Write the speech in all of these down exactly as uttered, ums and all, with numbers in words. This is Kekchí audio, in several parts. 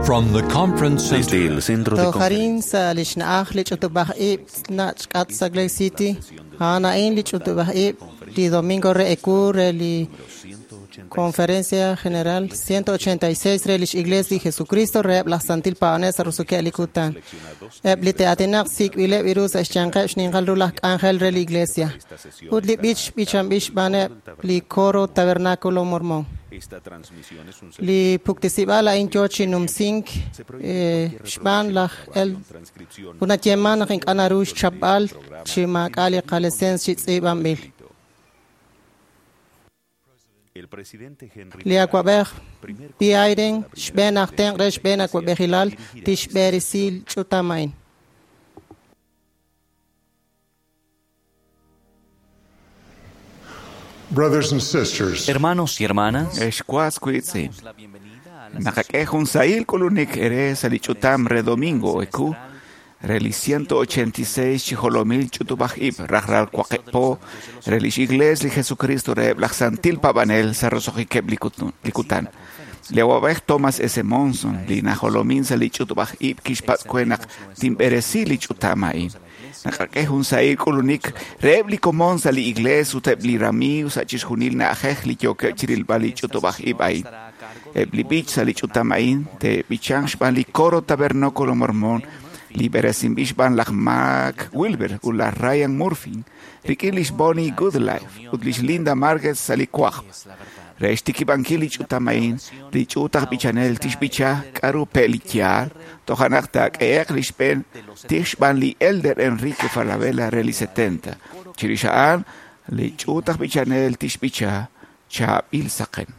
From the conference Desde center el centro de Tojarin sa li xna'aj li ch'utub'aj ib' nach' Salt Lake City, a'an li ch'utub'aj ib' li domingo re eku re li Conferencia General ciento ochenta y seis re lix Iglesia de Jesucristo re laj Santil Paanel sa Rusuke li kutan. Eb li teatinaq sik'b'ileb' iru sa xyanqeb' xninqal ru laj k'anjel re li Iglesia. Ut li b'ich b'ichanb'il xb'aaneb' li coro Tabernáculo Mormón. Li puktisib'al a'in yo chi numsink xb'aan laj el unayeman naq ink'a' naru xchapb'al chi maak'a' li qalesens chi tz'iib'anb'il. Li awab'ej Biden xb'een aj tenq' re xb'een awab'ejilal tixb'eresi ch'utam a'in. Brothers and sisters, Hermanos y hermanas, Excuas kuitzi. Nakak'e jun sahil k'ulunik ere sa li ch'utam re domingo eku re li ciento ochenta y seis chijolomil ch'utub'aj ib' rajlal waqib' re lix Iglesia li Jesucristo re laj Santil Pabanel sa roso'jikeb' li kutan. Li awab'ej Thomas S. Monson li najolomin sa li ch'utub'aj ib' kixpatz' we naq tinb'eresi li ch'utam a'in. Nakak'e jun sahil k'ulunik reheb' li komon sa li iglees ut eb' li ramiiw sa chixjunil na'ajej li yookeb' chirilb'al li ch'utub'aj ib' a'in. Eb' li b'ich sa li ch'utam a'in te'b'ichanq xb'aan li coro Tabernáculo Mormón li b'eresinb'il xb'aan laj Mark Wilber ut laj Ryan Murphy rik'in lix Bonnie Goodlife ut lix Linda Marquez sa li kwajb'. Re xtikib'ankil li ch'utam a'in, li ch'uut aj b'ichanel tixb'icha k'aru pe' li yaal, toja' naq taak'ehe'q li xb'een tij xb'aan li Elder Enrique Falabella re li setenta. Chirix a'an, li ch'uut aj b'ichanel tixb'icha chaab'il saqen.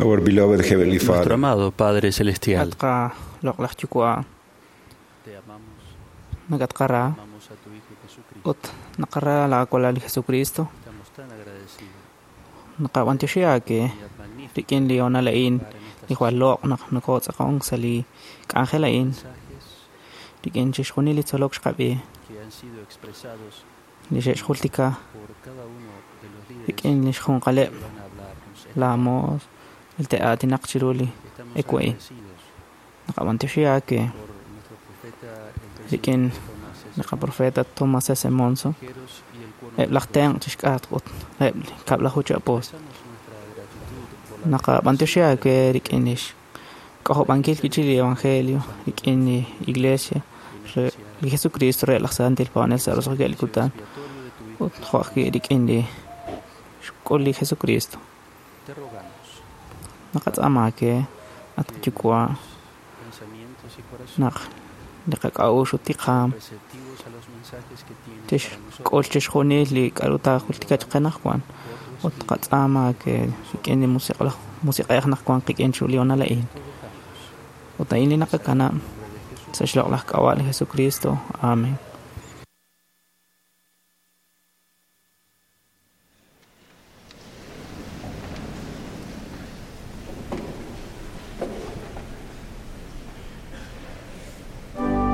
Our beloved Heavenly Nuestro Father, amado Padre Celestial, Atqa loq'laj yuwa' te amamos, nakatqara amamos a tu Hijo Jesucristo. ut naqara laakwalal Jesucristo Estamos tan agradecidos. naqab'antioxi aake Unidad magnífica rik'in li honal a'in para en estas li jwal loq' naq nokotz'aqonk sa li k'anjel a'in mensajes rik'in chixjunil li tzolok xqab'i que han sido expresados li xe'xjultika por cada uno de los líderes rik'in li xjunqaleb' que van a hablarnos. esta la moos el te'aatinaq chiru li Estamos eku'in agradecidos naqab'antioxi aake por nuestro profeta, el rik'in presidente Thomas S. li qaprofeta Thomas S. Monson Monson, eb' laj tenq' chixk'atq ut eb' li kab'laju chi apóstol. Naqab'antioxi aawe rik'in lix k'ojob'ankil wi'chik li evangelio rik'in li iglesia re li Jesucristo re laj Santil Paab'anel sa' roso'jikeb' li kutan ut jo' ajwi' rik'in li xk'ul li Jesucristo. Naqatz'aama aawe at qayuwa' naq li qak'a'uxl ut li qaam tixk'ul chixjunil li k'a'ru taajultika chiqe anaqwan ut qatz'aama aawe rik'in li musiq'laj musiq'ej naq wan qik'in chiru li honal a'in. Ut a'in li naqakanab' sa' xloq'laj k'ab'a' li Jesucristo. Amen. Thank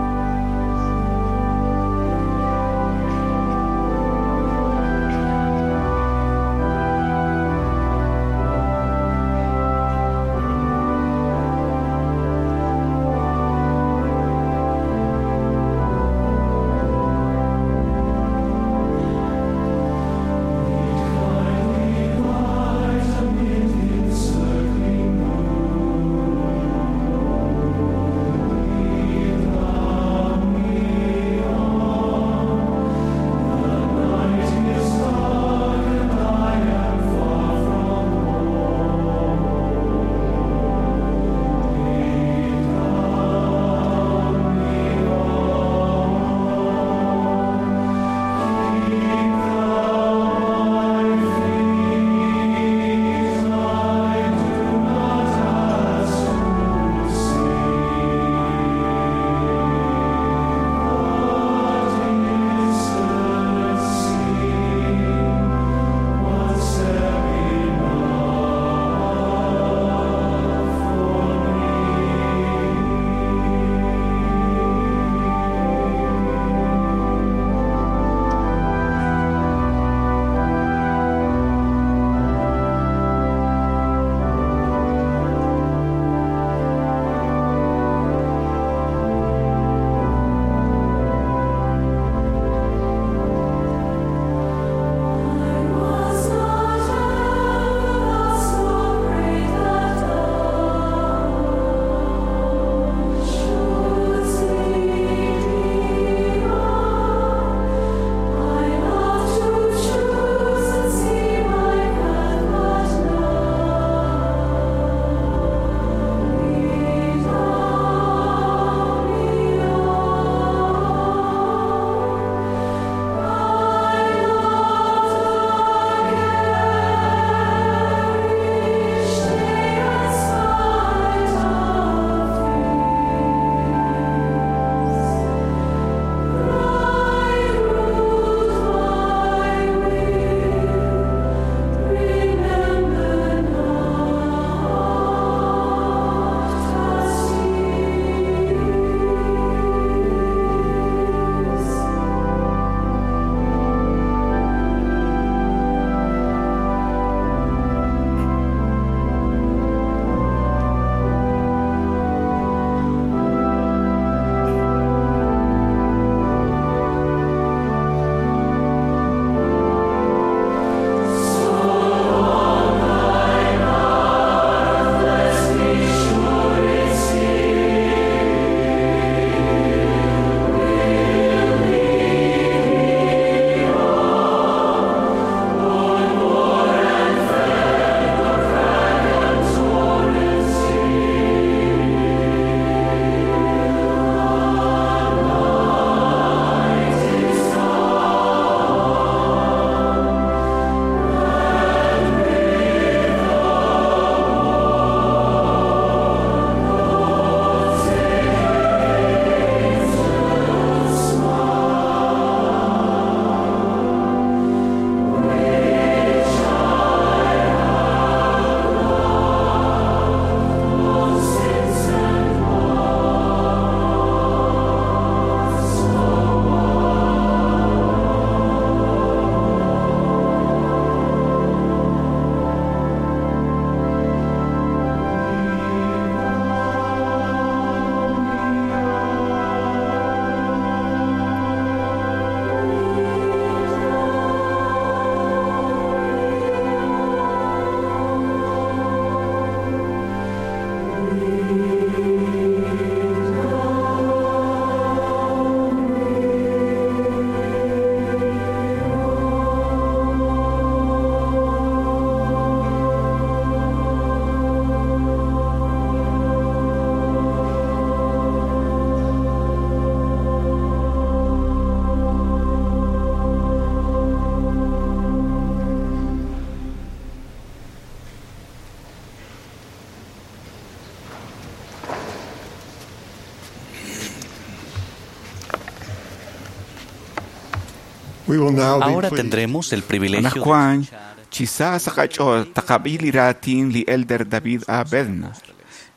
We will now be Ahora pleased tendremos el privilegio de Anaqwan, chi sa sa qach'ool taqab'i li raatin li Elder David A. Bednar,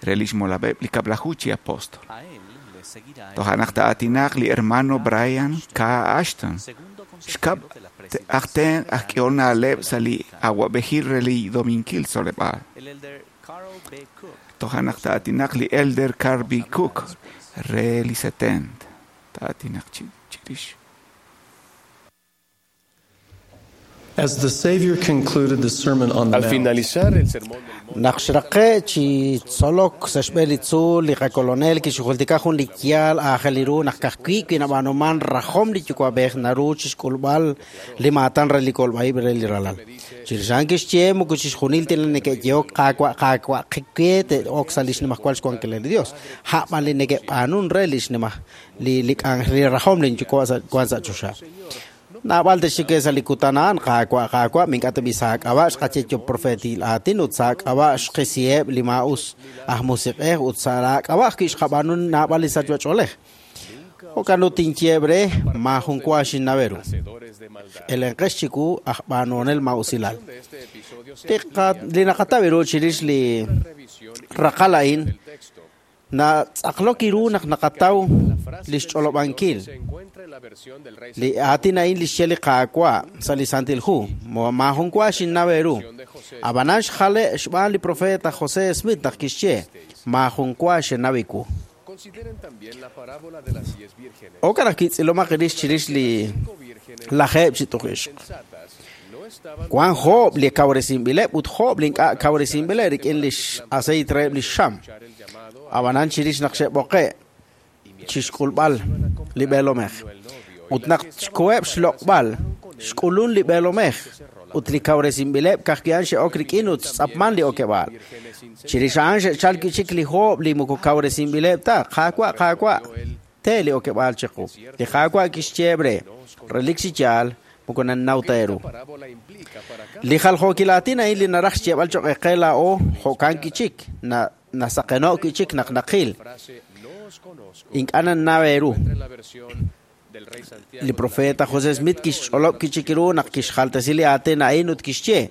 re lix molab'eb' li kab'laju chi apóstol. A él le seguirá el Toja' naq ta'aatinaq li hermano Brian K. Ashton, segundo xkab' consejero de la aj presidencia ten aj k'ehol na'leb' sa' li awa'b'ejil re li Dominkil Tzoleb'aal. El elder Carl B. Cook Toja' naq ta'aatinaq li Elder Carl B. Cook re li setenta. Ta'aatinaq chi chirix. As the Savior concluded the Sermon on the Al Mount, finalizar el sermón del monte, Naq xraqe chi tzolok sa' xb'een li tzuul li qakolonel kixjultika jun li yaal aajel ru naq kajwi' wi nab'aanuman rajom li yuwa'b'ej naru chixk'ulb'al li maatan re li kolb'a'ib' re li ralal. Chirix a'an kixye moko chixjunil tina neke'yehok qaawa' qaawa' qikwe te'ok sa' li xnimajwal xwankil li Dios. A'b'an li neke'b'aanun re li xnimaj li li k'anjel li rajom li yuwa' sa' wan sa' choxa. Naab'al texike sa' li kutan a'an qaawa' qaawa' mink'a' teb'i saak'ab'a' xqaye profetil aatin ut saak'ab'a' xqisiheb' li maa'us aj musiq'ej ut sa' laak'ab'a' ajwi' xqab'aanu naab'al li sachb'ach'oolej. Jo'kan ut tinyeeb' re maajun wa xinnaweru. hacedores de maldad. Elenqex chiku aj b'aanunel maa'usilal. De este episodio se Li qa- li naqataw ru chirix li revisión raqal a'in del texto. natz'aqlok iru naq naqataw Frase li del xch'olob'ankil. Señor se encuentra en la versión del Rey Li aatin a'in li xye li Qaawa' sa' li Santil Hu. Mo- maajun wa xinnaw ru. de José Ab'anan xjale xb'aan li profeta José Smith naq kixye maajun wa xenaw iwu. Consideren también la parábola de las diez vírgenes. Okan aj kitz'ilomaq rix chirix li Cinco vírgenes lajeeb' chi tuq'ixq. sensatas no estaban Wan joob' li kawresinb'ileb' ut joob' li ink'a' kawresinb'ileb' rik'in li aceite reheb' li xam. escuchar el llamado a Ab'anan chirix naq xe'b'oqe' chixk'ulb'al li b'eelomej. el novio y Ut naq xkoheb' xloq'b'al xk'ulun li b'eelomej ut li kawresinb'ileb' kajki'an xe'ok rik'in ut xtz'apman li okeb'aal. Chirix a'an xe'chalk chik li joob' li moko kawresinb'ileb' ta qaawa' qaawa' te li okeb'aal chiqu. Li qaawa' kixyeeb' re relik chi yaal moko nannaw ta eeru. parábola implica para cada Li jaljookil aatin a'in li naraj xyeeb'al choq' eqe laa'o jo'kan kichik na nasaqeno' kichik naq naqil frase no os conozco ink'a' nannaw eeru. en la versión del Rey Santiago Li profeta José Smith kixch'olob' kichik ru naq kixjaltesi li aatin a'in ut kixye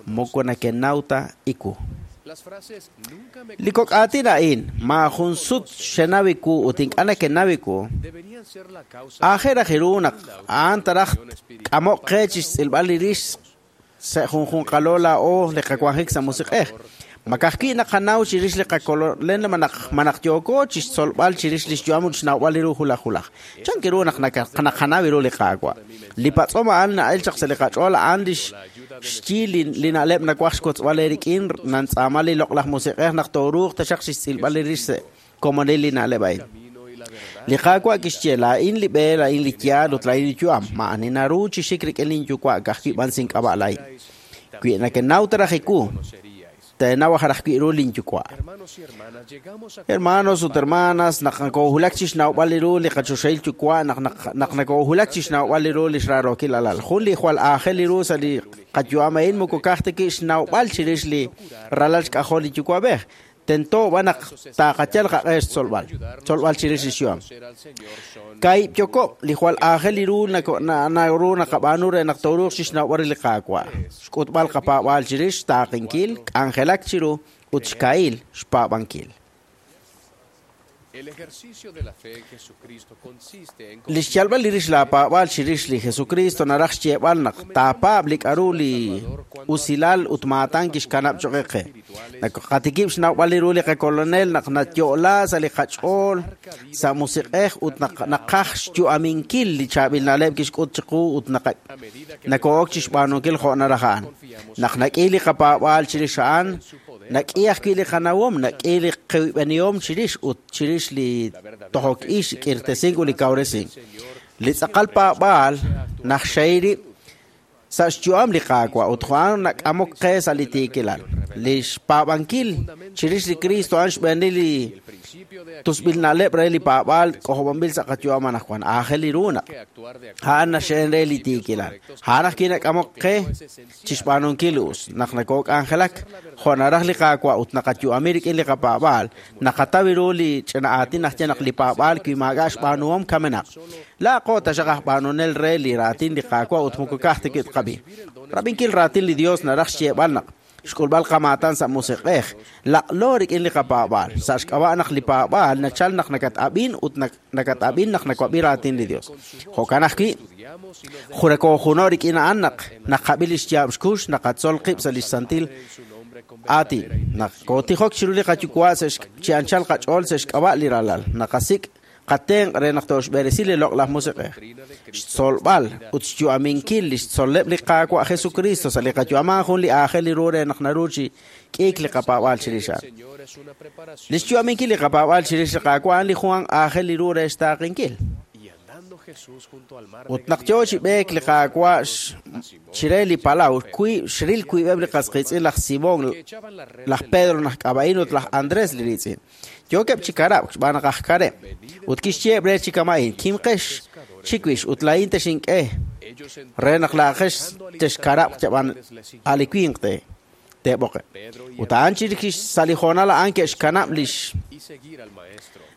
moko nakenaw ta iku. Las frases nunca me Li kok' aatin a'in maajun sut xenaw iku ut ink'a' nakenaw iku deberían ser la causa aajel raj ru naq a'an taraj k'amoq qe chixtz'ilb'al li rix sa' junjunqalo laa'o li qawanjik sa' musiq'ej. Makajwi' naqanaw chirix li qakololen manaq manaq yooko chixtzolb'al chirix li xyu'am ut xnawb'al li ru julaj julaj. Chan ru naq naka- naqanaw ru li Qaawa'. Li patz'om a'an na'el chaq sa' li qach'ool a'an li xyi li li na'leb' nawaj xkotzb'al eerik'in nantz'aama li loq'laj musiq'ej naq tooruuq taxaq chixtz'ilb'al li rix sa' komonil li na'leb' a'in. Li Qaawa' kixye laa'in li b'e, laa'in li yaal ut laa'in li yu'am. Ma'ani naru chi xik rik'in linyuwa' ka'ajwi' b'an sink'ab'a' laa'in. Wi nakenaw ta raj iwu, teenaw aj raj wi' ru linyuwa'. Hermanos y hermanas, llegamos a Hermanos ut hermanas, naq nakoohulak chi xnawb'al li ru li qachoxahil yuwa' naq naq naq nakoohulak chi xnawb'al li ru li xrarookil alal. Jun li jwal aajel li ru sa' li qayu'am a'in moko ka'aj ta ki xnawb'al chirix li ralal xk'ajol li yuwa'b'ej. Tento b'an naq taaqayal qaq'e xtzolb'al, tzolb'al chirix li xyu'am. conocer al Señor son Kaib' yoko' li jwal aajel li ru nako- na- naru naqab'aanu re naq tooruuq chixnawb'al li Qaawa'. Xk'utb'al qapaab'aal chirix xtaaqinkil, k'anjelak chiru ut xka'il xpaab'ankil. El ejercicio de la fe en Jesucristo consiste en Li xyalb'al li rix laapaab'aal chirix li Jesucristo naraj xyeeb'al naq taapaab' li k'aru li usilal ut maatan kixkanab' choq' qe. Naq qatikib' xnawb'al li ru li qakolonel naq nayo'la sa' li qach'ool sa' musiq'ej ut naq naqaj xyu'aminkil li chaab'il na'leb' kixk'ut chiqu ut naqa nako'ok chixb'aanunkil jo' naraj a'an. Naq nak'i li qapaab'aal chirix a'an, nak'i ajwi' li qanawom, nak'i li qib'enihom chirix ut chirix li tojok ix, k'irtesink ut li kawresink. Li tz'aqal paab'aal naxxey rib' sa' xyu'am li Qaawa' ut a'an nak'amok qe sa' li tiikilal. Li xpaab'ankil chirix li Cristo a'an xb'eenil li tusb'il na'leb' re li paab'aal k'ojob'anb'il sa' qayu'am anaqwan aajel li ru naq a'an naxe'en re li tiikilal a'an ajwi' nak'amok qe chixb'aanunkil us naq nakok'anjelak jo' naraj li Qaawa' ut naqayu'ami rik'in li qapaab'aal naqataw ru li ch'ina aatin najye naq li paab'aal wi maak'a' xb'aanuhom kamenaq laaqo taxaq aj b'aanunel re li raatin li Qaawa' ut moko ka'aj ta wi' tqab'i rab'inkil raatin li Dios naraj xyeeb'al naq xk'ulb'al qamaatan sa' musiq'ej laq'lo rik'in li qapaab'aal sa' xk'ab'a' naq li paab'aal nachal naq nakat'ab'in ut nakat'ab'in naq nakwab'i raatin li Dios jo'kan ajwi' jurakoojuno rik'in a'an naq naqab'i li xyaab' xkux naqatzol qib' sa' li xsantil aatin naq kootijok chiru li qayuwa' sa' chi anchal qach'ool sa' xk'ab'a' li ralal naqasik' qatenq' re naq tooxb'eresi li loq'laj musiq'ej xtzolb'al ut xyu'aminkil li xtzol'leb' li Qaawa' Jesucristo sa' li qayu'am jun li aajel li ru re naq naru chi k'iik li qapaab'aal chirix a'an li xyu'aminkil li qapaab'aal chirix li Qaawa' a'an li jun aajel li ru re xtaaqenkil ut naq yoo chi b'eek li Qaawa' chire li palaw wiib' xril wiib'eb' li qas qiitz'in laj Simón laj Pedro naj k'ab'a'in ut laj Andrés li riitz'in yookeb' chi karab'k xb'aan naq aj kareb' ut kixyeeb' re chi kama'in kimqex chiwix ut laa'in texink'e re naq laa'aqex texkarab'q chab'an a' li winq te teeb'oqeb' ut a'an chirix sa' li hoonal a'an ke'xkanab' lix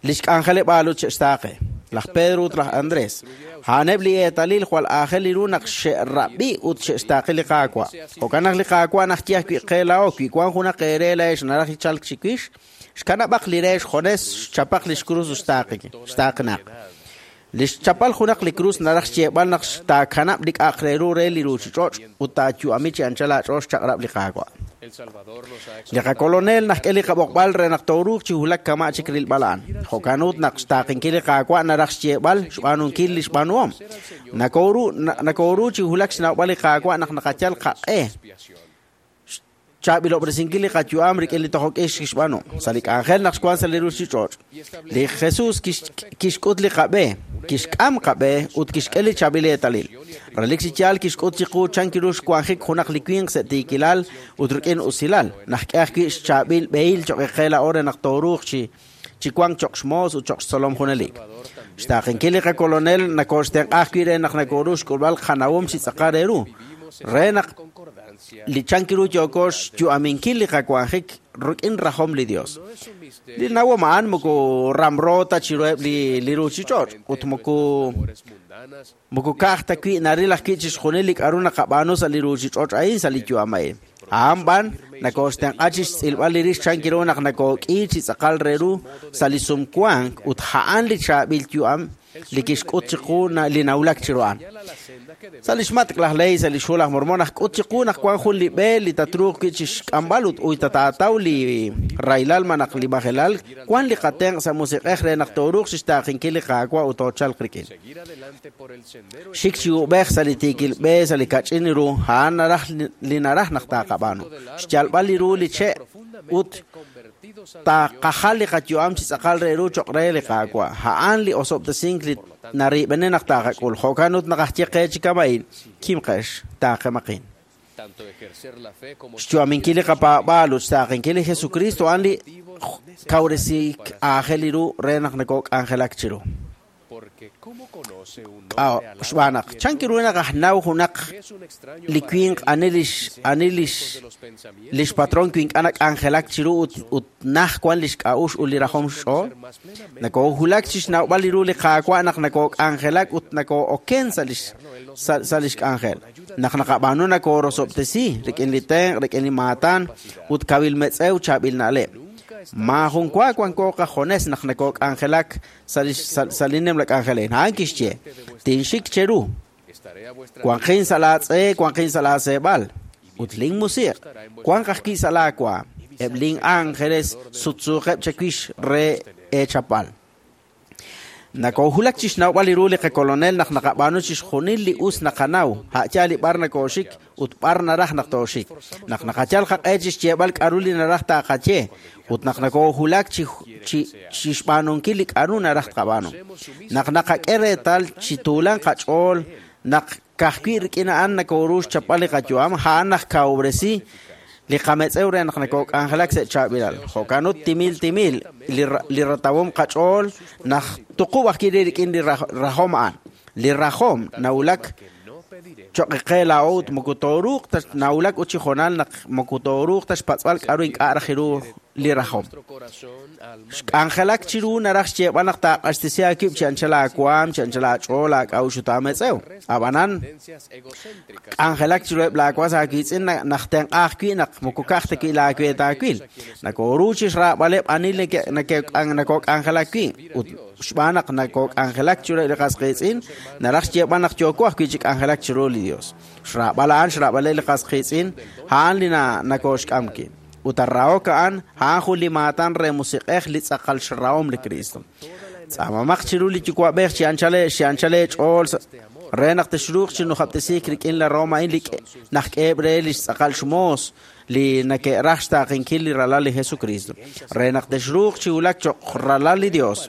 lix k'anjeleb'aal ut xe'xtaaqe laj Pedro ut laj Andrés a'aneb' li eetalil jwal aajel li ru naq xe'rab'i ut xe'xtaaqe li Qaawa' jo'kan naq li Qaawa' najye ajwi' qe laa'o wi wan junaq eere laa'ex naraj chalk chiwix xkanab'aq li re xjones xchapaq li xkrus ut xtaaqenaq li xchapal junaq li krus naraj xyeeb'al naq xtaakanab' li k'a'aq re ru re li ruuchich'och' ut taayu'ami chi anchal aach'ool xchaq'rab' li Qaawa' li qakolonel najk'e li qab'oqb'al re naq tooruuq chi wulak kama' chik rilb'al a'an jo'kan ut naq xtaaqenkil li Qaawa' naraj xyeeb'al xb'aanunkil li xb'aanuhom nakooru nakooru chi wulak xnawb'al li Qaawa' naq naqayal qaq'e chaab'ilob'resinkil li qayu'am rik'in li tojok'ix kixb'aanu sa' li k'anjel naq xwan sa' li ruuchich'och' li Jesús kixk'ut li qab'e kixk'am qab'e ut kixk'e li chaab'il eetalil relik chi yaal kixk'ut chiqu chan kiru xwanjik junaq li winq sa' tiikilal ut rik'in usilal najk'e ajwi' xchaab'il b'ehil cho'q qe laa'o re naq tooruuq chi chi wank cho'q xmoos ut cho'q xtzolom junelik xtaaqenkil li qakolonel nakooxtenq'a ajwi' re naq nakooru xk'ulb'al qanawom chi tz'aqal re ru re naq li chan kiru yooko xyu'aminkil li qawanjik rik'in rajom li Dios li nawom a'an moko ramro ta chiruheb' li li ruuchich'och' ut moko moko ka'aj ta wi' naril ajwi' chixjunil li k'a'ru naqab'aanu sa' li ruuchich'och' a'in sa' li yu'am a'in a'an b'an nakooxtenq'a chi xtz'ilb'al li rix chan kiru naq nakook'i chi tz'aqal re ru sa' li sumwank ut a'an li chaab'il yu'am li kixk'ut chiqu li nawulak chiru a'an sa' li xmatk' laj Ley sa' li xhu laj Mormon najk'ut chiqu naq wan jun li b'e li tatruuq wi' chixk'amb'al ut uy tataataw li raylal malaj li majelal wan li qatenq' sa' musiq'ej re naq tooruuq chixtaaqenkil li Qaawa' ut toochalq rik'in xik chi ub'ej sa' li tiikil b'e sa' li kach'in ru a'an naraj li naraj naq taaqab'aanu xyalb'al li ru li che' ut taqajal li qayu'am chi tz'aqal re ru cho'q re li Qaawa' a'an li osob'tesink li narib'ene naq taqak'ul jo'kan ut naqajye qe chi kama'in kimqex taaqemaqin xyu'aminkil li qapaab'aal ut xtaaqenkil li Jesucristo a'an li kawresik aajel li ru re naq nakok'anjelak chiru xb'aan naq chan kiru naq aj naw junaq li winq ani lix ani lix lix patron wi ink'a' nak'anjelak chiru ut ut naj wan lix k'a'uxl ut li rajom xch'ool nakoowulak chi xnawb'al li ru li Qaawa' naq nakook'anjelak ut nakoo'oken sa' lix sa' lix k'anjel naq naqab'aanu nakoorosob'tesi rik'in li tenq' rik'in li maatan ut kawil metz'ew chaab'il na'leb' maajun wa wanko qajones naq nakook'anjelak sa' li sa' li nimla k'anjelin a'an kixye tinxik cheru wanqin sa' laatz'e wanqin sa' laaseeb'al ut lin musiq' wanq ajwi' sa' laawa eb' lin ángeles sutsuuqeb' chawix re eechapal nakoohulak chi xnawb'al li ru li qakolonel naq naqab'aanu chixjunil li us naqanaw a'yaal li b'ar nakooxik ut b'ar naraj naq tooxik naq naqayal qaq'e chi xyeeb'al k'a'ru li naraj taaqaye ut naq nakoohulak chi chi chi xb'aanunkil li k'a'ru naraj tqab'aanu naq naqak'e reetal chi tuulan qach'ool naq ka'ajwi' rik'in a'an nakooru xchapb'al li qayu'am a'an naj kawresi Li qametz'ew re naq nakok'anjelak sa' chaab'ilal. Jo'kan ut timil timil li ratawom qach'ool naq tuqub' ajwi' rik'in li rajom a'an. Li rajom nawulak choq' qe laa'o ut moko tooruuq ta nawulak ut chi jonal naq moko tooruuq ta xpatz'b'al k'a'ru ink'a' raj ru li rajom. Xk'anjelak chiru naraj xyeeb'al naq taaq'axtesi aakib' chi anchal aawaam, chi anchal aach'ool, aak'a'uxl ut aametz'ew. Ab'anan, k'anjelak chiruheb' laawas aawiitz'in naq tenq'a ajwi' naq moko ka'aj ta wi' laaweet aawil. Nakooru chi xraab'aleb' ani nakok'anjelak wi' ut xb'aan naq nakok'anjelak chiruheb' li qas qiitz'in naraj xyeeb'al naq yooko ajwi' chi k'anjelak chiru li Dios. Xraab'al a'an xraab'aleb' li qas qiitz'in a'an li nakooxk'am wi'. Ut arraok a'an a'an jun li maatan re musiq'ej li tz'aqal xrahom li Cristo. Tz'aamamaq chiru li yuwa'b'ej chi anchal chi anchal ch'ool re naq texruuq chi nujab'tesiik rik'in la Roma a'in li naq k'eheb' re li xtz'aqal xmoos li nake'raj xtaaqenkil li ralal li Jesucristo. Re naq texruuq chi wulak cho'q ralal li Dios.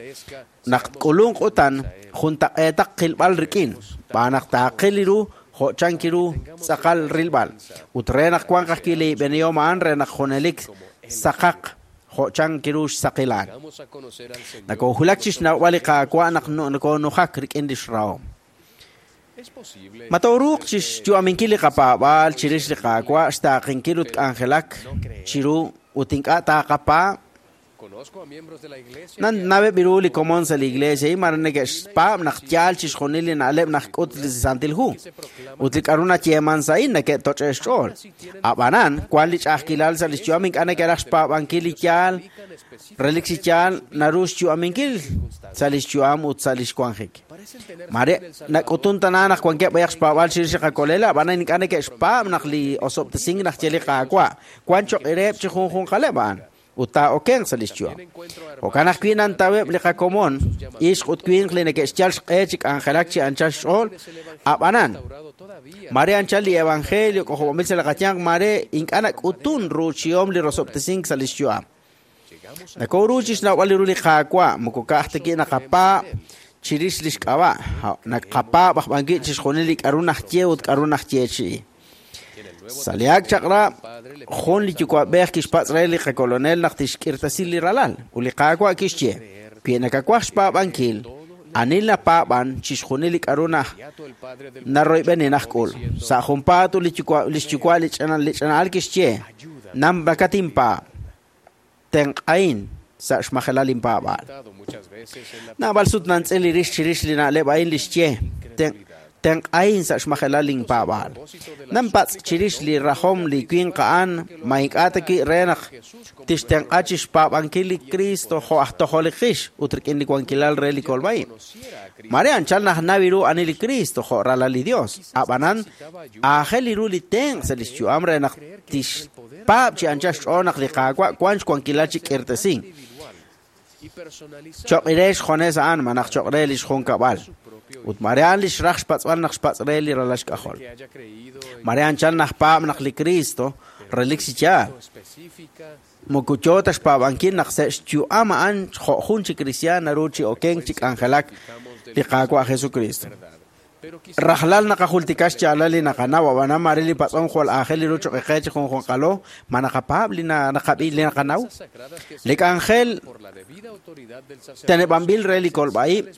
Naq tk'ulunq utan juntaq'eetaq qilb'al rik'in b'aan naq taaqil li ru jo'chan kiru tz'aqal rilb'al. Ut re naq wanq ajwi' li b'enihom a'an re naq junelik saqaq jo'chan kiru xsaqilaan. Nakoohulak chi xnawb'al li Qaawa' naq nakoonujak rik'in li xrahom. Ma tooruuq chi xyu'aminkil li qapaab'aal chirix li Qaawa' xtaaqenkil ut k'anjelak chiru ut ink'a' taaqapaab'. Nan naweb' ru li komon sa' li iglesia y mare neke'xpaab' naq yaal chixjunil li na'leb' naq k'ut li Santil Hu. Ut li k'a'ru nayeeman sa' a'in neke'toch'e xch'ool. Ab'anan, wan li ch'a'ajkilal sa' li xyu'am ink'a' neke'raj xpaab'ankil li yaal, relik chi yaal naru xyu'aminkil sa' li xyu'am ut sa' li xwanjik. Mare nak'utun tana naq wankeb' b'ayaq xpaab'al chirix li qakolela, ab'anan ink'a' neke'xpaab' naq li osob'tesink naq ye li Qaawa' wan choq' reheb' chi junjunqaleb' a'an. Ut taa'okenq sa' li xyu'am. Jo'kan ajwi' nantaweb' li qakomon, ixq ut winq li neke'xyal xq'e chi k'anjelak chi anchal xch'ool, ab'anan, mare anchal li evangelio k'ojob'anb'il sa' li qayanq, mare ink'a' nak'utun ruuchihom li rosob'tesink sa' li xyu'am. Nakooru chi xnawb'al li ru li Qaawa', moko ka'aj ta ki' naqapaab' chirix li xk'ab'a', naqapaab' aj b'an wi' chixjunil li k'a'ru najye ut k'a'ru najyeechi'i. Sa' li ak' chaq'rab', jun li yuwa'b'ej kixpatz' re li qakolonel naq tixk'irtasi li ralal, ut li Qaawa' kixye, wi nakawaj xpaab'ankil, ani napaab'an chixjunil li k'a'ru naj naroyb'eni najk'ul. Sa' junpaat ut li yuwa' li xyuwa' li ch'ina li ch'ina'al kixye, nam nakatinpaab', tenq'ain sa' xmajelal inpaab'aal. Naab'al sut nantz'il li rix chirix li na'leb' a'in li xye, tenq'ain sa' xmajelal inpaab'aal. Nanpatz' chirix li rajom li winq a'an ma ink'a' ta wi' re naq tixtenq'a chi xpaab'ankil li Cristo jo' aj tojol li qix ut rik'in li wankilal re li kolb'a'ib'. Mare anchal naj nawi ru ani li Cristo jo' ralal li Dios. Ab'anan aajel li ru li tenq' sa' li xyu'am re naq tixpaab' chi anchal xch'ool naq li Qaawa' wan xwankilal chi k'irtesink. Choq' re xjones a'an ma naq choq' re li xjunkab'al. Ut mare a'an li xraj xpatz'b'al naq xpatz' re li ralal xk'ajol. Mare anchal naj paab' naq li Cristo relik chi yaal. Moko yoo ta xpaab'ankil naq sa' xyu'am a'an jo' jun chi kristiaan naru chi okenk chi k'anjelak li Qaawa' Jesucristo. Rajlal naqajultika xyaalal li naqanaw, ab'anan mare li patz'om jwal aajel li ru choq' qe chi junjunqalo, ma naqapaab' li naqab'i li naqanaw. Li k'anjel teneb'anb'il re li kolb'a'ib'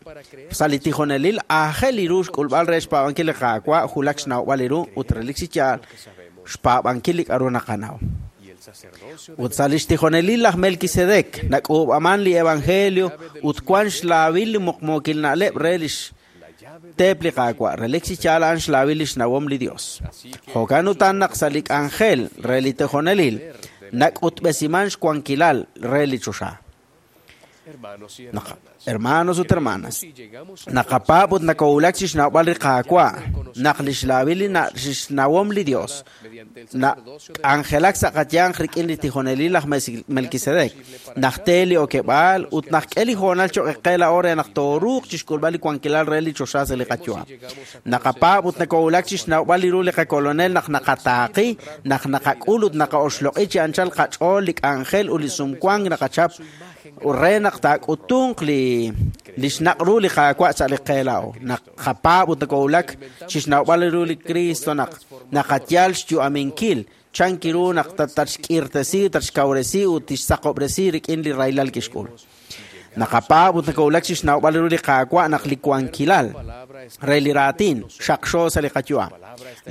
sa' li tijonelil aajel li ru xk'ulb'al re xpaab'ankil li Qaawa' julak xnawb'al li ru ut relik chi yaal xpaab'ankil li k'a'ru naqanaw. Ut sa' li xtijonelil laj Melquisedec nak'uub'aman li evangelio ut wan xlaawil li muqmuukil na'leb' re li teep li Qaawa', relik chi yaal a'an xlaawil li xnawom li Dios. Jo'kan utan naq sa' li k'anjel re li tijonelil nak'utb'esiman xwankilal re li choxa. Hermanos ut hermanas, naqapaab' ut nakowulak chi xnawb'al li Qaawa' naq li xlaawil li xnawom li Dios nak'anjelak sa' qayanq rik'in li tijonelil laj Melquisedec, naq te li okeb'aal ut naq k'e li hoonal choq' qe laa'o re naq tooruuq chi xk'ulb'al li wankilal re li choxa sa' li qayu'am. Naqapaab' ut nakowulak chi xnawb'al li ru li qakolonel naq naqataaqi, naq naqak'ul ut naqa'oxloq'i chi anchal qach'ool li k'anjel ut li sumwank naqachap re naq taak'utunq li li xnaq' ru li Qaawa' sa' li qe laa'o. Naq qapaab' ut nakowulak chi xnawb'al ru li Cristo naq naqayal xyu'aminkil Chan kiru naq tatxk'irtesi, tatxkawresi ut tixsaqob'resi rik'in li rahilal kixk'ul. Naqapaab' ut nakowulak chi xnawb'al ru li Qaawa' naq li wankilal re li raatin xaqxo sa' li qayu'am.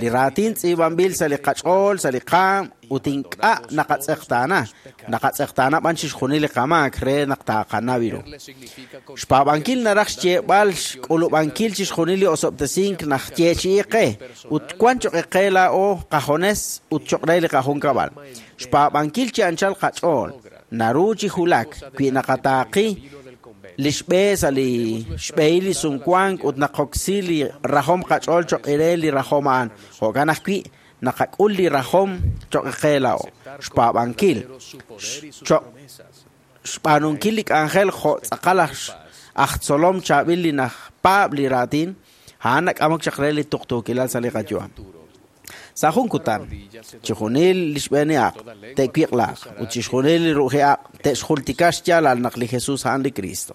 Li raatin tz'iib'anb'il sa' li qach'ool, sa' li qaam ut ink'a' naqatz'eqtaana. Naqatz'eqtaana b'an chixjunil li qamaak re naq taaqanaw ru. Xpaab'ankil naraj xyeeb'al xk'ulub'ankil chixjunil li osob'tesink naq yeechi'i qe ut wan choq' qe laa'o qajones ut choq' re li qajunkab'al. Xpaab'ankil chi anchal qach'ool naru chi julak wi naqataaqi li xb'e sa' li xb'ehil li sumwank ut naqoksi li rajom qach'ool choq' re li rajom a'an. Jo'kan ajwi' naqak'ul li rajom choq' qe laa'o. Xpaab'ankil choq' xb'aanunkil li k'anjel jo' tz'aqal aj tzolom chaab'il li najpaab' li raatin, a'an nak'amok chaq re li tuqtuukilal sa' li qayu'am. Sa' jun kutan, chixjunil li xb'eeniaq te'wiq'laaq ut chixjunil li ru'jiaq te'xjultika xyaalal naq li Jesús a'an li Cristo.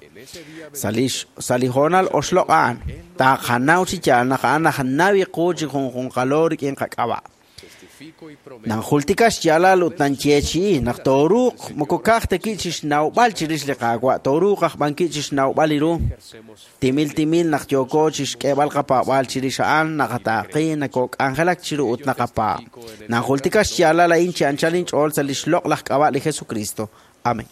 Sa' li sa' li hoonal oxloq' a'an, taaqanaw chi yaal naq a'an najnaw qu chi junjunqalo rik'in qak'ab'a'. Nanjultika xyaalal ut nanyeechi'i naq tooruuq moko ka'aj ta ki' chi xnawb'al chirix li Qaawa', tooruuq aj b'an ki' chi xnawb'al li ru. Timil timil naq yooko chi xk'eeb'al qapaab'aal chirix a'an, naqataaqi, nakok'anjelak chiru ut naqapaab'. Nanjultika xyaalal a'in chi anchal inch'ool sa' li xloq' laj k'ab'a' li Jesucristo. Amén.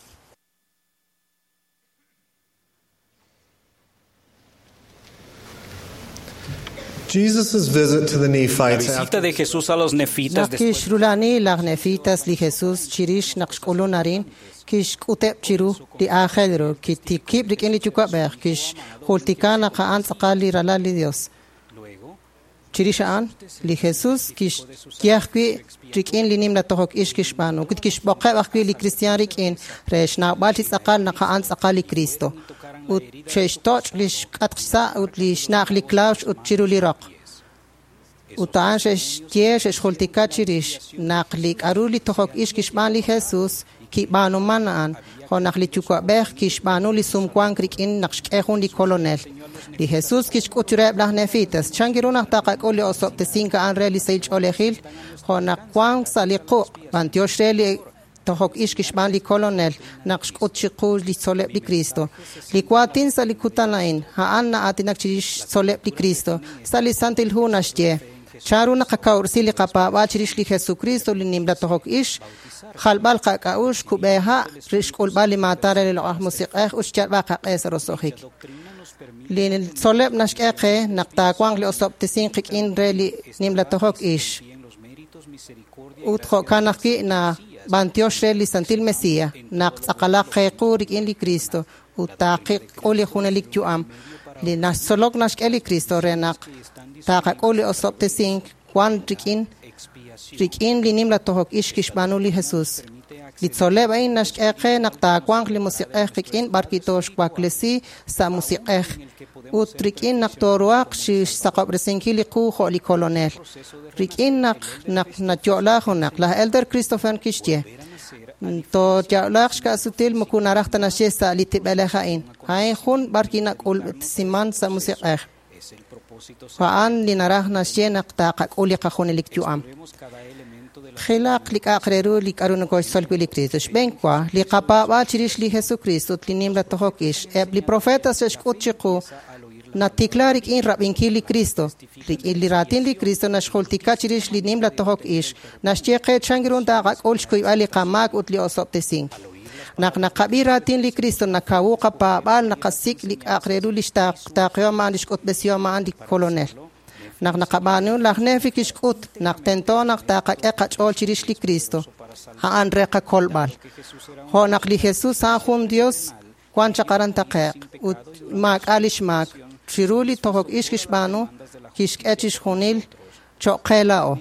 Jesus' visit to the La Nephites visita after de Jesús a los nefitas Naq después kixrulani laj Nefitas li Jesús chirix naq xk'ulun arin, kixk'uteb' chiru li aajel ru, kitikib' rik'in li Yuwa'b'ej, kixjultika naq a'an tz'aqal li ralal li Dios. Chirix a'an, li Jesús kixye ajwi' rik'in li nimla tojok ix kixb'aanu, ut kixb'oqeb' ajwi' li kristiaan rik'in re xnawb'al chi tz'aqal naq a'an tz'aqal li Cristo. Ut xe'xtoch' li xk'atq xsa' ut li xna'aj li klawx ut chiru li roq. Ut a'an xe'xye xe'xjultika chirix naq li k'aru li tojok ix kixb'aan li Jesús kib'aanuman a'an, jo' naq li Yuwa'b'ej kixb'aanu li sumwank rik'in naq xk'e jun li kolonel. Li Jesús kixk'ut reheb' laj Nefitas, chan ru naq taqak'ul li osob'tesink a'an re li sahil ch'oolejil, jo' naq wank sa' li quq', b'antiox re li tojok ix kixb'aan li kolonel naq xk'ut chiqu li tzol'leb' li Cristo. Li waatin sa' li kutan a'in, a'an na'aatinak chirix xtzol'leb' li Cristo. Sa' li Santil Hu naxye, chan ru naqakawresi li qapaab'aal chirix li Jesucristo li nimla tojok ix, jalb'al qak'a'ux, kub'eha', xk'ulb'al li maatan re li loq'aj musiq'ej ut xyalb'al qaq'e sa' roso'jik. Li tzol'leb' naxk'e qe naq taawanq li osob'tesink qik'in re li nimla tojok ix. Ut jo'kan ajwi' na b'antiox re li Santil Mesías, naq tz'aqalaq qe qu rik'in li Cristo ut taaqiqk'ul li junelik yu'am. Li naxtzolok naxk'e li Cristo re naq taqak'ul li osob'tesink wan rik'in rik'in li nimla tojok ix kixb'aanu li Jesús. Li tzol'leb' a'in naxk'e qe naq taawanq li musiq'ej qik'in b'arwi' tooxwaklesi sa' musiq'ej ut rik'in naq tooruhaq xsaqob'resinkil li qu jo' li kolonel. Rik'in naq naq nayo'la junaq, laj Elder Christopher kixye, tooyo'laaq xka'sutil moko naraj ta naxye sa' li tib'elej a'in. A'in jun b'arwi' nak'ulb'esiman sa' musiq'ej. A'an li naraj naxye naq taqak'ul li qajunelik yu'am. Qilaq li k'a'aq re ru li k'aru nokoxtzol wi' li Cristo. Xb'een wa, li qapaab'aal chirix li Jesucristo ut li nimla tojok ix. Eb' li profetas xe'xk'ut chiqu natikla rik'in rab'inkil li Cristo. Rik'in li raatin li Cristo naxjultika chirix li nimla tojok ix. Naxye qe chan ru taqak'ul xkuyb'al li qamaak ut li osob'tesink. Naq naqab'i raatin li Cristo nakawu qapaab'aal naqasik' li k'a'aq re ru li xtaaqihom a'an li xk'utb'esihom a'an li kolonel. Naq naqab'aanu laj Nefi kixk'ut naq tento naq taqak'e qach'ool chirix li Cristo, a'an re qakolb'al. Jo' naq li Jesús a'an jun Dios wan chaq aran taqe'q ut maak'a' li xmaak. Chiru li tojok ix kixb'aanu kixk'e chixjunil choq' qe laa'o.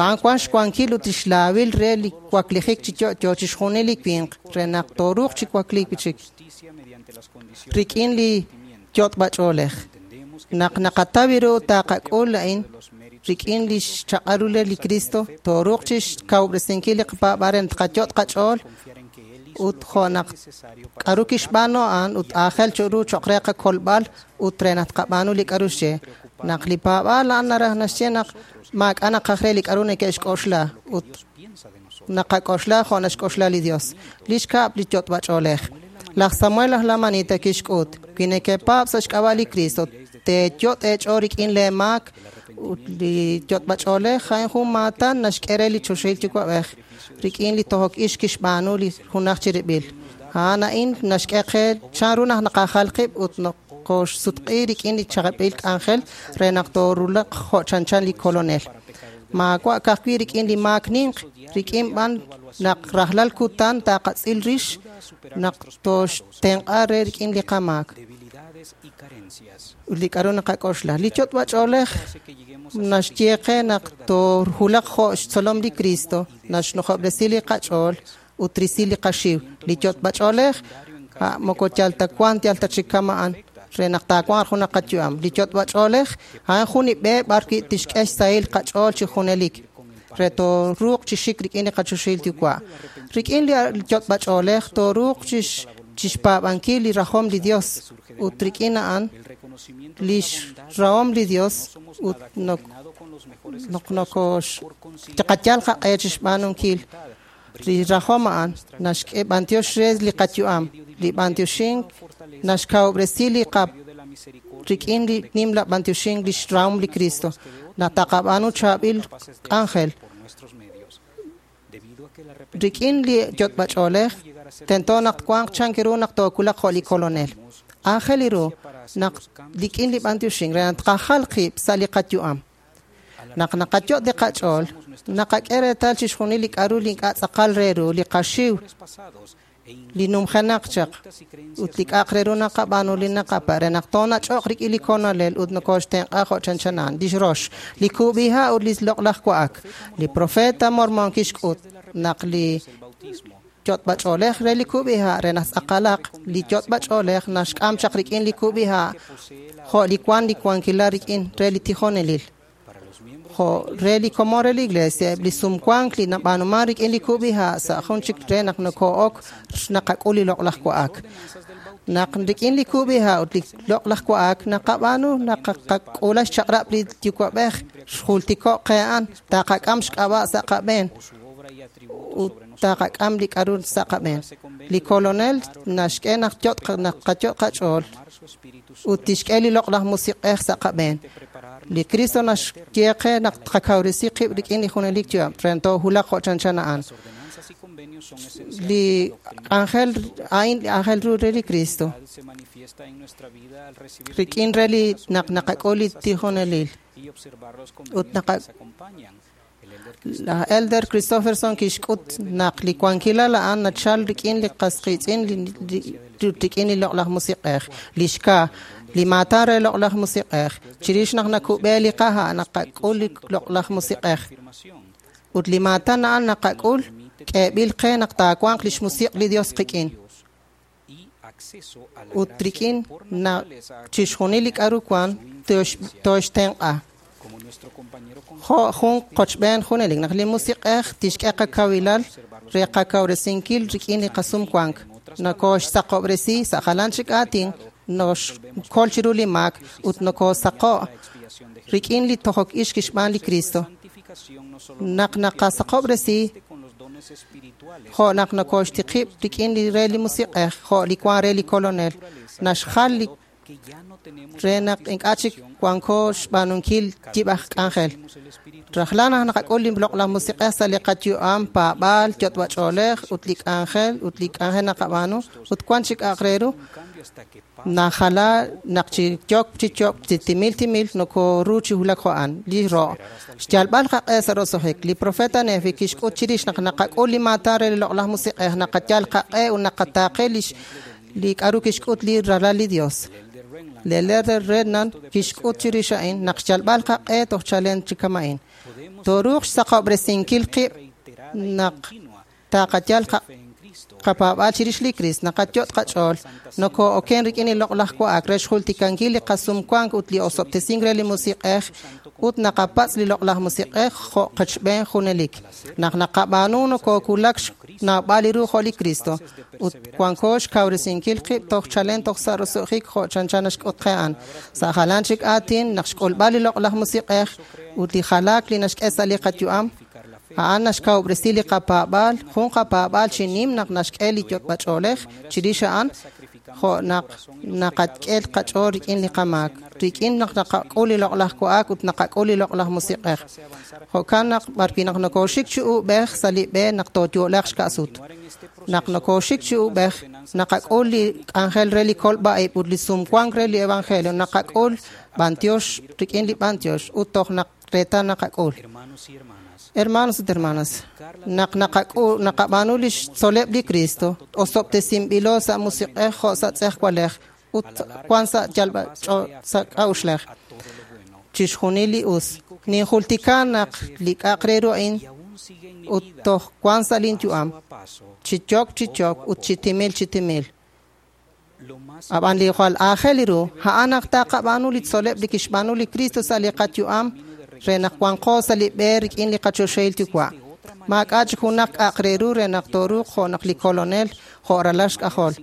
A'an wan xwankil ut xlaawil re li waklijik chi yo'yo chixjunil li winq re naq tooruuq chi wakliik chik rik'in li yot'b'ach'oolej. Naq naqataw ru taqak'ul a'in rik'in li xchaq'al ru li Cristo, tooruuq chi xkawub'resinkil li qapaab'aal re naq tqayot' qach'ool ut jo' naq k'aru kixb'aanu a'an ut aajel ru cho'q re qakolb'al ut re naq tqab'aanu li k'aru xye. Naq li paab'aal a'an naraj naxye naq maak'a' naqaj re li k'a'ru neke'xk'oxla ut naqak'oxla jo' naxk'oxla li Dios. Li xkab' li yot'b'ach'oolej. Laj Samuel aj Lamanita kixk'ut, wi nekepaab' sa' xk'ab'a' li Kristo, teeyot' eech'ool rik'in lee maak ut li yot'b'ach'oolej a'in jun maatan naxk'e re li choxahil yuwa'b'ej rik'in li tojok ix kixb'aanu li junaj chirib'il. A'an a'in naxk'e qe chanru naq naqajal qib' ut nokoxsutq'i rik'in li chaab'il k'anjel re naq toorulaq jo' chanchan li kolonel. Maawa' ka'ajwi' rik'in li maak ninq, rik'in b'an naq rajlal kutan taqatz'il rix naq toxtenq'a re rik'in li qamaak. Ut li k'a'ru naqak'oxla. Li yot'b'ach'oolej naxye qe naq toorulaq jo' xtzolom li Cristo, naxnujob'resi li qach'ool ut risi li qaxiw. Li yot'b'ach'oolej moko yal ta wan yal ta chik kama'an re naq taawanq junaq qayu'am. Li yot'b'ach'oolej a'an jun li b'e b'ar wi' tixk'e xsahil qach'ool chi junelik re tooruuq chi xik rik'in li qachoxahil yuwa'. Rik'in li yot'b'ach'oolej tooruuq chixpaab'ankil li rajom li Dios ut rik'in a'an lix rahom li Dios ut nok nokox taqayal qaq'e chixb'aanunkil li rajom a'an naxk'e b'antiox re li qayu'am. Li b'antioxink naxkawob'resi li qa rik'in li nimla b'antioxink lix rahom li Cristo. Naq taqab'aanu chaab'il k'anjel rik'in li yot'b'ach'oolej tento naq wanq chan ru naq tookulaq jo' li kolonel. Aajel ru naq rik'in li b'antioxink re naq tqajal qib' sa' li qayu'am. Naq naqayot' li qach'ool, naqak'e reetal chixjunil li k'a'ru li ink'a' tz'aqal re ru, li qaxiw, li numjenaq chaq, ut li k'a'aq re ru naqab'aanu li naqapa' re naq toonach'oq rik'in li kolonel ut nokoxtenq'a jo' chanchana'an. Lix rox, li kub'iha' ut li loq'laj wa'ak. Li profeta Mormon kixk'ut naq li yot'b'ach'oolej re li kub'iha' re naq tz'aqalaq li yot'b'ach'oolej naxk'am chaq rik'in li kub'iha' jo' li wan li wankilal rik'in re li tijonelil. Jo' re li komon re li iglesia, eb' li sumwank li nab'aanuman rik'in li kub'iha' sa' jun chik re naq noko'ok naqak'ul li loq'laj wa'ak. Naq rik'in li kub'iha' ut li loq'laj wa'ak naqab'aanu naqak'ula xchaq'rab' li yuwa'b'ej xjultiko' qe a'an taqak'am xk'ab'a' sa' qab'een ut taqak'am li k'a'ru sa' qab'een. Li kolonel naxk'e naq yot' naq qayot' qach'ool ut tixk'e li loq'laj musiq'ej sa' qab'een. Li Cristo naxye qe naq tqakawresi qib' rik'in li junelik yu'am re toohulaq jo' chanchan a'an. Li k'anjel a'in li aajel ru re li Cristo rik'in re li naq naqak'ul li tijonelil ut naqa Laj Elder Christofferson kixk'ut naq li wankilal a'an nachal rik'in li qas qiitz'in rik'in li loq'laj musiq'ej. Li xka, li maatan re loq'laj musiq'ej. Chirix naq nakub'e li qaha' naqak'ul li loq'laj musiq'ej. Ut li maatan a'an naqak'ul k'eeb'il qe naq taawanq lix musiq' li Dios qik'in. Ut rik'in naq chixjunil li k'a'ru wan toxtenq'a. Jo' jun qochb'een junelik naq li musiq'ej tixk'e qakawilal re qakawresinkil rik'in li qasumwank. Nokoxsaqob'resi sa' jalan chik aatin noxkol chiru li maak ut nokosaqo' rik'in li tojok ix kixb'aan li Cristo. Naq naqasaqob'resi jo' naq nokoxtiqib' rik'in li re li musiq'ej jo' li wan re li kolonel naxjal li re naq ink'a' chik wanko xb'aanunkil yib'aj k'anjel. Rajlal naq naqak'ul li loq'laj musiq'ej sa' li qayu'am, paab'aal, yot'b'ach'oolej ut li k'anjel ut li k'anjel naqab'aanu ut wan chik k'a'aq re ru najala naq chi yok chi yok chi timil timil nokoru chi wulak jo' a'an. Li ro' xyalb'al qaq'e sa' roso'jik. Li profeta Nefi kixk'ut chirix naq naqak'ul li maatan re li loq'laj musiq'ej naqayal qaq'e ut naqataaqe lix li k'a'ru kixk'ut li ralal li Dios. Li Elder Renlund kixk'ut chirix a'in naq xyalb'al qaq'e toj chalen chi kama'in. Tooruuq xsaqob'resinkil qib' naq taqayal qapaab'aal chirix li Cristo, naqayot' qach'ool, noko'oken rik'in li loq'laj wa'ak re xjultikankil li qasumwank ut li osob'tesink re li musiq'ej ut naqapatz' li loq'laj musiq'ej jo' qachb'een junelik. Naq naqab'aanu nokokulak naab'al li ru jo' li Kristo ut wanko xkawresinkil qib' toj chalen toj sa' roso'jik jo' chanchan naxk'ut qe a'an. Sa' jalan chik aatin naq xk'ulb'al li loq'laj musiq'ej ut li jalaak li naxk'e sa' li qayu'am a'an naxkawob'resi li qapaab'aal, jun qapaab'aal chi nim naq naxk'e li yot'b'ach'oolej chirix a'an jo' naq naqak'e qach'ool rik'in li qamaak, rik'in naq naqak'ul li loq'laj wa'ak ut naqak'ul li loq'laj musiq'ej. Jo'kan naq b'arwi' naq nokooxik chi uub'ej sa' li b'e naq tooyo'laq xka'sut. Naq nokooxik chi uub'ej naqak'ul li k'anjel re li kolb'a'ib' ut li sumwank re li evangelio, naqak'ul b'antiox rik'in li b'antiox ut toj naq reetal naqak'ul. Hermanos ut hermanas, naq naqak'ul naqab'aanu li xtzoleb' li Cristo, osob'tesinb'ilo sa' musiq'ej jo' sa' tz'ejwalej ut wan sa' yalb'a sa' k'a'uxlej. Chixjunil li us. Ninjultika naq li k'a'aq re ru a'in ut toj wan sa' lin yu'am, chi yok chi yok ut chi timil chi timil. Ab'an li jwal aajel li ru, a'an naq taqab'aanu li tzoleb' li kixb'aanu li Cristo sa' li qayu'am re naq wanqo sa' li b'e rik'in li qachoxahil yuwa'. Maak'a' chik junaq k'a'aq re ru re naq tooruuq jo' naq li kolonel jo' ralal xk'ajol.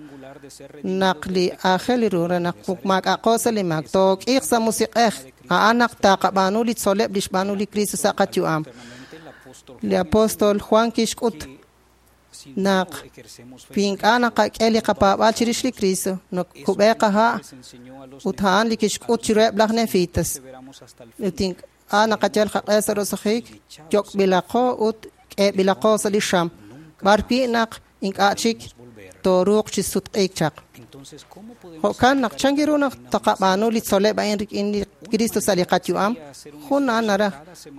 Naq li aajel li ru re naq maak'a'qo sa' li maak, took'iiq sa' musiq'ej, a'an naq taqab'aanu li tzoleb' li xb'aanu li Cristo sa' qayu'am. Li apóstol Juan kixk'ut naq wi ink'a' naqak'e li qapaab'aal chirix li Cristo, nakub'e qaha' ut a'an li kixk'ut chiruheb' laj Nefitas. Ut ink'a' naqayal qaq'e sa' roso'jik, yok'b'ilaqo ut k'eeb'ilaqo sa' li xam, b'arwi' naq ink'a' chik tooruuq chi sutq'iik chaq. Jo'kan naq chan ru naq taqab'aanu li tzoleb' a'in rik'in li Cristo sa' li qayu'am, jun a'an naraj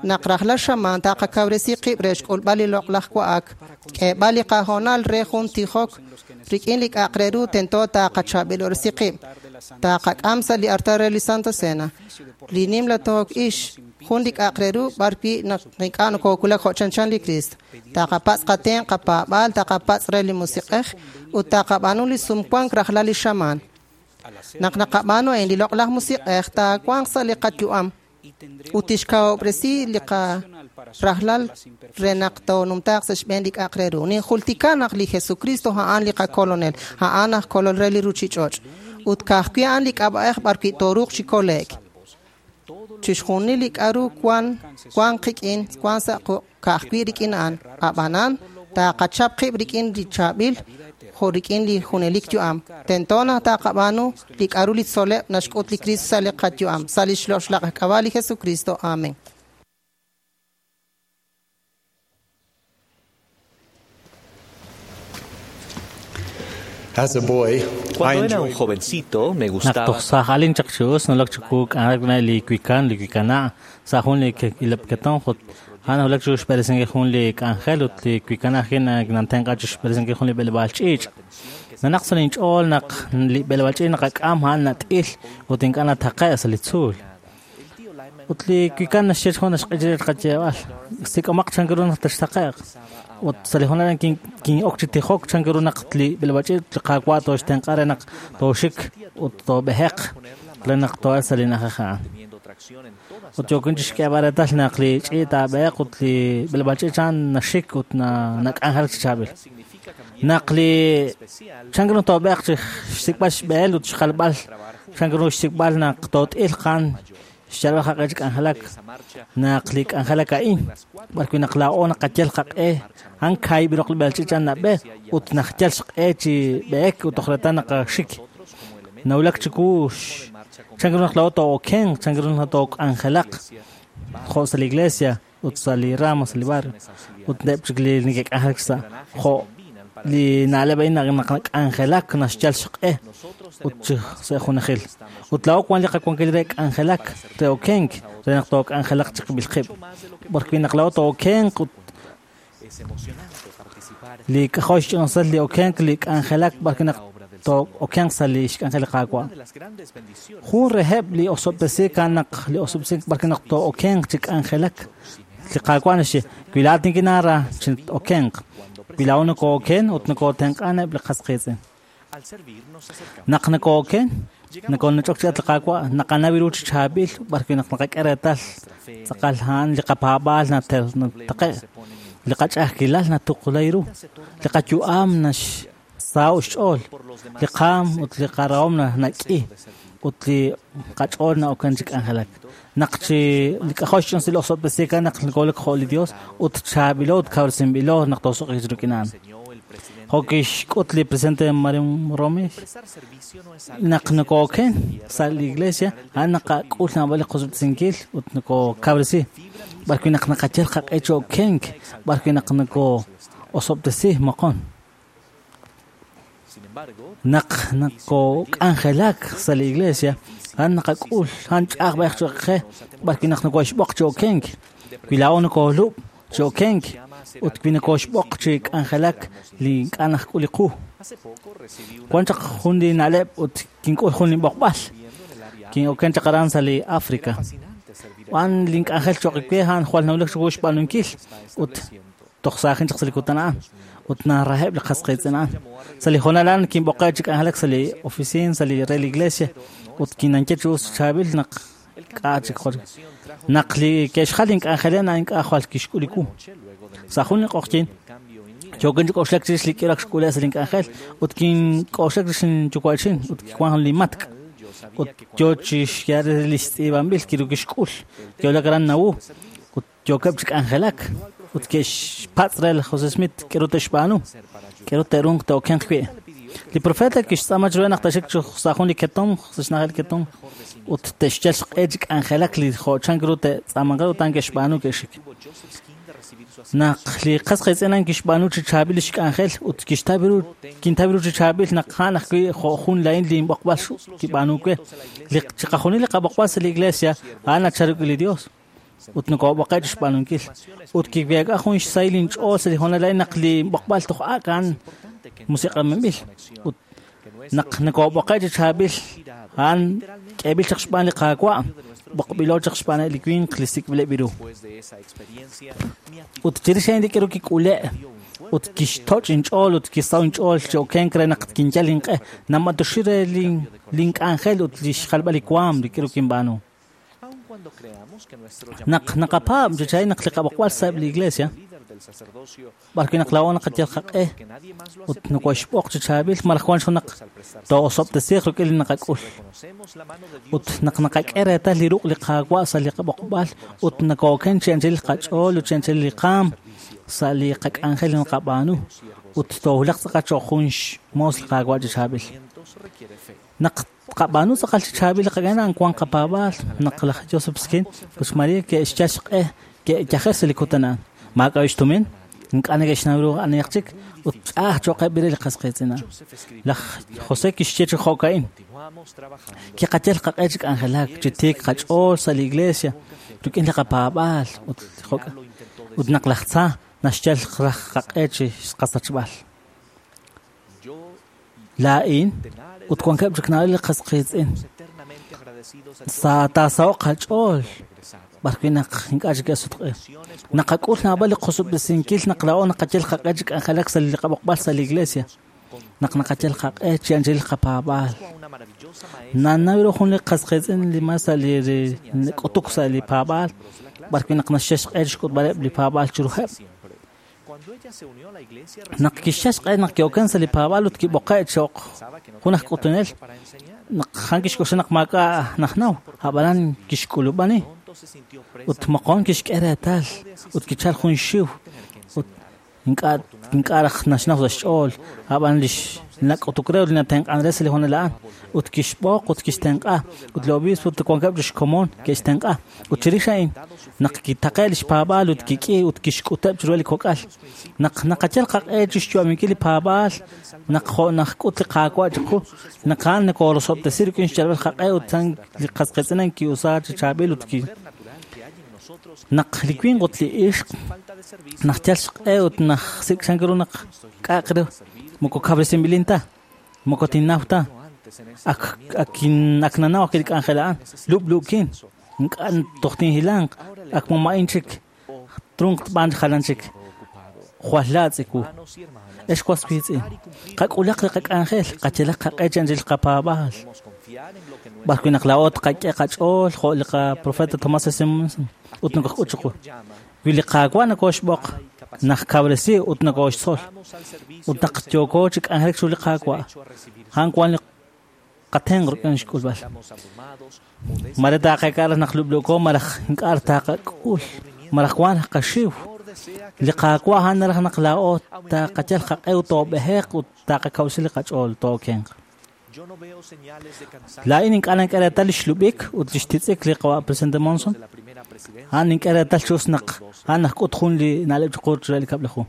naq rajlal xamaan taqakawresi qib' re xk'ulb'al li loq'laj wa'ak, k'eeb'al li qahoonal re jun tijok rik'in li k'a'aq re ru tento taqachaab'ilob'resi qib', taqak'am sa' li artal re li Santa Cena, li nimla took ix, jun li k'a'aq re ru b'arwi' naq ink'a' nokoowulak jo' chanchan li Cristo. Taqapatz' qatenq' qapaab'aal, taqapatz' re li musiq'ej ut taqab'aanu li sumwank rajlal li xamaan. Naq naqab'aanu a'in li loq'laj musiq'ej taawanq sa' li qayu'am ut tixkawob'resi li qarajlal re naq toonumtaaq sa' xb'een li k'a'aq re ru. Ninjultika naq li Jesucristo a'an li qakolonel, a'an aj kolol re li ruchich'och' ut ka'ajwi' a'an li k'ab'a'ej b'arwi' tooruuq chi kole'k. Chixjunil li k'a'ru wan wan qik'in wan sa' quq' ka'ajwi' rik'in a'an, ab'anan taqachap qib' rik'in li chaab'il jo' rik'in li junelik yu'am. Tento naq taqab'aanu li k'a'ru li tzoleb' naxk'ut li Cristo sa' li qayu'am, sa' li xloxlaq k'ab'a' li Jesucristo. Amén. As a boy, Cuando era un jovencito, me Naq gustaba toj saj alin chaq chi us nalak chiku k'anjelak na li wikan li wikana' sa' jun li ilab'keton jut a'an nawulak chiru xb'eresinkil jun li k'anjel ut li wikana' ajwi' nantenq'a chi xb'eresinkil jun li b'eleb'aal ch'iich'. Nanaq sa' linch'ool naq li b'eleb'aal ch'iich' naqak'am a'an nat'il ut ink'a' nataqe' sa' li tzuul. Ut li wikan naxye jun naxq'ichil qayeeb'al sik'omaq chan ru naq taxtaqe'q. Ut sa' li hoonal a'an kin'ok chi tijok chan ru naq li b'eleb'aal ch'iich' li qaawa' tooxtenq'a re naq tooxik ut toob'eheq re naq too'el sa' li na'ajej a'an. Ut yookin chi xk'eeb'al reetal naq li ch'iich' taab'eheq ut li b'eleb'aal ch'iich' a'an naxik ut nak'anjelak chi chaab'il. Naq li chan ru toob'eheq chi xsik'b'al xb'ehel ut xjalb'al chan ru xsik'b'al naq toot'il qan xyalb'al qaq'e chi k'anjelak naq li k'anjelak a'in b'arwi' naq laa'o naqayal qaq'e a'an kaahib' roq li b'eleb'aal ch'iich' a'an nab'e ut naqyal xq'e chi b'ehek ut toj reetal naqaxik. Nawulak chiku chan ru naq laa'o too'okenq, chan ru naq took'anjelaq jo' sa' li iglesia ut sa' li rama sa' li barrio ut eb' chik li neke'k'anjelak sa' jo' li na'leb' a'in naq nak'anjelak naxyal xq'e ut chi sa' junajil. Ut laa'o wan li qawankil re k'anjelak re okenk re naq took'anjelaq chiqib'il qib'. B'arwi' naq laa'o tookenq ut li k'ajo' xch'inusal li okenk li k'anjelak b'arwi' naq too'okenq sa' li xk'anjel li Qaawa'. Jun reheb' li osob'tesiik a'an naq li osob'tesiik b'arwi' naq too'okenq chi k'anjelak. Li Qaawa' naxye wi laa'at nikinara chi okenq, wi laa'o nokooken ut nokootenq'an eb' li qas qiitz'in. Naq nokooken, nokoonach'ok chi at li Qaawa' naqanaw ru chi chaab'il b'arwi' naq naqak'e reetal tz'aqal a'an li qapaab'aal nataqe'. Li qach'a'ajkilal natuqulay ru. Li qayu'am naxsaho'k xch'ool. Li qaam ut li qarahom nak'i. Ut li qach'ool na'oken chi k'anjelak. Naq chi li k'ajol xch'insil osob'tesiik naq nkolek jo' li Dios ut chaab'ilo ut kawresinb'ilo naq toosuq'iik rik'in a'an. Jo' kixk'ut li presidente Mario Romes naq nokooken sa' li iglesia a'an naqak'ul naab'al li qosob'tesinkil ut nokokawresi. B'arwi' naq naqayal qaq'e chi okenk, b'arwi' naq nokoosob'tesi moqon. Naq nokok'anjelak sa' li iglesia a'an naqak'ul a'an ch'a'aj b'ayaq cho'q qe b'arwi' naq nokoxb'oq chi okenk. Wi laa'o nokoolub' chi okenk ut wi nokoxb'oq chi k'anjelak li ink'a' najk'ul li qu. Wan chaq jun li na'leb' ut kink'ul jun li b'oqb'al. Kin'oken chaq aran sa' li Africa. Wan link'anjel cho'q we a'an jwal nawulak chiwu xb'aanunkil ut toj saajin chaq sa' li kutan a'an ut naraheb' li qas qiitz'in a'an. Sa' li hoonal a'an kinb'oqe' chi k'anjelak sa' li oficina sa' li re li iglesia ut kinanke chi us chaab'il naq k'a' chik jwal. Naq li ke'xjal link'anjelen a'an ink'a' jwal kixk'ul li wu. Sa' jun li q'oqyin yookin chi k'oxlak chirix li k'irak xk'ule' sa' link'anjel ut kink'oxlak chirix linyuwa'chin ut kiwan jun li matk' ut yo chi xyaal li xtz'iib'anb'il kiru kixk'ul kiwulak aran Nauvoo ut yookeb' chi k'anjelak ut ke'xpatz' re laj José Smith k'aru te'xb'aanu k'aru te'runq te'okenq wi'. Li profeta kixtz'aama chiru naq te'xik sa' jun li ketomq sa' xna'ajel ketomq ut te'xyal xq'e chi k'anjelak li jo' chan ru te'tz'aamanq re ut a'an ke'xb'aanu ke'xik. Naq li qas qiitz'in a'an kixb'aanu chi chaab'il li xk'anjel ut kixtaw ru kintaw ru chi chaab'il naq a'an ajwi' jo' jun laa'in li inb'oqb'al kib'aanu we. Li chiqajunil li qab'oqb'al sa' li iglesia a'an nachal rik'in li Dios ut nokob'oqe' chi xb'aanunkil. Ut kiweek'a jun xsahil inch'ool sa' li hoonal a'in naq li b'oqb'al toj ak' a'an musiq'aminb'il ut naq nokob'oqe' chi chaab'il a'an k'eeb'il chaq xb'aan li Qaawa' b'oqb'ilo chaq xb'aan li winq li sik'b'ileb' ru. Ut chirix a'in li k'aru kik'ule' ut kixtoch' inch'ool ut kisaw inch'ool chi okenk re naq kinyal inq'e namatioxi re link'anjel ut li xjalb'al li waam li k'aru kinb'aanu. Naq naqapaab' chi chaab'il naq li qab'oqb'al sa'eb' li iglesia b'arwi' naq laa'o naqayal qaq'e ut nokoxb'oq chi chaab'il malaj wan xjun naq too'osob'tesiiq rik'in li naqak'ul. Ut naq naqak'e reetal li ruq' li Qaawa' sa' li qab'oqb'al ut nakooken chi anchal qach'ool ut chi anchal li qaam sa' li qak'anjel li naqab'aanu ut toowulaq tz'aqal cho'q jun xmoos li Qaawa' chi chaab'il. Naq qab'aanu tz'aqal chi chaab'il li qak'anjel a'an wan qapaab'aal naq laj Joseph Skin ut Maria ke'xyal xq'e ke'yajer sa' li kutan a'an. Maak'a' xtumin ink'a' neke'xnaw ru anihaq chik ut ch'a'aj cho'qeb' re li qas qiitz'in a'an. Laj José kixye chi jo'ka'in: kiqayal qaq'e chi k'anjelak chi tiik qach'ool sa' li iglesia rik'in li qapaab'aal ut jo'ka ut naq laj tza naxyal raj qaq'e chi qasachb'al. Laa'in ut wankeb' chik naab'al li qas qiitz'in sa' taasaho'q qach'ool b'arwi' naq ink'a' chik ke'sutq'i. Naqak'ul naab'al li qosob'tesinkil naq laa'o naqayal qaq'e chi k'anjelak sa' li qab'oqb'al sa' li iglesia. Naq naqayal qaq'e chi anchal qapaab'aal. Nanaw ru jun li qas qiitz'in li mas sa' li k'utuk sa' li paab'aal b'arwi' naq naxyal xq'e chi xk'utb'aleb' li paab'aal chiruheb'. Naq kixyal xq'e naq ki'oken sa' li paab'aal ut kib'oqe' cho'q jun aj k'utunel naq a'an kixk'oxla naq maak'a' najnaw ab'anan kixk'ulub'ani ut moqon kixk'e reetal ut kichal jun xiw ut ink'a' ink'a' raj naxnaw sa' xch'ool ab'an li nak'utuk re ut li natenq'an re sa' li hoonal a'an ut kixb'oq ut kixtenq'a ut li obispo ut wankeb' chi xkomon ke'xtenq'a ut chirix a'in naq kitaqe' li xpaab'aal ut kik'i ut kixk'uteb' chiru li kok'al. Naq naqayal qaq'e chi xyu'aminkil li paab'aal naq jo' najk'ut li Qaawa' chiqu naq a'an nokorosob'tesi rik'in xyalb'al qaq'e ut a'an li qas qiitz'in a'an ki'usa chi chaab'il ut ki naq li winq ut li ixq naq yal xq'e ut naq sik' chan ru naq k'a'aq ru moko kawresinb'ilin ta moko tinnaw ta ak ak ak nanaw ak li k'anjel a'an lub'luukin ink'a' toj tinhilanq ak mama'in chik trunq tb'aan jalan chik jwal laatz' iwu. Ex was wiitz'in qak'ulaq li qak'anjel qayalaq qaq'e chi anchal qapaab'aal b'arwi' naq laa'o tqak'e qach'ool jo' li qaprofeta Tomás S. Monson ut nokojk'ut chiqu. Wi li Qaawa' nokoxb'oq Naqkawresi ut nokooxtzol ut naq yooko chi k'anjelak chiru li Qaawa' a'an wan li qatenq rik'in xk'ulb'al. Mare taaqeek'a raj naq lub'luuko malaj ink'a' taaqak'ul malaj wan qaxiw. Li Qaawa' a'an naraj naq laa'o taaqayal qaq'e ut toob'eheq ut taaqakawsi li qach'ool tookenq. Laa'in ink'a' nink'e reetal li xlub'ik ut li xtitz'ik li qawa' Presidente Monson. A'an nink'e reetal chi us naq a'an najk'ut jun li na'leb' chiqu re li kab'laju.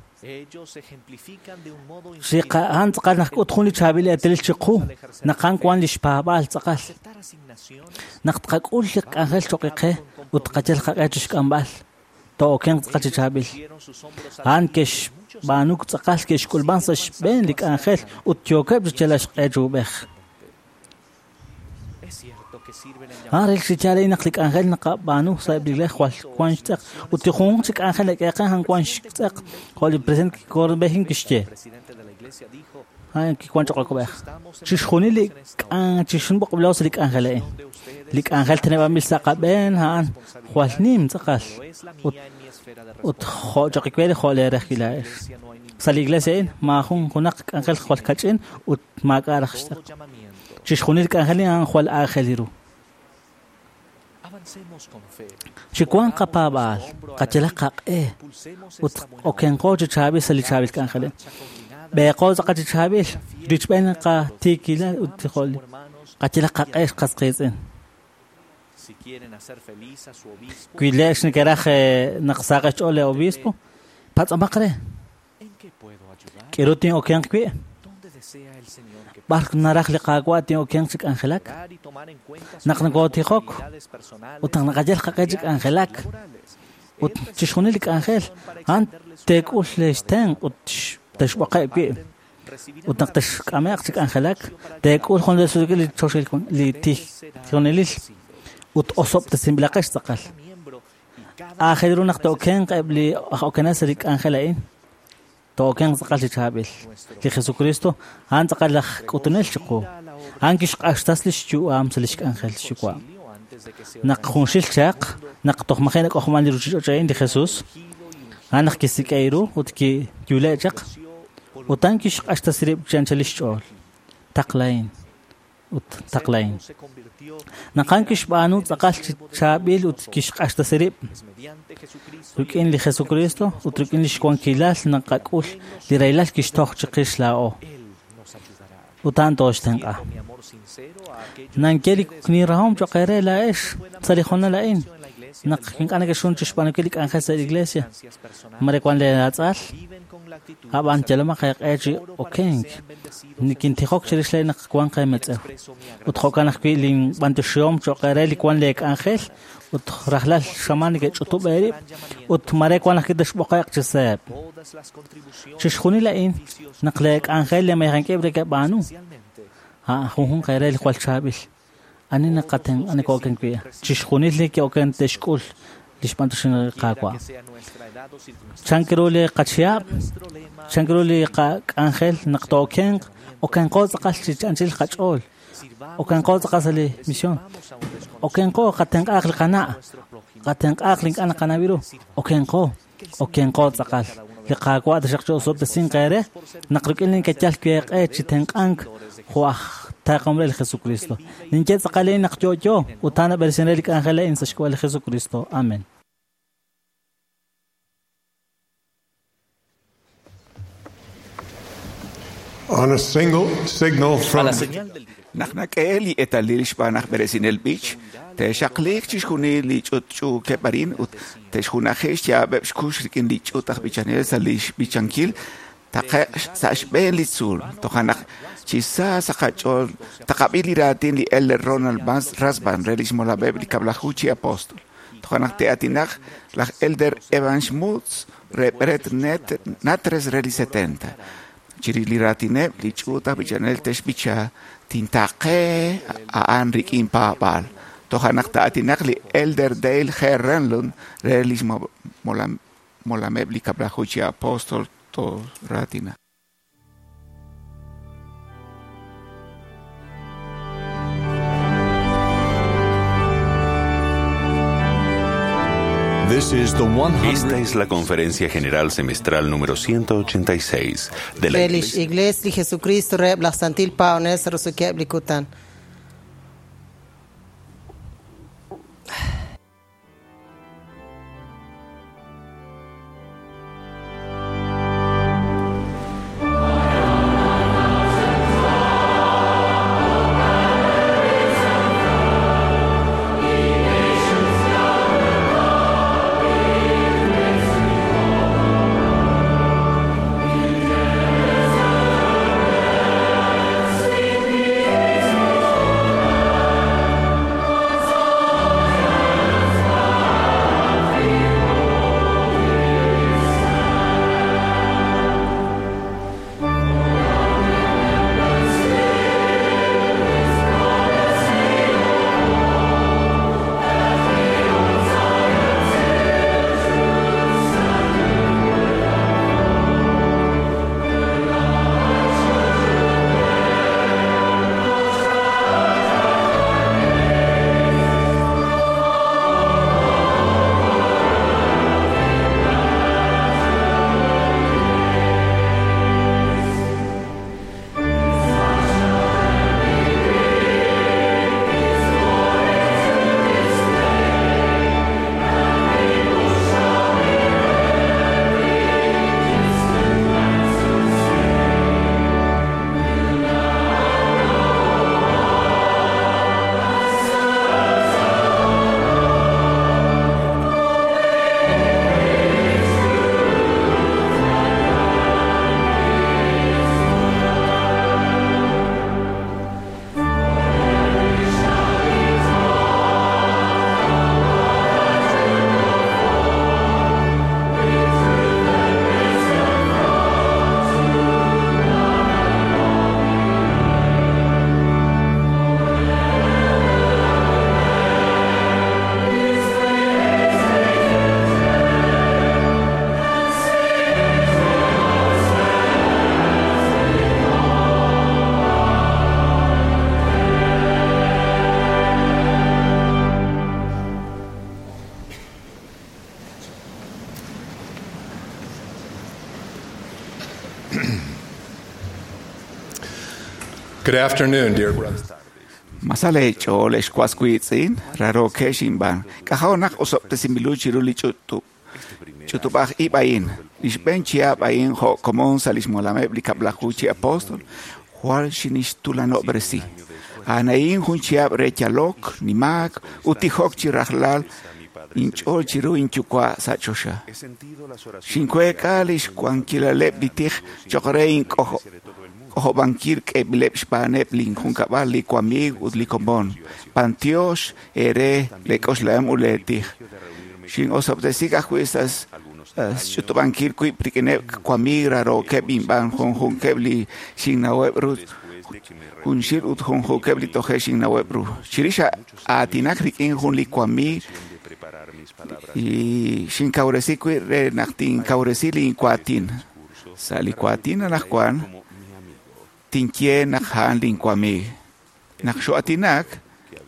A'an tz'aqal najk'ut jun li chaab'il eetalil chiqu naq a'an wan li xpaab'aal tz'aqal. Naq tqak'ul li k'anjel cho'q qe ut tqayal qaq'e chi xk'amb'al tookenq tz'aqal chi chaab'il. A'an ke'xb'aanu tz'aqal ke'xk'ulb'an sa' xb'een li k'anjel ut yookeb' chi yalaq xq'e chi ub'ej. A'an relik chi yaal naq li k'anjel naqab'aanu sa' eb' li iglesia jwal wan xtz'eq ut li junjunq chi k'anjel nak'eeqen a'an wan xtz'eq jo' li presidente Corbejin kixye. A'an kiwan cho'q akob'ej. Chixjunil li k'an chixjunil sa' li k'anjel a'in. Li k'anjel teneb'anb'il sa' qab'een a'an jwal nim tz'aqal ut ut jo' cho'q iwe jo' leerej kilaa'ex. Sa' li iglesia a'in maajun junaq k'anjel jwal kach'in ut maak'a' raj xtz'eq. Chixjunil k'anjel a'an jwal aajel ru. Chi wan qapaab'aal, qayalaq qaq'e ut okenqo chi chaab'il sa' li chaab'il k'anjel. B'eeqo tz'aqal chi chaab'il, richb'een qatiikilal ut jo' qayalaq qaq'e qas qiitz'in. Wi le'x nekeraj naq saqex ch'ool le obispo, patz'amaq re. K'eru tin'okenq wi'? B'ar naraj li Qaawa' tin'okenq chi k'anjelak? Naq nokootiqok ut naq naqayal qaq'e chi k'anjelak ut chixjunil li k'anjel a'an teek'ul xtenq ut texb'oqe' wi' ut naq texk'ame'q chi k'anjelak teek'ul jun li choxil li tijonelil ut osob'tesinb'ilaqex tz'aqal. Aajel ru naq to'okenq eb' li aj okenel sa' li k'anjel a'in. Tookenq tz'aqal chi chaab'il. Li Jesucristo a'an tz'aqal laj k'utunel chiqu. A'an kixq'axtas li xyu'am sa' li xk'anjel xyuwa'. Naq junxil chaq, naq toj maji' nak'ojman li ruuchich'och' a'in li Jesus, a'an naq kisik'e ru ut kiyule' chaq ut a'an kixq'axtas rib' chi anchal li xch'ool. Taqlahin ut taqlahin. Naq a'an kixb'aanu tz'aqal chi chaab'il ut kixq'axtas rib' rik'in li Jesucristo ut rik'in li xwankilal naqak'ul li rahilal kixtoj chiqix laa'o. Ut a'an tooxtenq'a. Nankye li nirahom cho'q eere laa'ex sa' li hoonal a'in naq ink'a' nekexxun chi xb'aanunkil li k'anjel sa' li iglesia. Mare wan leeratz'al, ab'an yalomaq eeq'e chi okenk. Nikintijok chirix le naq wan qeemetz'ew. Ut jo'kan ajwi' linb'anyoxihom cho'q eere li wan leek'anjel ut rajlal xamaan neke'ch'utub' eerib' ut mare wan ajwi' texb'oqe'q chi seeb'. Chixjunil a'in naq leek'anjel leemayajank'ib' rekeb'aanu. A'an junjunq eere li jwal chaab'il. Ani naqaten ani kooken wi'. Chixjunil li ke'oken texk'ul li xb'anyoxin li Qaawa'. Chank ru li qachihab', chank ru li qak'anjel naq tookenq, okenqo tz'aqal chi anchal qach'ool. Okenqo tz'aqal sa' li misión. Okenqo qatenq'aaq li qana', qatenq'aaq li ink'a' naqanaw ru. Okenqo, okenqo tz'aqal. Li Qaawa' taxaq chi osob'tesinq eere naq rik'in li kayal weeq'e chi tenq'ank jo' aj taaqom re li Jesucristo. Ninye tz'aqal a'in naq yo'yo ut a'an nab'eresin re li k'anjel a'in sa' xk'ab'a' li Jesucristo. Amen. On a single signal from Naq nak'e li eetalil xb'aan aj b'eresinel b'ich, te'xaqliiq chixjunil li ch'utch'uukeb' arin ut te'xjunaji xyaab'eb' xkux rik'in li ch'ut aj b'ichanel sa' li xb'ichankil taqe'q sa' xb'een li tzuul. Toja' naq chi sa sa' qach'ool taqab'i li raatin li Elder Ronald Rasband re li xmolab'eb' li kab'laju chi apóstol. Toja' naq te'atinaq laj Elder Evan Schmutz re Brett Natres re li setenta. Chirix li raatineb' li ch'uut aj b'ichanel te'xb'icha tintaqe a'an rik'in paab'aal. Toja' naq ta'atinaq li Elder Dale G. Renlund re li xmolameb' li kab'laju chi apóstol to raatina. This is the Esta es la Conferencia General Semestral número ciento ochenta y seis de la Re lix Iglesia li Jesucristo reheb laj Santil Paab'anel sa' roso'jikeb' li kutan. Good afternoon, dear brothers. Masale ch'ool exkuaskuitzin, raro kexinban, k'ajaw osobtesinbilu chiru li ch'utub. Ch'utub'aj ib' a'in, lix b'een chihab' a'in jo' komon sa' lix molameb' li kab'laju chi apóstol, jwal xinixtulanob'resi. A'an a'in jun chihab' re yalok, nimaak, ut tijok chi rajlal inch'ool chiru inyuwa' sa' choxa. Xinkueek'a lix wankilaleb' li tij choq' re ink'ojo' k'ojob'ankil k'eb'ileb' xb'aaneb' linjunkab'al li wamiig ut li komon. Pantiox ere lek'oxlaem ut leetij. Xin'osob'tesik ajwi' sa' xch'utub'ankil wib' rik'ineb' wamiig rarookeb' inb'aan junjunkeb' li xinnaweb' ru junxil ut junjunkeb' li toje' xinnaweb' ru. Chirix aatinak rik'in jun li wamiig y xinkawresi wib' re naq tinkawresi linwaatin. Sa' li waatin anaqwan tinye naq a'an linwamiig. Naq xo'atinak,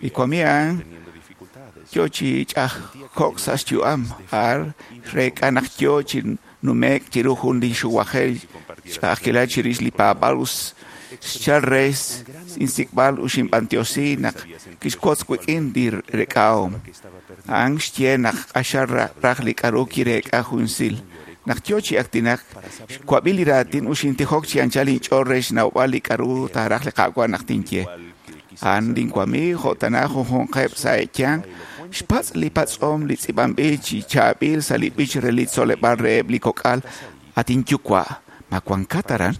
li wamiig a'an yo chi ch'ajko'k sa' xyu'am ar reek'a naq yo chi nume'k chiru jun li xuwajel ch'a'ajkilal chirix li paab'al us xchal re insik'b'al ut xinb'antioxi naq kixwotz wik'in li rek'ahom. A'an xye naq q'axal raj li k'aru kireek'a junxil. Naq yo chi aktinak, xwab'i li raatin ut xintijok chi anchal inch'ool re xnawb'al li k'aru taaraj li Qaawa' naq tinye. A'an linwamiig jo' tana junjunqeb' sa' e'yanq, xpatz' li patz'om li tz'iib'anb'il chi chaab'il sa' li b'ich re li tzoleb'aal reheb' li kok'al at inyuwa', ma wankat aran?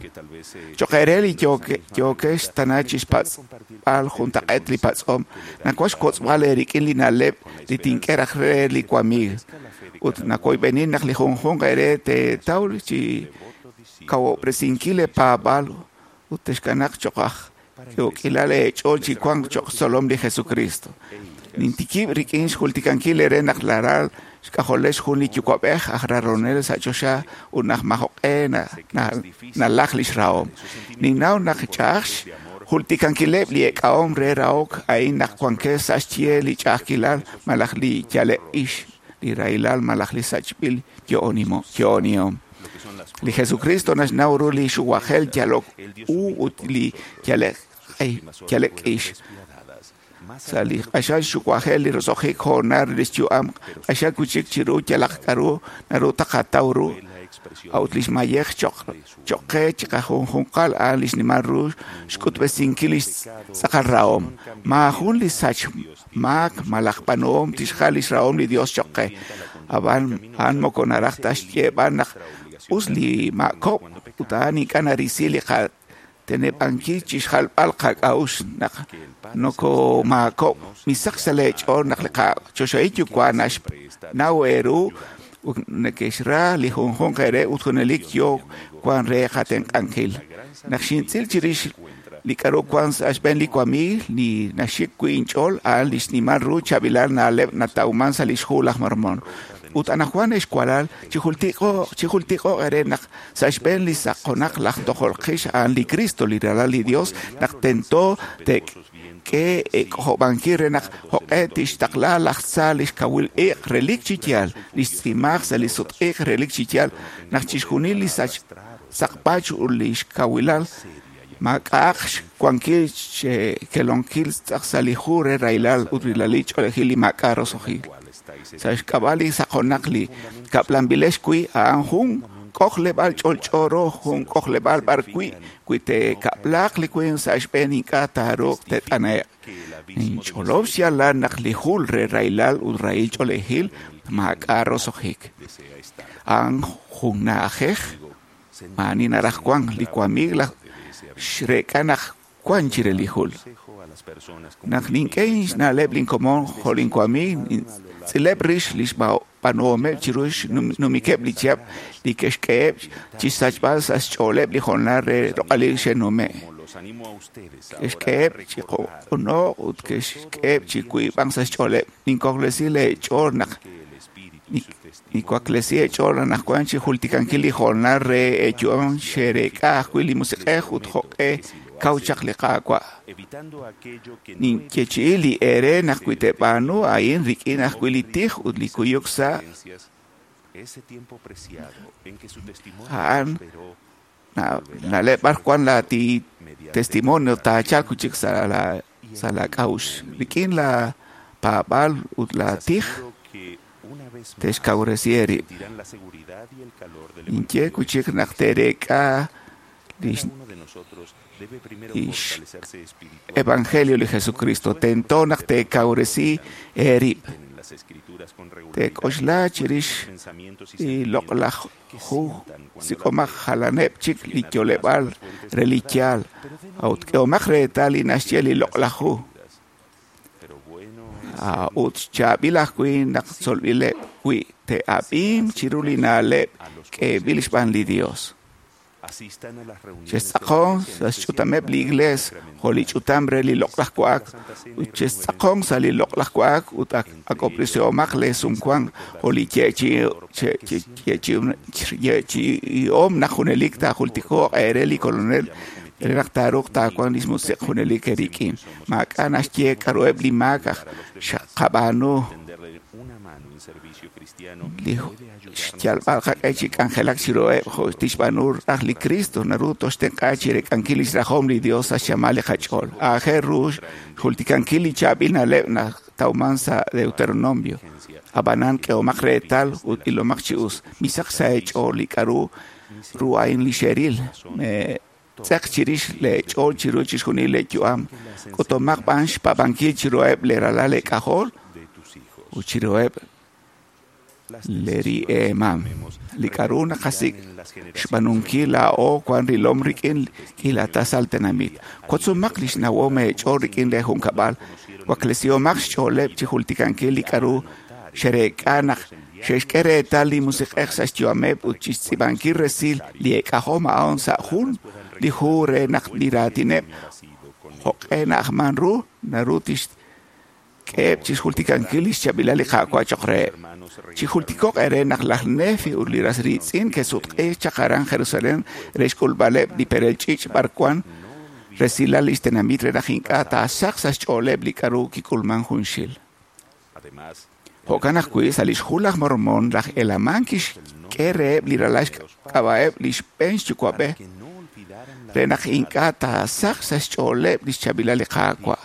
Choq' ere li yookex tana chi xpatz'b'al juntaq'eet li patz'om, nawaj xwotz'b'al eerik'in li na'leb' li tink'e raj re li wamiig. Ut nakoyb'enin naq li junjunq ere teetaw chi kawob'resinkil leepaab'aal ut texkanaq choq' aj k'ilal eech'ool chi wank choq' xtzolom li Jesucristo. Nintikib' rik'in xjultikankil ere naq laral xk'ajolex jun li yuwa'b'ej aj raronel sa' choxa ut naq majo'q'e nalaj lix rahom. Ninnaw naq ch'a'aj xjultikankileb' li eek'ahom re rahok a'in naq wankex sa' xye li ch'a'ajkilal malaj li yaleb' ix li rahilal malaj li sachb'il yo'onihom. Li Jesucristo naxnaw ru li xuwajel yalok u ut li yalek ix. Sa' li q'axal xuwajel li roso'jik hoonal re lix yu'am q'axal wi'chik chiru yalaq k'a'ru naru taqataw ru a'ut lix mayej choq' qe chiqajunjunqal a'an lix nimal ru xk'utb'esinkil lix tz'aqal rahom. Maajun li sach maak malaj b'aanuhom tixjal lix rahom li Dios choq' qe. Ab'an a'an moko naraj ta xyeeb'al naq us li maakob' ut a'an ink'a' narisi li qateneb'ankil chixjalb'al qak'a'uxl naq nokomaakob'. Misach sa' lee ch'ool naq li qaChoxahil Yuwa' naxnaw eeru ut neke'xra li junjunq eere ut junelik yoo wan re qatenq'ankil. Naq xintz'il chirix li k'a'ru wan sa' xb'een li wamiig li naxik wi' inch'ool a'an li xnimal ru chaab'ilal na'leb' natawman sa' lix hu laj Mormon. Ut anaqwan ex walal chijultiko'q eere naq sa' xb'een li saqonaq laj tojol qix a'an li Cristo li ralal li Dios naq tento te'k'e ek'ojob'ankil re naq jo'q'e tixtaqla laj tza lix kawil iq' relik chi yaal lix tz'imaaj sa' li sutq'iq relik chi yaal naq chixjunil li saqpach ut lix kawilal maak'a'aq xwankil xkelonkil tz'aq sa' li hu re rahilal ut rilal ch'oolejil li maak'a' roso'jil. Sa' xk'ab'a' li saqonaq li kab'lanb'ilex wi' a'an jun k'ojleb'aal ch'olch'o ru jun k'ojleb'aal b'ar wi' wi te'kab'laaq li winq sa' xb'een ink'a' taaruuq te't'ane'q. Ninch'olob' xyaalal naq li jul re rahilal ut rahil ch'oolejil maak'a' roso'jik. A'an jun na'ajej maa'ani naraj wan li wamiig laj xreek'a naq wan chire li jul. Naq nink'e xna'leb' linkomon jo' linwamiig nintz'ileb' rix lix b'aanuhomeb' chiru xnumikeb' li chihab' li ke'xk'eheb' chixsachb'al sa' xch'ooleb' li hoonal re roq'alil xe'nume'. Ke'xk'eheb' chi q'uno'k ut ke'xk'eheb' chi wiib'ank sa' xch'ooleb'. Ninkoklesi leech'ool naq niwaklesi eech'ool anaqwan chi jultikankil li hoonal re eeyu'am xereek'a ajwi' li musiq'ej ut jo'q'e kaw chaq li Qaawa'. Ninyeechi'i li eere naq wi teeb'aanu a'in rik'in ajwi' li tij ut li kuyuk sa' a'an na'leb' b'ar wan la testimonio taachalq wi'chik sa' la sa' la k'a'uxl rik'in la paab'aal ut la tij te'xkawresi eerib'. Ninye wi'chik naq teereek'a lix evangelio li Jesucristo tento naq teekawresi eerib'. Teek'oxla chirix li loq'laj hu sik'omaq jalaneb' chik li yo'leb'aal re li yaal a'ut k'ehomaq reetal li naxye li loq'laj hu. Ut chaab'il ajwi' naq tzolb'ileb' wi' te'ab'in chiru li na'leb' k'eeb'il xb'aan li Dios. Chextz'aqon sa' xch'utameb' li iglees jo' li ch'utam re li loq'laj wa'ak ut chextz'aqon sa' li loq'laj wa'ak ut ak'ob'resihomaq lee sumwank jo' li yeechi'ihom naq junelik taajultiko'q eere li Kolonel re naq taaruuq taawanq lix musiq' junelik eerik'in. Maak'a' naxye k'a'ruheb' li maak aj xqab'aanu li xyalb'al qaq'e chi k'anjelak chiruheb' jo' tixb'aanu raj li Cristo naru toxtenq'a chi reek'ankil lix rajom li Dios sa' xchamal li qach'ool. Aajel ru xjultikankil li chaab'il na'leb' natawman sa' Deuteronomio. Ab'anan k'ehomaq reetal ut ilomaq chi us. Misach sa' eech'ool li k'a'ru ru a'in li xeril. Tz'eq chirix leech'ool chiru chixjunil leeyu'am. K'utomaq b'an xpaab'ankil chiruheb' leeralal leek'ajol ut chiruheb' leeri'eemam. Li k'a'ru naqasik' xb'aanunkil laa'o wan rilom rik'in k'iila tasal tenamit. Wotzomaq lix nawom eech'ool rik'in leejunkab'al. Waklesihomaq xch'ooleb' chi jultikankil li k'a'ru xereek'a naq xe'xk'e reetal li musiq'ej sa' xyu'ameb' ut chixtz'iib'ankil resil li eek'ajom a'an sa' jun li hu re naq li raatineb' jo'q'e na'ajman ru naru tixk'eheb' chixjultikankil lix chaab'ilal li Qaawa' choq' reheb'. Chijultiko'q eere naq laj Nefi ut li ras riitz'in ke'sutq'i chaq aran Jerusalén re xk'ulb'aleb' li perel ch'iich' b'ar wan resilal lix tenamit re naq ink'a' taasaq sa' xch'ooleb' li k'a'ru kik'ulman junxil. Jo'kan ajwi' sa' li xhu laj Mormon, laj Helaman kixk'e reheb' li ralal xk'ab'a'eb' li xb'een xyuwa'b'ej re naq ink'a' taasaq sa' xch'ooleb' li xchaab'ilal li Qaawa'.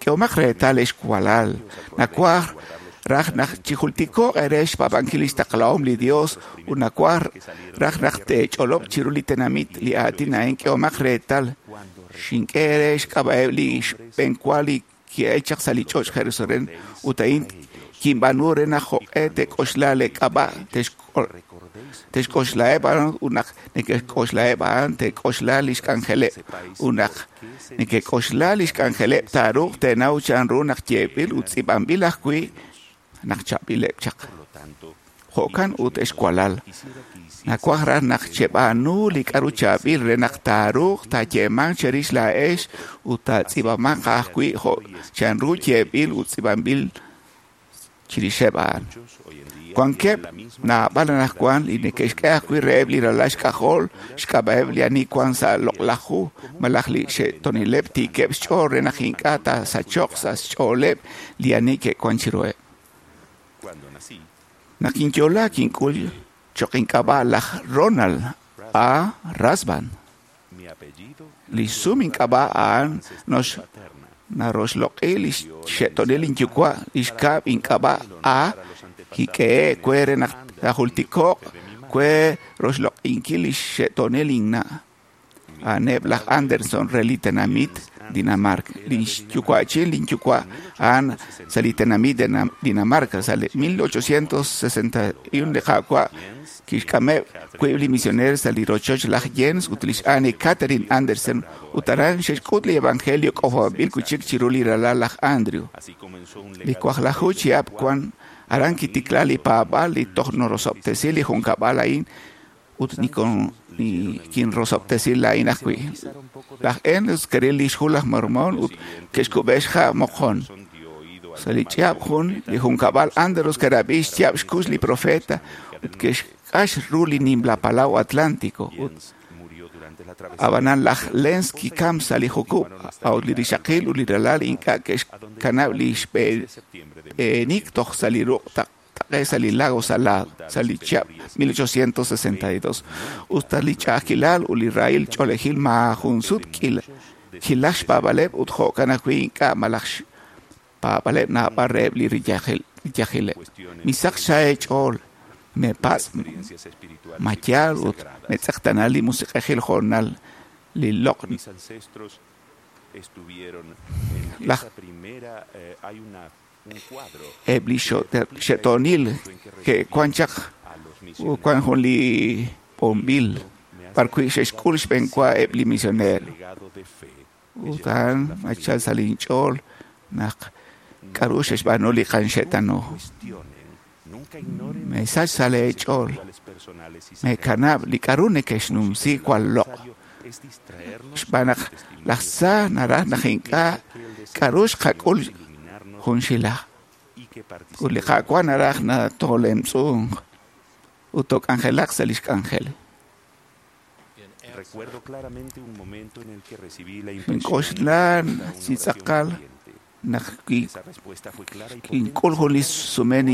K'ehomaq reetal ex walal, nawaj raj naq chijultiko'q eere xpaab'ankil li xtaqlahom li Dios ut nawaj raj naq teech'olob' chiru li tenamit li aatin a'in. K'ehomaq reetal, xink'e eere xk'ab'a'eb' li xb'enwa li ki'el chaq sa' li ch'och' Jerusalén ut a'in kinb'aanu re naq jo'q'e teek'oxla leek'ab'a' te'xk'oxlaheb' a'an ut naq neke'xk'oxlaheb' a'an teek'oxla li xk'anjeleb' ut naq neke'k'oxla li xk'anjeleb' taaruuq teenaw chanru naq yeeb'il ut tz'iib'anb'il ajwi' naq chaab'ileb' chaq. Jo'kan ut ex walal, nawaj raj naq cheb'aanu li k'aru chaab'il re naq taaruuq taayeemanq cherix laa'ex ut taatz'iib'amanq ajwi' jo' chanru yeeb'il ut tz'iib'anb'il chirixeb' a'an. Wankeb' naab'al anaqwan li neke'xk'e ajwi' reheb' li ralal xk'ajol xk'ab'a'eb' li ani wank sa' loq'laj hu malaj li xe'toonileb' tiikeb' xch'ool re naq ink'a' taasachoq sa' xch'ooleb' li ani ke'wank chiruheb'. Naq kinyo'la kink'ul cho'q ink'ab'a' laj Ronald A. Rasband. Li xsum ink'ab'a' a'an naroxloq'i li xxe'toonil linyuwa', li xkab' ink'ab'a' A kik'ehe'k we re naq taajultiko'q we roxloq'inkil li xxe'toonil linna'. A'aneb' laj Anderson re li tenamit Dinamarca. Li xyuwa'chin linyuwa' a'an sa' li tenamit Dinamarca sa' li mil ochocientos sesenta y uno li Qaawa' kixk'ameb' wiib' li misioneer sa' li rochoch laj Jens ut lix Anne Catherine Andersen ut aran xe'xk'ut li evangelio k'ojob'anb'il wi' chik chiru li ralal laj Andrew. Li waqlaju chihab' wan aran kitikla li paab'aal li toj norosob'tesi li junkab'al a'in ut kinrosob'tesi laa'in ajwi'. Laj Enos kiril li xhu laj Mormon ut ke'xkub'e xha' moqon. Sa' li chihab' jun, li junkab'al Anderos kirab'i xyaab' xkux li profeta ut ke'xq'ax ru li nimla palaw Atlántico. Ut ab'anan laj Lenz kikam sa' li jukub', a'ut li rixaqil ut li ralal ink'a' ke'xkanab' li xb'eenik toj sa' li ruq' taqe sa' li lago Salado sa' li chihab' mil ochocientos sesenta y dos. Usta li ch'a'ajkilal ut li rahil ch'oolejil maajun sut kilaj xpaab'aleb' ut jo'kan ajwi' ink'a' malaj xpaab'aleb' naab'al reheb' li riyajileb'. Misaq xeech'ool, mepatz' ma yaal ut metz'eqtana li musiq'ejil jo'nal li loq' laj eb' li xe'toonil ke'wan chaq wan jun li b'onb'il b'arwi' xe'xk'ul xb'enwa eb' li misioneer. Ut a'an nachal sa' linch'ool naq k'aru xe'xb'aanu li qanxe'tanu. Mesach sa' leech'ool, meekanab' li k'aru neke'xnumsi jwal loq'. Xb'aan naq laj tza naraj naq ink'a' k'aru xqak'ul junxilaj. Ut li Qaawa' naraj natoolemtz'unq ut took'anjelaq sa' li xk'anjel. Nink'oxla chi tz'aqal naq kink'ul jun li sumen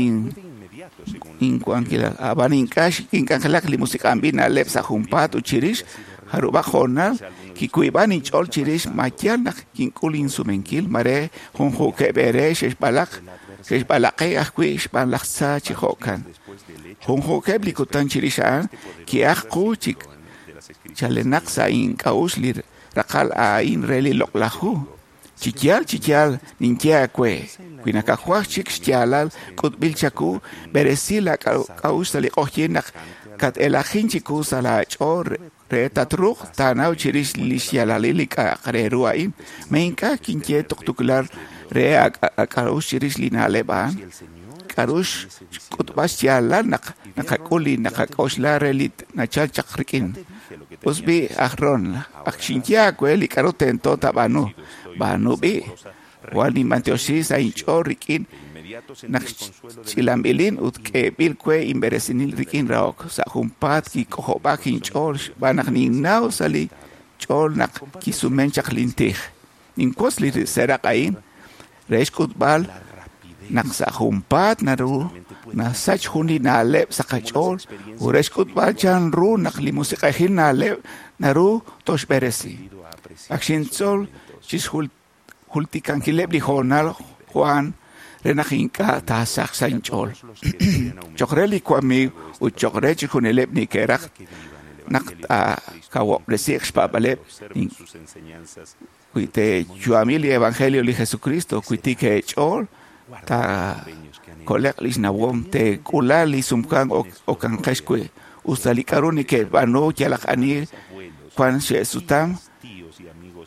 inwankilal. Ab'an ink'a' kink'anjelak li musiq'anb'il na'leb' sa' junpaat ut chirix jarub'aq hoonal kiwiib'an inch'ool chirix ma yaal naq kink'ul insumenkil mare junjunkeb' eere xe'xb'alaq xe'xb'alaqe ajwi' xb'aan laj tza chi jo'kan. Junjunkeb' li kutan chirix a'an ki'aj qu chi chalenaq sa' ink'a'uxl li raqal a'in re li loq'laj hu. Chi yaal chi yaal ninye aawe, wi nakajwaj chik xyaalal k'utb'il chaku, b'eresi laak'a'uxl sa' li q'oqyink naq kat-elajin chiku sa' laach'ool re tatruuq taanaw chirix li xyaalalil li k'a'aq re ru a'in. Ma ink'a' kinye tuqtuqulal re aak'a'uxl chirix li na'leb' a'an. K'aru xk'utb'al xyaalal naq naqak'ul li naqak'oxla re li nachal chaq rik'in. Us b'i' aj Ron, ak xinye aawe li k'aru tento taab'aanu. B'aanu b'i', jwal ninb'antioxi sa' inch'ool rik'in naq ch'ilanb'ilin ut k'eeb'il we inb'eresinil rik'in rahok. Sa' junpaat kik'ojob'ak inch'ool xb'aan naq ninnaw sa' li ch'ool naq kisumen chaq lintij. Ninwotz li seeraq' a'in re xk'utb'al Naq sa' junpaat naru nasach jun li na'leb' sa' qach'ool ut re xk'utb'al chan ru naq li musiq'ejil na'leb' naru toxb'eresi. Ak xintzol chixjultikankileb' li hoonal Juan re naq ink'a' taasach sa' inch'ool. Choq' re li wamiiw ut choq' re chixjunileb' neke'raj naq taakawob'resiiq xpaab'aaleb' wi teeyu'ami li evangelio li Jesucristo, wi tik eech'ool taakole'q lix nawom, teek'ula li sumwank okanqex wi'. Usta li k'a'ru neke'b'aanu yalaq ani wan xe'sutam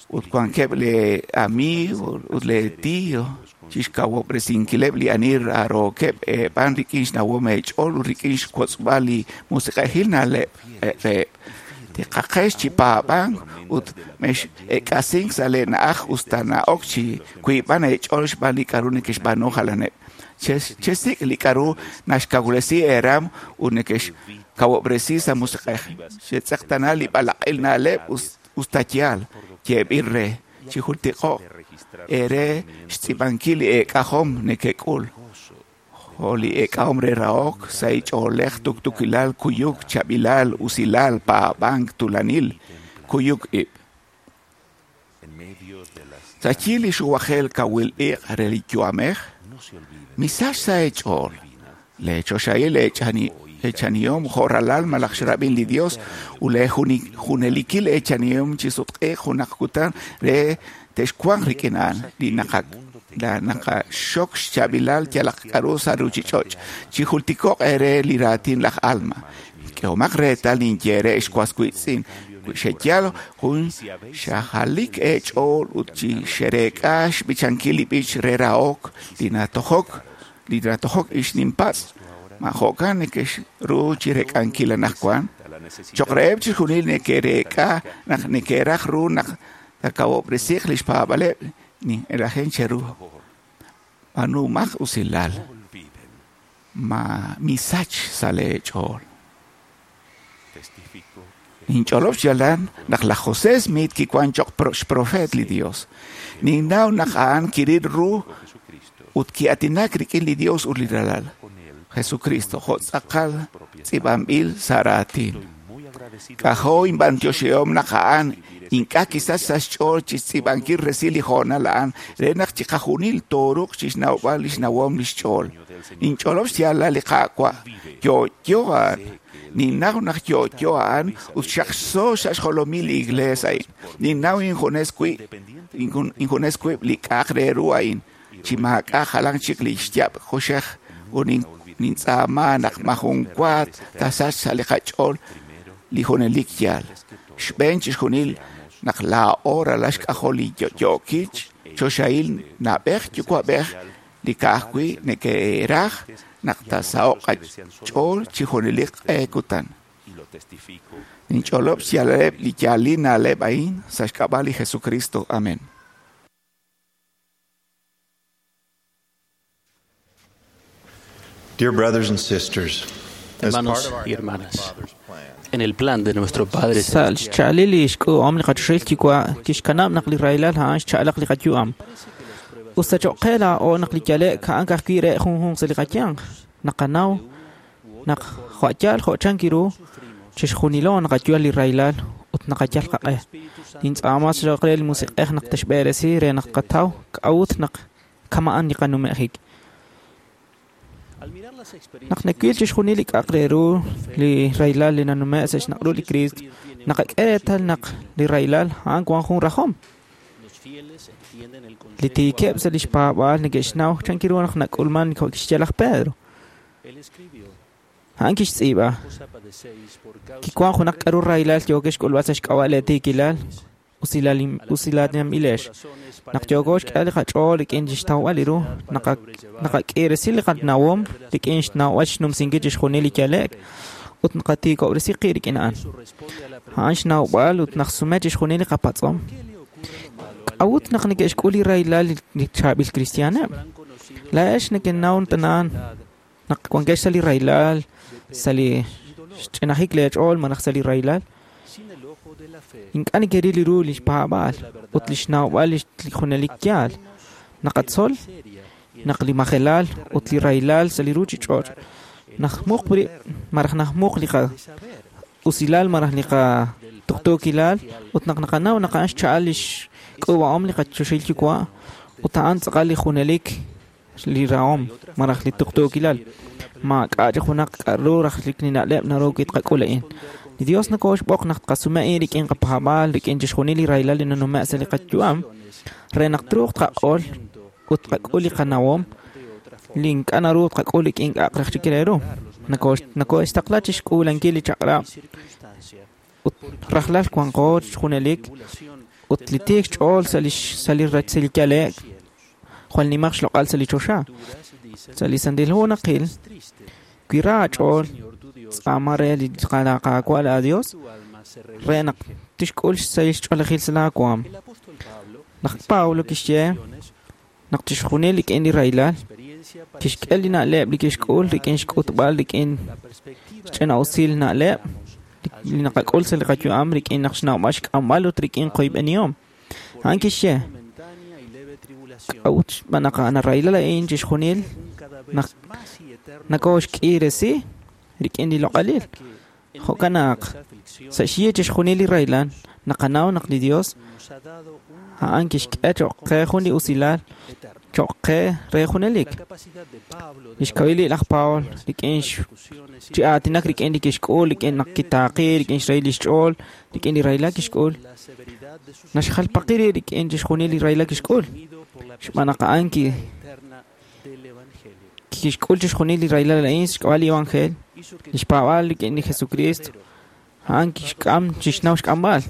ut wankeb' lee amiiw ut lee tío chixkawob'resinkileb' li ani rarookeb' eeb'aan rik'in xnawom eech'ool ut rik'in xwotzb'al li musiq'ejil na'leb' reheb'. Tiqaqex chi paab'ank ut mex'eek'asink sa' lee na'aj usta na'ok chi wiib'an eech'ool xb'aan li k'a'ru neke'xb'aanu jalaneb'. Chesik' li k'a'ru naxkawresi eeram ut neke'xkawob'resi sa' musiq'ej. Xetz'eqtana li b'alaq'il na'leb' usta yaal yeeb'il re chijultiko'q eere xtz'iib'ankil li eek'ajom nekek'ul. Jo' li eek'ahom re rahok, sa' ch'oolej, tuktukilal, kuyuk, chaab'ilal, usilal, paab'ank, tuulanil, kuyuk ib'. Sa' xyi li xuwajel kawil iq' re li yu'amej, misach sa' eech'ool. Lee choxahil eechanihom jo' ralal malaj xrab'in li Dios ut lee junelikil eechanihom chi sutq'iiq junaq kutan re texwanq rik'in a'an li naqa la naqaxok xchaab'ilal yalaq k'a'ru sa' ruchich'och'. Chijultiko'q eere li raatin laj Alma. K'ehomaq reetal ninye re xwas wiitz'in. Wi xeyal jun xajalik eech'ool ut chi xereek'a xb'ichankil li b'ich re rahok li natojok li natojok ix ninpatz'. Ma jo'kan neke'xru chireek'ankil anaqwan. Choq' reheb' chixjunil neke'reek'a naq neke'raj ru naq takawob'resiiq lix paab'aaleb' nin'elajen cheru. B'aanumaq usilal. Ma misach sa' lee ch'ool. Ninch'olob' xyaalal naq laj José Smith kiwan choq' xprofeet li Dios. Ninnaw naq a'an kiril ru ut ki'aatinak rik'in li Dios ut li ralal, Jesucristo, jo' tz'aqal tz'iib'anb'il sa' raatin. K'ajo' inb'antioxihom naq a'an ink'a' kisach sa' xch'ool chixtz'iib'ankil resil li hoonal a'an re naq chiqajunil tooruuq chixnawb'al lix nawom lix ch'ool. Ninch'olob' xyaalal li Qaawa' yo'yo a'an. Ninnaw naq yo'yo a'an ut xaqxo sa' xjolomil li iglees a'in. Ninnaw injunes wi' injunes wib' li k'a'aq re ru a'in chi maak'a' jalan chik li xyab' kuxej ut nintz'aama naq majun wa tasach sa' li qach'ool li junelik yaal. Xb'een chixjunil naq laa'o ralal xk'ajol li yo'yookil choxahil na'b'ej yuwa'b'ej li ka'ajwi' neke'raj naq taasaho'q qach'ool chi junelik q'e kutan. Ninch'olob' xyaalaleb' li yaalil na'leb' a'in sa' xk'ab'a' li Jesucristo. Amén. Dear brothers and sisters, as part Hermanos of our y Heavenly hermanas, Father's plan, en el plan de nuestro Padre Sa' xcha'alil li xk'uub'om li qachoxahil yuwa' kixkanab' naq li rahilal a'an xcha'alaq li qayu'am. Usta choq' qe laa'o naq li yale'k a'an ka'ajwi' re junjunq sa' li qayanq. Naqanaw naq jo' yaal jo' chan kiru chixjunilo naqayu'al li rahilal ut naqayal qaq'e. Nintz'aama choq' re li musiq'ej naq texb'eresi re naq qataw k'a'ut naq kama'an li qanume'jik. Naq nawil chixjunil li k'a'aq re ru li rahilal li nanume' sa' xnaq'ru li Kriist, naqak'e reetal naq li rahilal a'an wan jun rajom. Li tiikeb' sa' lix paab'aal neke'xnaw chan kiru naq nak'ulman jo' kixye laj Pedro. A'an kixtz'iib'a. Kiwan junaq k'a'ru rahilal yookex xk'ulb'al sa' xk'ab'a' lee tiikilal, usilatinb'ilex. Naq yooko xk'e li qach'ool rik'in xtawb'al li ru, naqak'iiresi li qanawom rik'in xnawb'al xnumsinkil chixjunil li yale'k ut naqatiikob'resi qib' rik'in a'an. A'an xnawb'al ut naqsume chixjunil li qapatz'om. K'a'ut naq neke'xk'ul li rahilal li chaab'il kristiaaneb'? Laa'ex nekenaw tana'an naq wankex sa' li rahilal, sa' li xch'inajik lee ch'ool malaj sa' li rahilal. Ink'a' nekeril li ru lix paab'aal ut lix nawb'al li junelik yaal. Naqatzol Naq li majelal ut li rahilal sa' li ruuchich'och' najmuq rib' malaj najmuq li qa usilal malaj li qatuqtuukilal ut naq naqanaw naq a'an xcha'al li xk'uub'ahom li qachoxahil yuwa' ut a'an tz'aqal li junelik li rahom malaj li tuqtuukilal maak'a' chi junaq k'a'ru raj li na'leb' naru wi' tqak'ul a'in. Li Dios nokooxb'oq naq tqasume a'in rik'in qapaab'aal rik'in chixjunil li rahilal li nanume' sa' li qayu'am re naq truuq tqaq'ol ut tqak'ul li qanawom li ink'a' naru tqak'ul rik'in k'a'aq raj chik re ru. Nokooxtaqla chi xk'uulankil li chaq'rab' ut rajlal wanqo junelik ut li tiik xch'ool sa' li sa' li sa' li yale'k jwal nimaq xloq'al sa' li choxa. Sa' li Santil Hu naqil wi ra aach'ool tz'aama re li Qaawa' laa Dios re naq tixk'ul xsahil xch'oolejil sa' laa waam. Laj Pablo kixye naq chixjunil rik'in li rahilal kixk'e li na'leb' li kixk'ul rik'in xk'utb'al rik'in xch'ina'usil na'leb' li naqak'ul sa' li qayu'am rik'in naq xnawb'al xk'amb'al ut rik'in qoyb'enihom. A'an kixye k'a'ut xb'aan naq narahilal a'in chixjunil naq nakooxk'iresi rik'in li loq'alil. Jo'kan naq sa' xyi chixjunil li rahilal naqanaw naq li Dios a'an kixk'e cho'q qe jun li usilal cho'q qe re junelik. Li xkawil laj Pablo rik'in chi aatinak rik'in li kixk'ul rik'in naq kitaaqi rik'in xrahil lix ch'ool rik'in li rahilal kixk'ul naxjalpaqi rib' rik'in chixjunil li rahilal kixk'ul xb'aan naq a'an ki kixk'ul chixjunil li rahilal a'in xk'ab'a' li evangelio li xpaab'aal rik'in li Jesucristo a'an kixk'am chixnaw xk'amb'al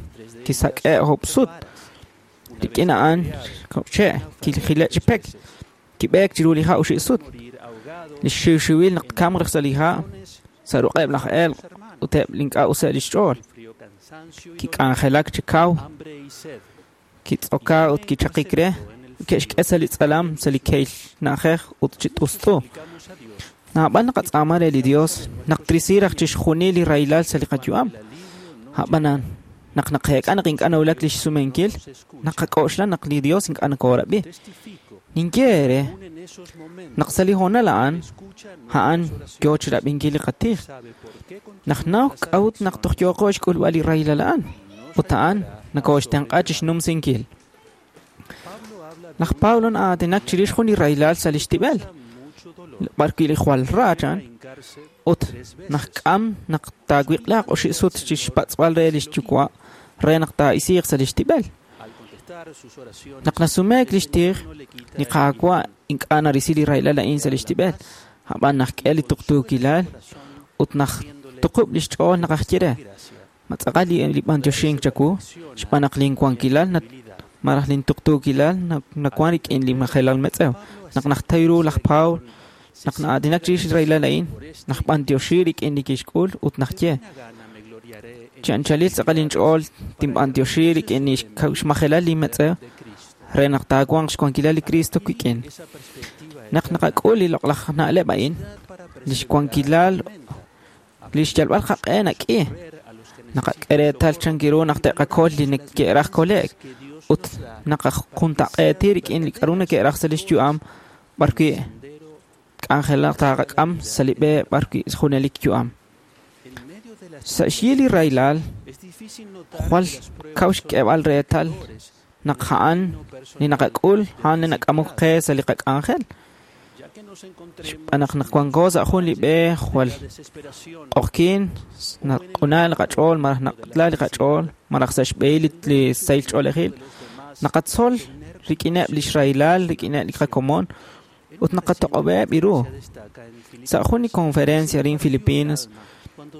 kisak'e' oob' sut rik'in a'an che' kijile' chi pek kib'eek chiru li ha' oxib' sut li xiwxiwil naq tkamq raj sa' li ha' sa' ruq'eb' laj elq' ut eb' li ink'a' useb' lix ch'ool kik'anjelak chi kaw kitz'oka ut kichaqik re ke'xk'e sa' li tz'alam sa' li kehil na'ajej ut chi t'ust'u. Naab'al naqatz'aama re li Dios naq trisi raj chixjunil li rahilal sa' li qayu'am. A'b'anan naq naqeek'a naq ink'a' nawulak li xsumenkil naqak'oxla naq li Dios ink'a' nokoorab'i. Ninye eere naq sa' li hoonal a'an a'an yoo chirab'inkil li qatij. Naq naw k'a'ut naq toj yooqo xk'ulb'al li rahilal a'an ut a'an nokooxtenq'a chixnumsinkil. Laj Pablo na'aatinak chirix jun li rahilal sa' li xtib'el b'arwi' li jwal ra chan ut najk'am naq taawiq'laaq oxib' sut chixpatz'b'al re lix yuwa' re naq taa'isiiq sa' li xtib'el. Naq nasumeek lix tij li Qaawa' ink'a' narisi li rahilal a'in sa' li xtib'el a'b'an najk'e li tuqtuukilal ut naj tuqub' lix ch'ool naq ajye re ma tz'aqal li b'antioxink chawu xb'aan naq linwankilal malaj lintuqtuukilal nawan rik'in li majelal metz'ew. Naq najtay ru laj Pablo naq na'aatinak chirix li rahilal a'in naj b'antioxi rik'in li kixk'ul ut najye chi anchalil tz'aqal inch'ool tinb'antioxi rik'in li xmajelal li metz'ew re naq taawanq xwankilal li Cristo wik'in. Naq naqak'ul li loq'laj na'leb' a'in li xwankilal li xyalb'al qaq'e nak'i naqak'e reetal chankiru naq te'qakol li neke'raj kole'k ut naqajuntaq'eeti rik'in li k'a'ru neke'raj sa' lix yu'am b'arwi' k'anjelaq taaqak'am sa' li b'e b'arwi' junelik yu'am. Sa' xyi li rahilal jwal kaw xk'eeb'al reetal naq a'an li naqak'ul a'an li nak'amok qe sa' li qak'anjel. Xb'aan naq naq wanko sa' jun li b'e jwal q'oqyin naq'una li qach'ool malaj naq'la li qach'ool malaj sa' xb'ehil li sahil ch'oolejil naqatzol rik'ineb' lix rahilal rik'ineb' li qakomon ut naqatoq'ob'eb' ru. Sa' jun li conferencia arin Filipinas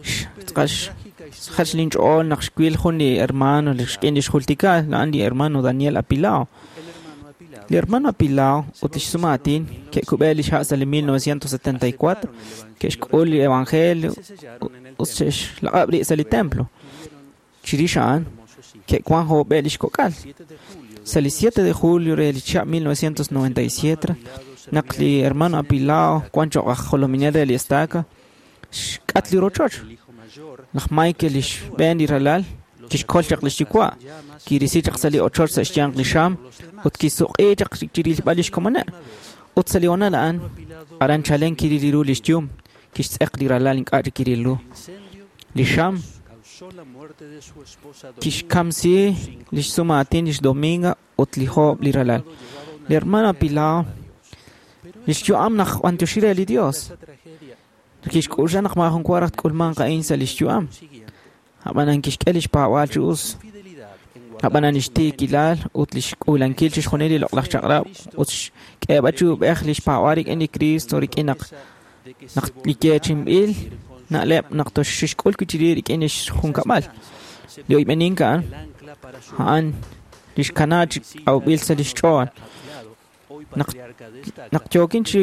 xjach linch'ool naq xwil jun li hermano li xk'in li xjultika a'an li hermano Daniel Apilao. Li hermano Apilao ut lix sumaatin ke'kub'e lix ha' sa' li mil novecientos setenta y cuatro ke'xk'ul li evangelio ut xe'xlaq'ab' rib' sa' li templo. Chirix a'an ke'wan jo'b'e lix kok'al. Sa' li siete de julio re li chihab' mil novecientos noventa y siete naq li hermano Apilao wan cho'q aj jolominel re li estaca xk'at li rochoch. Laj Michael lix xb'een li ralal kixkol chaq lix yuwa' kirisi chaq sa' li ochoch sa' xyanq li xam ut kisuq'i chaq chirilb'al lix komoneb' Ut sa' li honal a'an, aran chalen kiril ru lix yum, kixtz'eq li ralal ink'a' chik kiril ru. Li xam kixkamsi lix sumaatin lix Dominga ut li joob' li ralal. Li hermano Apilao, lix yu'am naq b'antioxi re li Dios. Kixk'uxa naq maajun wa raj tk'ulmanq a'in sa' lix yu'am. Ab'anan kixk'e lix paab'aal chi us. Ab'anan lix tiikilal ut lix k'uulankil chixjunil li loq'laj chaq'rab' ut xk'eeb'al chi ub'ej lix paab'aal rik'in li Cristo rik'in naq naq li yeechinb'il na'leb' naq toxixk'ul wi' chiri rik'in lix junkab'al. Li oyb'enink a'an a'an lix kana chi awb'il sa' lix ch'ool. Naq naq yookin chi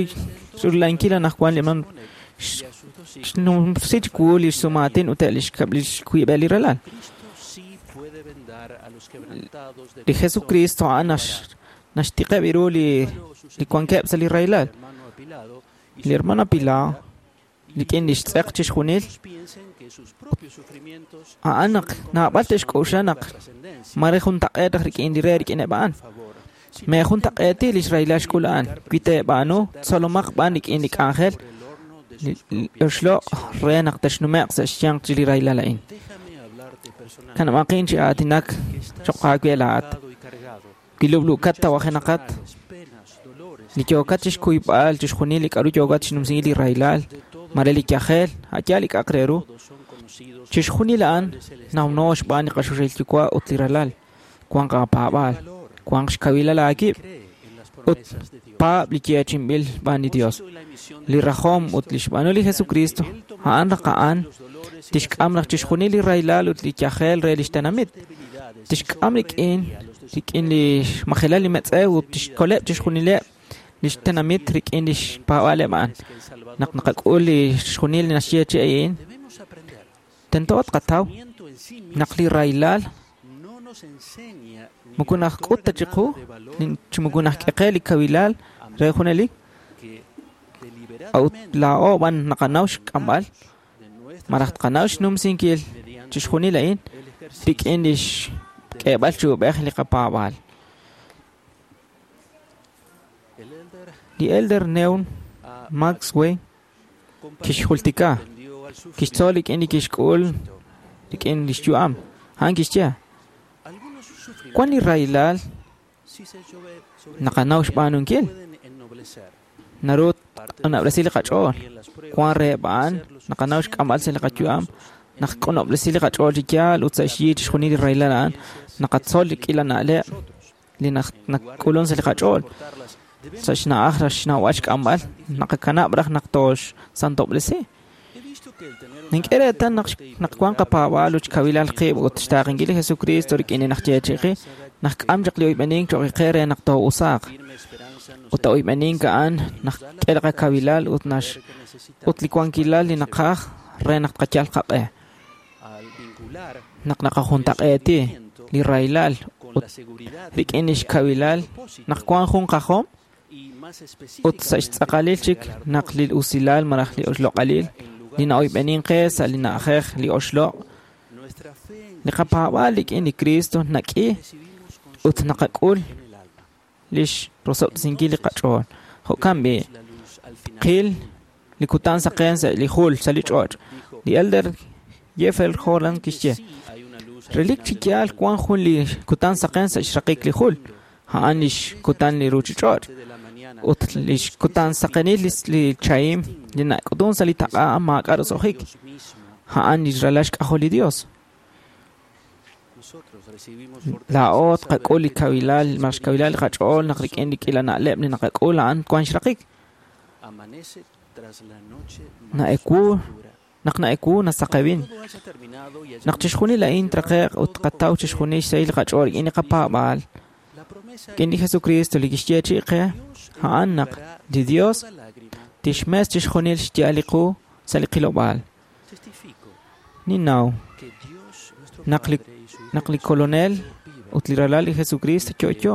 rulankil anaqwan li man xnumsi chiwu lix sumaatin ut lix lix wiib'el li ralal. Li Jesucristo a'an naxtiqeb' ru li li wankeb' sa' li rahilal. Li hermano Apilao rik'in lix tz'eq chixjunil a'an naq naab'al te'xk'oxla naq mare juntaq'eet raj rik'in li re rik'ineb' a'an. Me juntaq'eeti lix rahilal xk'ul a'an. Wi teeb'aanu tzolomaq b'an rik'in li k'anjel li oxloq' re naq texnume'q sa' xyanq chi li rahilal a'in. Kanab'aqin chi aatinak choq' aawe laa'at. Wi lub'luukat tawajenaqat, li yookat chixkuyb'al chixjunil li k'a'ru yookat chinumsinkil li rahilal, mare li yajel, a'yaal li k'a'aq re ru. Chixjunil a'an nawno xb'aan li qaxuxil yuwa' ut li ralal. Wanq aapaab'aal, wanq xkawilal aakib' ut paab' li yeechinb'il xb'aan li Dios. Li rajom ut li xb'aanu li Jesucristo a'an raj a'an tixk'am raj chixjunil li rahilal ut li yajel re lix tenamit. Tixk'am rik'in rik'in li xmajelal li metz'ew ut tixkoleb' chixjunileb' lix tenamit rik'in lix paab'aaleb' a'an. Naq naqak'ul li xjunil li naxye chi a'in, tento tqataw naq li rahilal moko najk'ut ta chiqu chi moko najk'eqe li kawilal re junelik. Ut laa'o b'an naqanaw xk'amb'al malaj tqanaw xnumsinkil chixjunil a'in rik'in lix k'eeb'al chi ub'ej li qapaab'aal. Li Elder Newn Maxwell kixjultika kixtzol rik'in li kixk'ul rik'in lix yu'am. A'an kixye wan li rahilal naqanaw xb'aanunkil. Naru tq'unob'resi li qach'ool. Wan reheb' a'an naqanaw xk'amb'al sa' li qayu'am. Naq q'unob'resi li qach'ool chi yaal ut sa' xyi chixjunil li rahilal a'an naqatzol li k'iila na'leb' li nak'ulun sa' li qach'ool. Sa' xna'aj raj xnawb'al xk'amb'al naqakanab' raj naq tooxsantob'resi. Nink'e reetal naq naq wan qapaab'aal ut xkawilal qib' ut xtaaqenkil li Jesucristo rik'in li najyeechi'i naq k'am chaq li oyb'enink cho'q qe re naq too'usaaq. Ut oyb'enink a'an naq k'e li qakawilal ut nax ut li wankilal li naqaj re naq tqayal qaq'e. Naq naqajuntaq'eeti li rahilal ut rik'in lix kawilal naq wan jun qajom ut sa' xtz'aqalil chik naq li usilal malaj li oxloq'alil li na'oyb'enin qe sa' li na'ajej li oxloq' li qapaab'aal rik'in li Cristo nak'i ut naqak'ul lix rosob'sinkil li qach'ool. Jo'kan b'i' qil li kutan saqen sa' li jul sa' li ch'och'. Li Elder Jeffrey Holland kixye relik chi yaal wan jun li kutan saqen sa' xraqik li jul. A'an lix kutan li ruchich'och' ut lix kutan saqenil li chahim li nak'utun sa' li taq'a maak'a' roso'jik. A'an li ralal xk'ajol li Dios. Laa'o tqak'ul li kawilal malaj xkawilal li qach'ool naq rik'in li k'iila na'leb' li naqak'ul a'an wan xraqik. Na'ewu naq na'ewu nasaqewin. Naq chixjunil a'in traqe'q ut tqataw chixjunil xsahil li qach'ool rik'in li qapaab'aal rik'in li Jesucristo li kixyeechi'i qe a'an naq li Dios tixmes chixjunil xya'al li qu sa' li qilob'aal. Ninnaw naq li naq li Kolonel ut li ralal li Jesucristo yo'yo.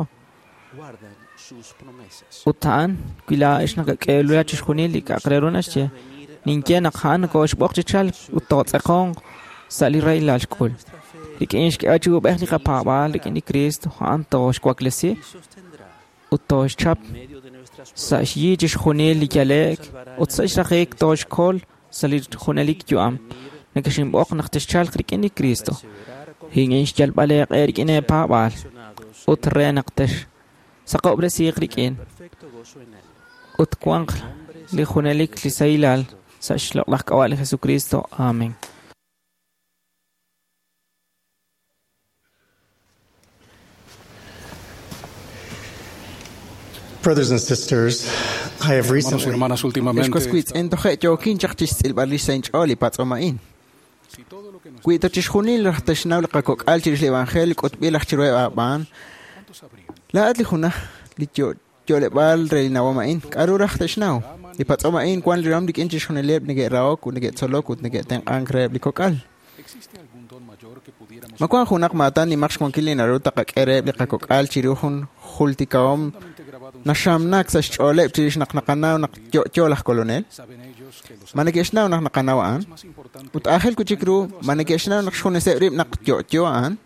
Ut a'an wi laa'ex nakak'eelula chixjunil li k'a'aq re ru naxye ninye naq a'an nokooxb'oq chi chalk ut tootz'eqonq sa' li rahilal xk'ul. Rik'in xk'e chi ub'ej li qapaab'aal rik'in li Cristo a'an tooxwaklesi ut tooxchap Sa' xyi chixjunil li yale'k ut sa' xraqik tooxkol sa' li junelik yu'am. Nekexinb'oq naq texchalq rik'in li Kristo. Rik'in xyalb'al eeq'e rik'in eepaab'aal ut re naq texsaqob'resiiq rik'in ut wanq li junelik li sahilal sa' xloq'laj k'ab'a' li Jesucristo. Amén. Brothers and sisters, I have Hermanos y recently hermanas, últimamente Ex waswitz'in toje' yookin chaq chixtz'ilb'al rix sa' inch'ool li patz'om a'in. Wi ta chixjunil raj texnaw li qakok'al chirix li evangelio k'utb'il aj chiruheb' aab'aan, laa'at li junaj li yo- yo'leb'aal re li nawom a'in, k'a'ru raj texnaw? Li patz'om a'in wan li ram rik'in chixjunileb' neke'rahok ut neke'tzolok ut neke'tenq'ank reheb' li kok'al. Ma wan junaq maatan nimaq xwankil li naru taqak'e reheb' li qakok'al chiru jun jultikahom naxamnak sa' xch'ooleb' chirix naq naqanaw naq yo'yo laj kolonel? Ma neke'xnaw naq naqanaw a'an? Ut aajel wi' chik ru, ma neke'xnaw naq xjuneseb' rib' naq yo'yo a'an?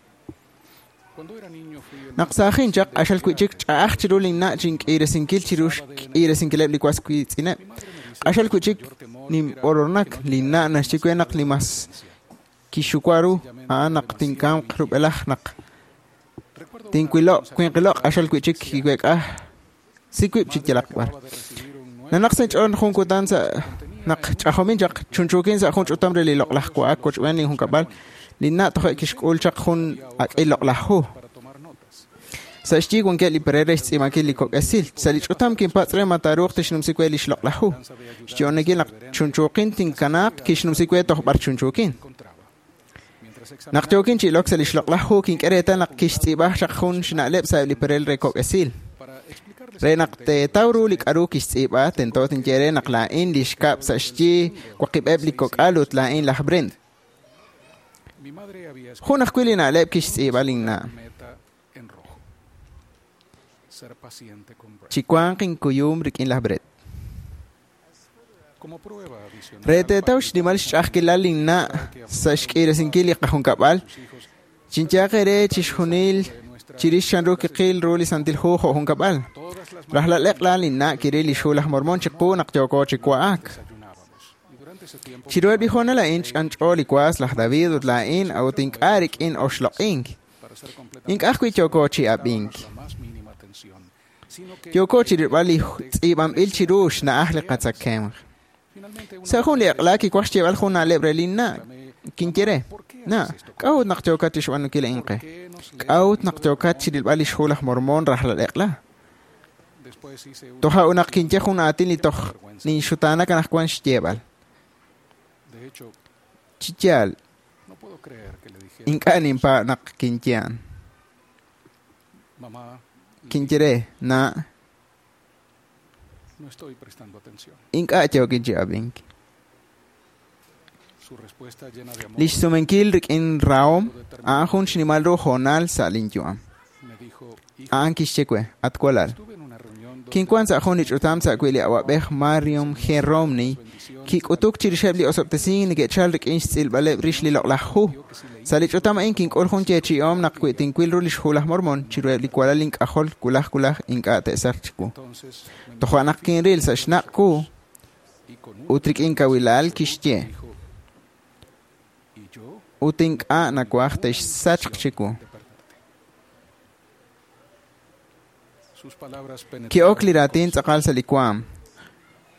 Naq saajin chaq q'axal wi' chik ch'a'aj chiru linna' chink'iiresinkil chiru xk'iiresinkileb' li was wiitz'ineb'. Q'axal wi' chik ninb'orornak linna' naxye we naq li mas kixuwa ru a'an naq tinkamq rub'elaj naq tinwilo' winqilo' q'axal wi' chik kiweek'a si wib' chi yalaq b'ar. Nanaq sa' inch'ool jun kutan sa' naq ch'ajomin chaq chunchuukin sa' jun ch'utam re li loq'laj wa'ak wochb'een linjunkab'al linna' toje' kixk'ul chaq jun ak'il loq'laj hu. Sa' xyi wankeb' li perel re xtz'iib'ankil li kok'esil. Sa' li ch'utam kinpatz' re ma taaruuq tixnumsi we li xloq'laj hu. Xyo'onekil naq chunchuukin tinkanaaq kixnumsi we toj b'ar chunchuukin. Naq yookin chi ilok sa' li xloq'laj hu kink'e reetal naq kixtz'iib'aj chaq jun xna'leb' sa'eb' li perel re kok'esil. Re naq teetaw ru li k'a'ru kixtz'iib'a, tento tinye re naq laa'in li xkab' sa' xyi waqib'eb' li kok'al ut laa'in laj Brent. mi madre había Jun ajwi' li na'leb' kixtz'iib'a linna'. meta en rojo. Ser paciente con Brett. Chiwanq inkuyum rik'in laj Brett. Como prueba adicional Re teetaw xnimal xch'a'ajkilal linna' sa' xk'iiresinkil li qajunkab'al, chinyaaq eere chixjunil chirix chanru kiqil ru li Santil Hu jo' junkab'al. Rajlal eq'la linna' kiril li xhu laj Mormon chiqu naq yooko chi wa'ak. Chiruheb' li hoonal a'in ch'anch'o li was laj David ut laa'in a'ut ink'a' rik'in oxloq'ink. Ink'a' ajwi' yooko chi ab'ink. la más mínima tensión, sino que Yooko chirilb'al li tz'iib'anb'il chiru xna'aj li qatzakemq. Sa' jun li eq'la kiwaj xyeeb'al jun na'leb' re linna' kinye re, na, k'a'ut naq yookat chixb'aanunkil a'in qe? K'a'ut naq yookat chirilb'al li xhu laj Mormon rajlal eq'la? después hice una Toja' ut naq kinye jun aatin li toj ninxutaanak anaqwan xyeeb'al. De hecho, Chi yaal, no puedo creer que le dijera, ink'a' ninpaab' naq kinye a'an. mamá, Kinye re, na, no estoy prestando atención. ink'a' yookin chi ab'ink. Su respuesta llena de amor Li xsumenkil rik'in rahom a'an jun xnimal ru hoonal sa' linyu'am. me dijo, hijo, A'an kixye we, at walal. estuve en una reunión donde Kinwan sa' jun li ch'utam sa' wi' li awa'b'ej Marion G. Romney kik'utuk chirixeb' li osob'tesink neke'chal rik'in xtz'ilb'aleb' rix li loq'laj hu. Sa' li ch'utam a'in kink'ul jun yeechi'om naq wi tinwil ru li xhu laj Mormon chiruheb' li walal ink'ajol wulaj wulaj ink'a' te'sachq chiwu. entonces me Toja' naq kinril sa' xnaq' wu y con un ut rik'in kawilal kixye dijo, y yo ut ink'a' nawaj te'xsachq chiwu. de perderte. Sus palabras Ki'ok penetraron li mi raatin corazón. tz'aqal sa' li waam.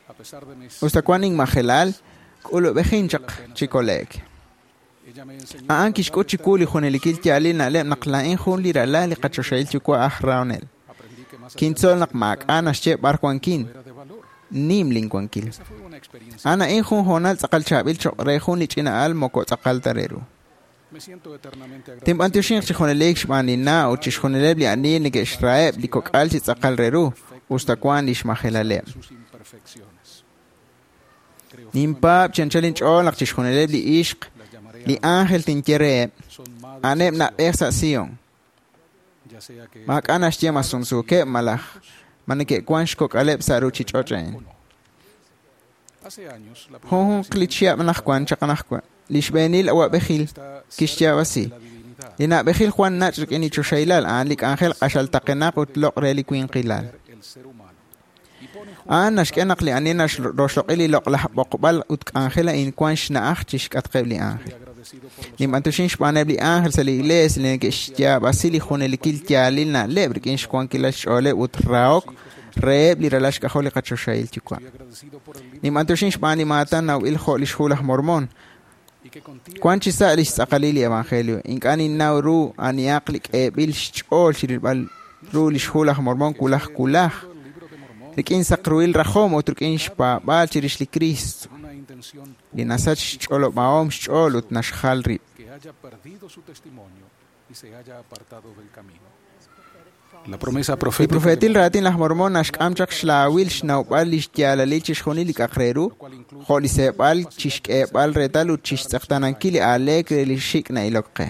A pesar de mis Usta wan inmajelal, k'ulub'ejin chaq chi kole'k. ella me enseñó A'an kixk'ut chiwu li junelikil yaalil na'leb' naq laa'in jun li ralal li qachoxahil yuwa' aj rahonel. aprendí que más allá Kintzol naq maak'a' naxye b'ar wankin, era de valor. nim linwankil. Esa fue una experiencia. A'an a'in jun hoonal tz'aqal chaab'il choq' re jun li ch'ina'al moko tz'aqal ta re ru. Me siento eternamente agradecido Tinb'antioxinq chi junelik xb'aan linna' ut chixjunileb' li ani neke'xraheb' li kok'al chi tz'aqal re ru, usta wan li xmajelaleb'. de sus imperfecciones. Creo Ninpaab' chi anchal inch'ool naq chixjunileb' li ixq, las llamaré li ángel tinye reheb', son madres a'aneb' en na'b'ej sa' Sion. Sion, ya sea que Maak'a' naxye ma sumsuukeb' malaj ma neke'wan xkok'aleb' sa' ruchich'och' a'in. o no. Hace años la Junjunq li chihab' anaqwan chaq anaqwan, li xb'eenil awa'b'ejil está cerca kixyaab'asi. de la divinidad Li na'b'ejil Juan nach' rik'in li choxahilal a'an li k'anjel q'axal taqenaq ut loq' re li winqilal. el ser humano. A'an naxk'e naq li ani naxroxloq'i li loq'laj b'oqb'al ut k'anjel a'in wank xna'aj chixk'atqeb' li ánjel. Ninb'anyoxin xb'aaneb' li ánjel sa' li iglees li neke'xyaab'asi li junelikil yaalil na'leb' rik'in xwankilal xch'ooleb' ut rahok reheb' li ralal xk'ajol li qachoxahil Yuwa'. Ninb'anyoxin xb'aan li maatan nawb'il jo' lix Hu laj Mormon. Wank chi sa' lix tz'aqalil li evangelio. Ink'a' ninnaw ru anihaq li k'eeb'il xch'ool chirilb'al ru lix Hu laj Mormon wulaj wulaj, rik'in saqruhil rajom ut rik'in xpaab'aal chirix li Kristo, li nasach xch'olob'ahom xch'ool ut naxjal rib'. La promesa Li profética profeetil raatin laj Mormon naxk'am chaq xlaawil xnawb'al lix yaalalil chixjunil li k'aq re ru, jo' li seeb'al chixk'eeb'al reetal ut chixtz'eqtaanankil li aaleek re li xik' na'ilok qe.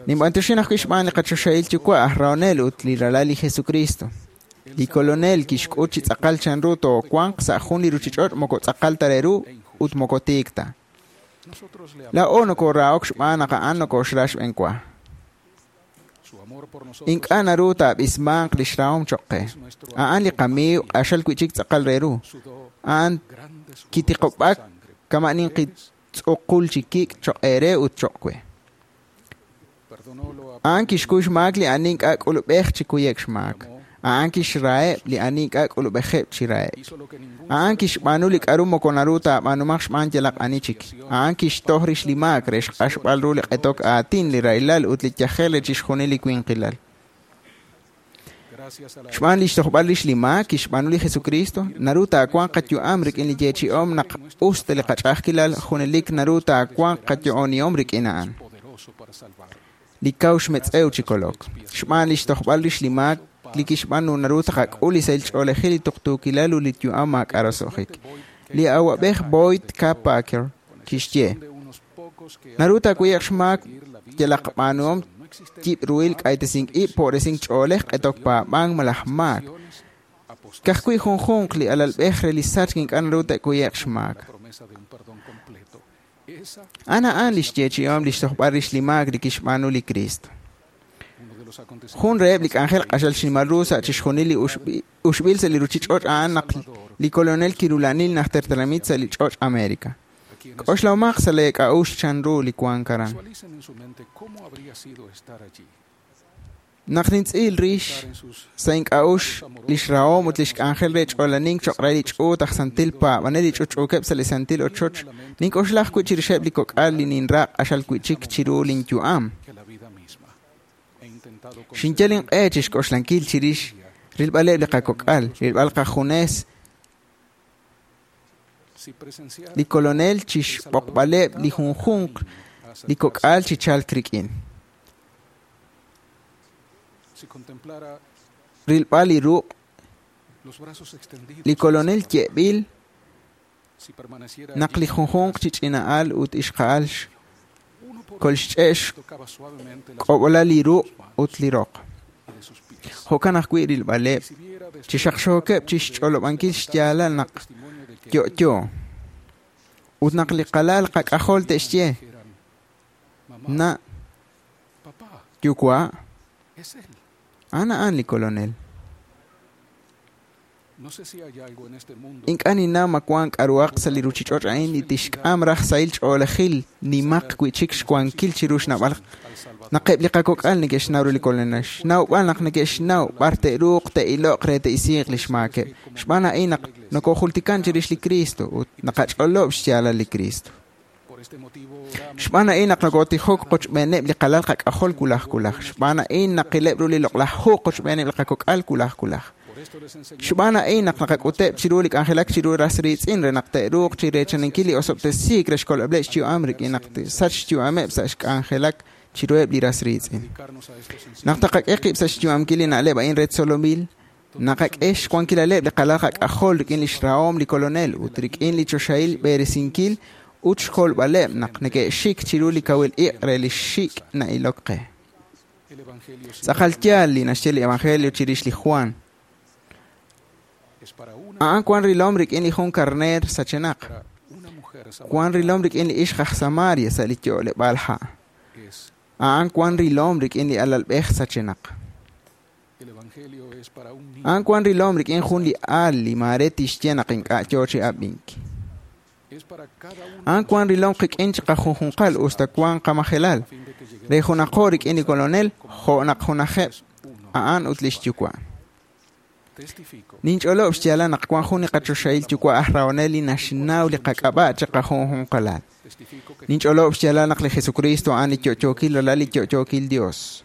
Ninb'anyoxin ajwi' xb'aan li qachoxahil Yuwa' aj rahonel ut li ralal li Jesucristo. Li Kolonel kixk'ut chi tz'aqal chanru toowanq sa' jun li ruchich'och' moko tz'aqal ta re ru ut moko tiik ta. Laa'o nokorahok xb'aan naq a'an nokoxra xb'enwa. Ink'a' naru taab'ismanq lix rahom choq' qe. A'an li qamiiw q'axal wi'chik tz'aqal re ru. A'an kitiqob'ak kama' ninqi tz'uqul chi kik' choq' eere ut choq' we. A'an kixkuy xmaak li ani ink'a' k'ulub'ej chi kuye'k xmaak. A'an kixraheb' li ani ink'a' k'ulub'ejeb' chi rahe'k. A'an kixb'aanu li k'a'ru moko naru taab'aanumaq xb'aan yalaq ani chik. A'an kixtoj rix li maak re xq'axb'al ru li q'etok aatin, li rahilal ut li yajel re chixjunil li winqilal. Xb'aan lix tojb'al rix li maak kixb'aanu li Jesucristo, naru taawanq qayu'am rik'in li yeechi'om naq us ta li qach'a'ajkilal junelik naru taawanq qayo'onihom rik'in a'an. Li kaw xmetz'ew chi kolok. Xb'aan lix tojb'al rix li maak li kixb'aanu naru taqak'ul li sahil ch'oolejil li tuqtuukilal ut li yu'am maak'a' roso'jik. Li awa'b'ej Boyd K. Packer kixye: Naru taakuye'q xmaak yalaq b'aanuhom yib' ruhil k'aytesink ib' po'resink ch'oolej q'etok paab'ank malaj maak. Ka'ajwi' junjunq li alalb'ej re li sachk ink'a' naru te'kuye'q xmaak. A'an a'an lix yeechi'om lix tojb'al rix li maak li kixb'aanu li Kristo. Jun reheb' li k'anjel q'axal xnimal ru sa' chixjunil li uxb'il sa' li ruchich'och' a'an naq li Kolonel kirula'anil najter tenamit sa' li ch'och' America. K'oxlahomaq sa' lee k'a'uxl chanru li wank aran. Naq nintz'il rix sa' ink'a'uxl lix rahom ut lix k'anjel re ch'olanink choq' re li ch'uut aj santil paab'anel li ch'utch'uukeb' sa' li santil ochoch, nink'oxla ajwi' chirixeb' li kok'al li ninra q'axal wi'chik chiru linyu'am. Xinyal inq'e chixk'oxlankil chirix rilb'aleb' li qakok'al, rilb'al qajunes li Kolonel chixb'oqb'aleb' li junjunq li kok'al chi chalk rik'in. Rilb'al li ruq' li Kolonel ye'b'il naq li junjunq chi ch'ina'al ut ixqa'al kolxch'e' xk'ob'olal li ruq' ut li roq. Jo'kan ajwi' rilb'aleb' chi xaqxookeb' chixch'olob'ankil xyaalal naq yo'yo ut naq li qalal qak'ajol te'xye na' yuwa' a'an a'an li Kolonel. Ink'a' ninnaw ma wank k'a'ruhaq sa' li ruchich'och' a'in li tixk'am raj sahil ch'oolejil nimaq wi'chik xwankil chiru xnawb'al naq eb' li qakok'al neke'xnaw ru li Kolonel, xnawb'al naq neke'xnaw b'ar te'ruuq te'iloq re te'isiiq li xmaakeb'. Xb'aan a'in naq nokojultikan chirix li Kristo ut naqach'olob' xyaalal li Kristo. Xb'aan a'in naq nokotijok qochb'eeneb' li qalal qak'ajol wulaj wulaj. Xb'aan a'in naqileb' ru li loq'laj hu qochb'eeneb' li qakok'al wulaj wulaj. Xb'aan a'in naq naqak'uteb' chiru li k'anjelak chiru ras riitz'in re naq te'ruuq chi reechaninkil li osob'tesiik re xkolb'aleb' xyu'am rik'in naq te'sach xyu'ameb' sa' xk'anjelak chiruheb' li ras riitz'in. Naq taqak'e qib' sa' xyu'amkil li na'leb' a'in re tzolomil, naqak'e xwankilaleb' li qalal qak'ajol rik'in lix rahom li Kolonel ut rik'in li choxahil b'eresinkil ut xkolb'aleb' naq neke'xik chiru li kawil iq' re li xik' na'ilok qe. Tz'aqal yaal li naxye li Evangelio chirix li Juan. A'an wan rilom rik'in li jun karneer sachenaq. Wan rilom rik'in li ixq aj Samaria sa' li yo'leb'aal ha'. A'an wan rilom rik'in li alalb'ej sachenaq. A'an wan rilom rik'in jun li aal li maare tixye naq ink'a' yoo chi ab'ink. A'an wan rilom qik'in chiqajunjunqal usta wan qamajelal. Re junaqo rik'in li Kolonel jo' naq junajeb' a'an ut lix yuwa'. Ninch'olob' xyaalal naq wan jun li qachoxahil yuwa' aj rahonel li naxnaw li qak'ab'a' chiqajunjunqalal. Ninch'olob' xyaalal naq li Jesucristo a'an li yo'yookil ralal li yo'yookil Dios.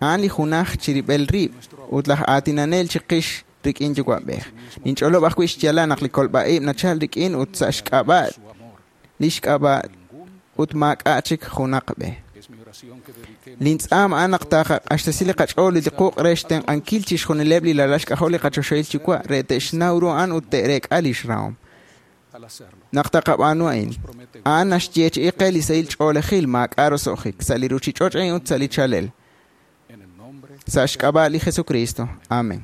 A'an li junaj chirib'el rib' ut laj aatinanel chiqix rik'in yuwa'b'ej. Ninch'olob' ajwi' xyaalal naq li kolb'a'ib' nachal rik'in ut sa' xk'ab'a' li xk'ab'a' ut maak'a' chik junaq b'e. Lintz'aam a'an naq taaqaq'axtesi li qach'ool li quq' re xtenq'ankil chixjunileb' li lalal xk'ajol li qachoxahil yuwa' re te'xnaw ru a'an ut te'reek'a lix rahom. Naq taqab'aanu a'in, a'an naxyeechi'i qe li sahil ch'oolejil maak'a' roso'jik sa' li ruchich'och' a'in ut sa' li chalel. Sa' xk'ab'a' li Jesucristo. Amén.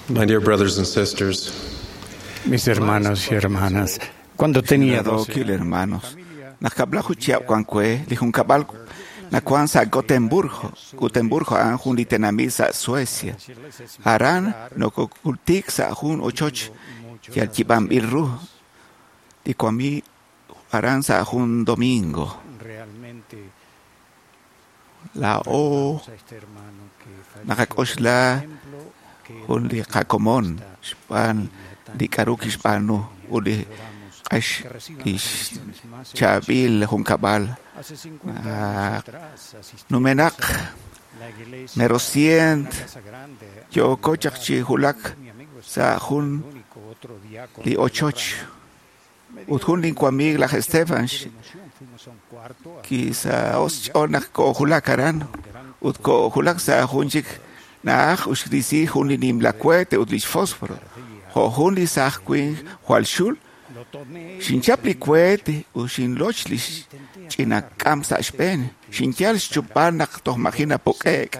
My dear brothers and sisters, Mis hermanos y hermanas, cuando tenía doce Radoki hermanos, naq kab'laju chihab' wan we, li junkab'al Nakuan sa Gotemburgo, Gotemburgo a'an jun li tenamit sa Suecia. Aran nokokultik sa jun ochoch yal yib'anb'il ru. Li kuami aran sa jun domingo. Laa'o naqak'oxla jun li qakomon xb'aan li k'aru kixb'aanu ut li q'ax li xchaab'il junkab'al. Numenaq mero cient yooko chaq chi wulak sa jun li ochoch ut jun linwamiig laj Stefan kisaho' xch'ool naq koojulak aran ut koojulak sa' jun chik na'aj ut xrisi jun li nimla cohete ut lix fósforo jo' jun li saaj winq jwal xul xinchap li cohete ut xinloch li ch'ina k'am sa' xb'een xinyal xchupb'al naq toj maji' napuk'e'k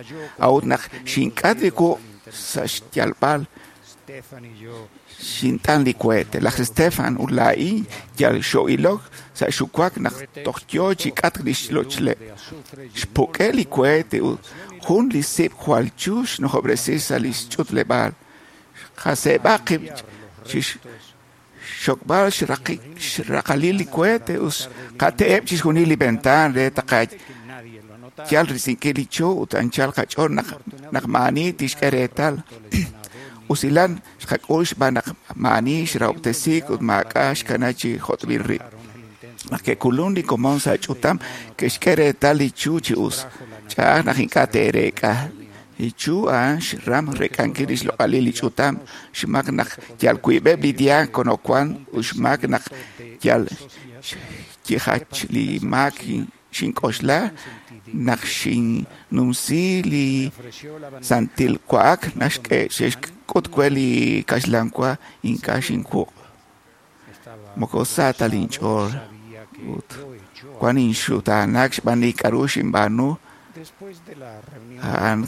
a'ut naq xink'at li wuq' sa' xyalb'al xint'an li cohete. Laj Stefan ut laa'in yal xo'ilok sa' xuwak naq toj yoo chi k'atk li xlochleb'. Xpuk'e li cohete ut jun li sib' jwal chu xnujob'resi sa' li xch'utleb'aal. Xqaseeb'a qib' chi xxokb'al xraqalil li cohete ut xqate'eb' chixjunil li ventaan re taqayal risinkil li chu ut anchal qach'ool naq naq maa'ani tixk'e reetal. Usilal xqak'ul xb'aan naq maa'ani xrahob'tesiik ut maak'a' xkana chi jot'b'il rib'. Naq ke'kulun li komon sa' ch'utam ke'xk'e reetal li chu chi us. Ch'a'aj naq ink'a' te'reek'a. Li chu a'an xram reek'ankil li xloq'alil li ch'utam xmaak naq yal wiib'eb' li diácono wan ut xmaak naq yal xyijach li maak xink'oxla naq xinnumsi li santil wa'ak naxk'e xe'xk'ut we li kaxlan wa ink'a' xinwuq'. Moko sa ta linch'ool ut wan inxutaanak xb'aan li k'aru xinb'aanu a'an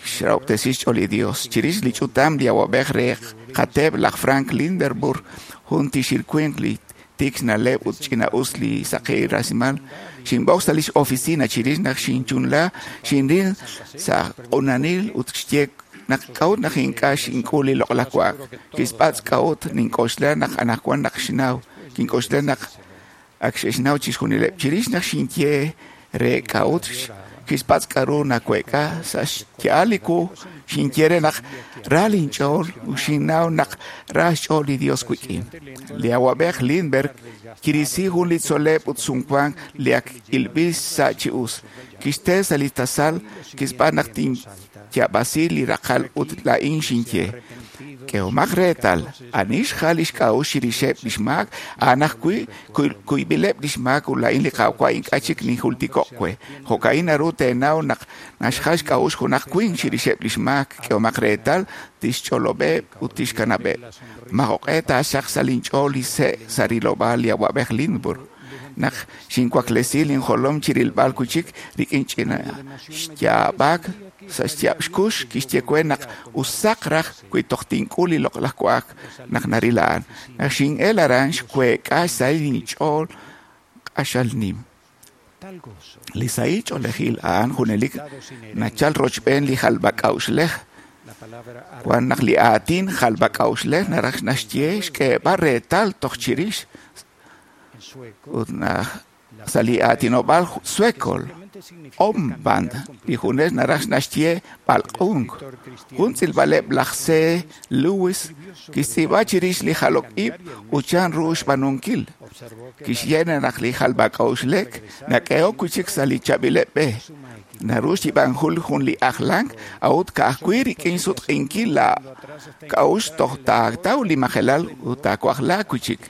kixrahob'tesi xch'ool li Dios. Chirix li ch'utam li awab'ej re qateep laj Frank Linderburg jun tixil winq li tik xna'leb' ut ch'ina'us li saqi rasimal xinb'oq sa' lix oficina chirix naq xinchunla xinril sa' q'unanil ut xye naq k'a'ut naq ink'a' xink'ul li loq'laj wa'ak. Kixpatz' k'a'ut nink'oxla naq anaqwan naq xnaw. Kink'oxla naq ak xe'xnaw chixjunileb'. Chirix naq xinye re k'a'ut kixpatz' k'aru naweek'a sa' xya'al li wu xinye re naq ra linch'ool ut xinnaw naq ra xch'ool li Dios wik'in. Li awab'ej Lindberg kirisi jun li tzol'leb' ut sumwank li ak ilb'il sa' chi us. Kixte sa' li tasal kixb'aan naq tinyab'asi li raqal ut laa'in xinye. K'ehomaq reetal, ani xjal li xk'a'uxl chirixeb' lix maak, a'an ajwi' kuyb'ileb' lix maak ut laa'in li Qaawa' ink'a' chik ninjultiko'k we. Jo'ka'in naru teenaw naq naxjal xk'a'uxl junaq winq chirixeb' lix maak. K'ehomaq reetal, tixch'olob'eb' ut tixkanab'eb'. Majo'q'e taaxaq sa' linch'ool li se' sa' rilob'aal li awab'ej Lindberg. Naq xinwaklesi linjolom chirilb'al wi' chik rik'in ch'ina xyaab'ak sa' xyaab' xkux kixye we naq usaq raj wi toj tink'ul li loq'laj wa'ak naq naril a'an. Naq xin'el aran xweek'a xsahil linch'ool q'axal nim. Li sahil ch'oolejil a'an junelik nachal rochb'een li jalb'ak'a'uxlej. Wan naq li aatin jalb'ak'a'uxlej naraj naxye xk'eeb'al reetal toj chirix ut naq sa' li aatinob'aal sueco omband li junes naraj naxye b'alq'unk. Jun tz'ilb'aleb' laj C. Lewis kixtz'iib'a chirix li jalok ib' ut chan ru xb'aanunkil. Kixye naq li jalb'ak'a'uxlek nak'ehok wi' chik sa' li chaab'ileb' b'e. Naru xyib'anjul jun li ajlank a'ut ka'ajwi' rik'in sutq'inkil la k'a'uxl toj taataw li majelal ut taawajla wi' chik.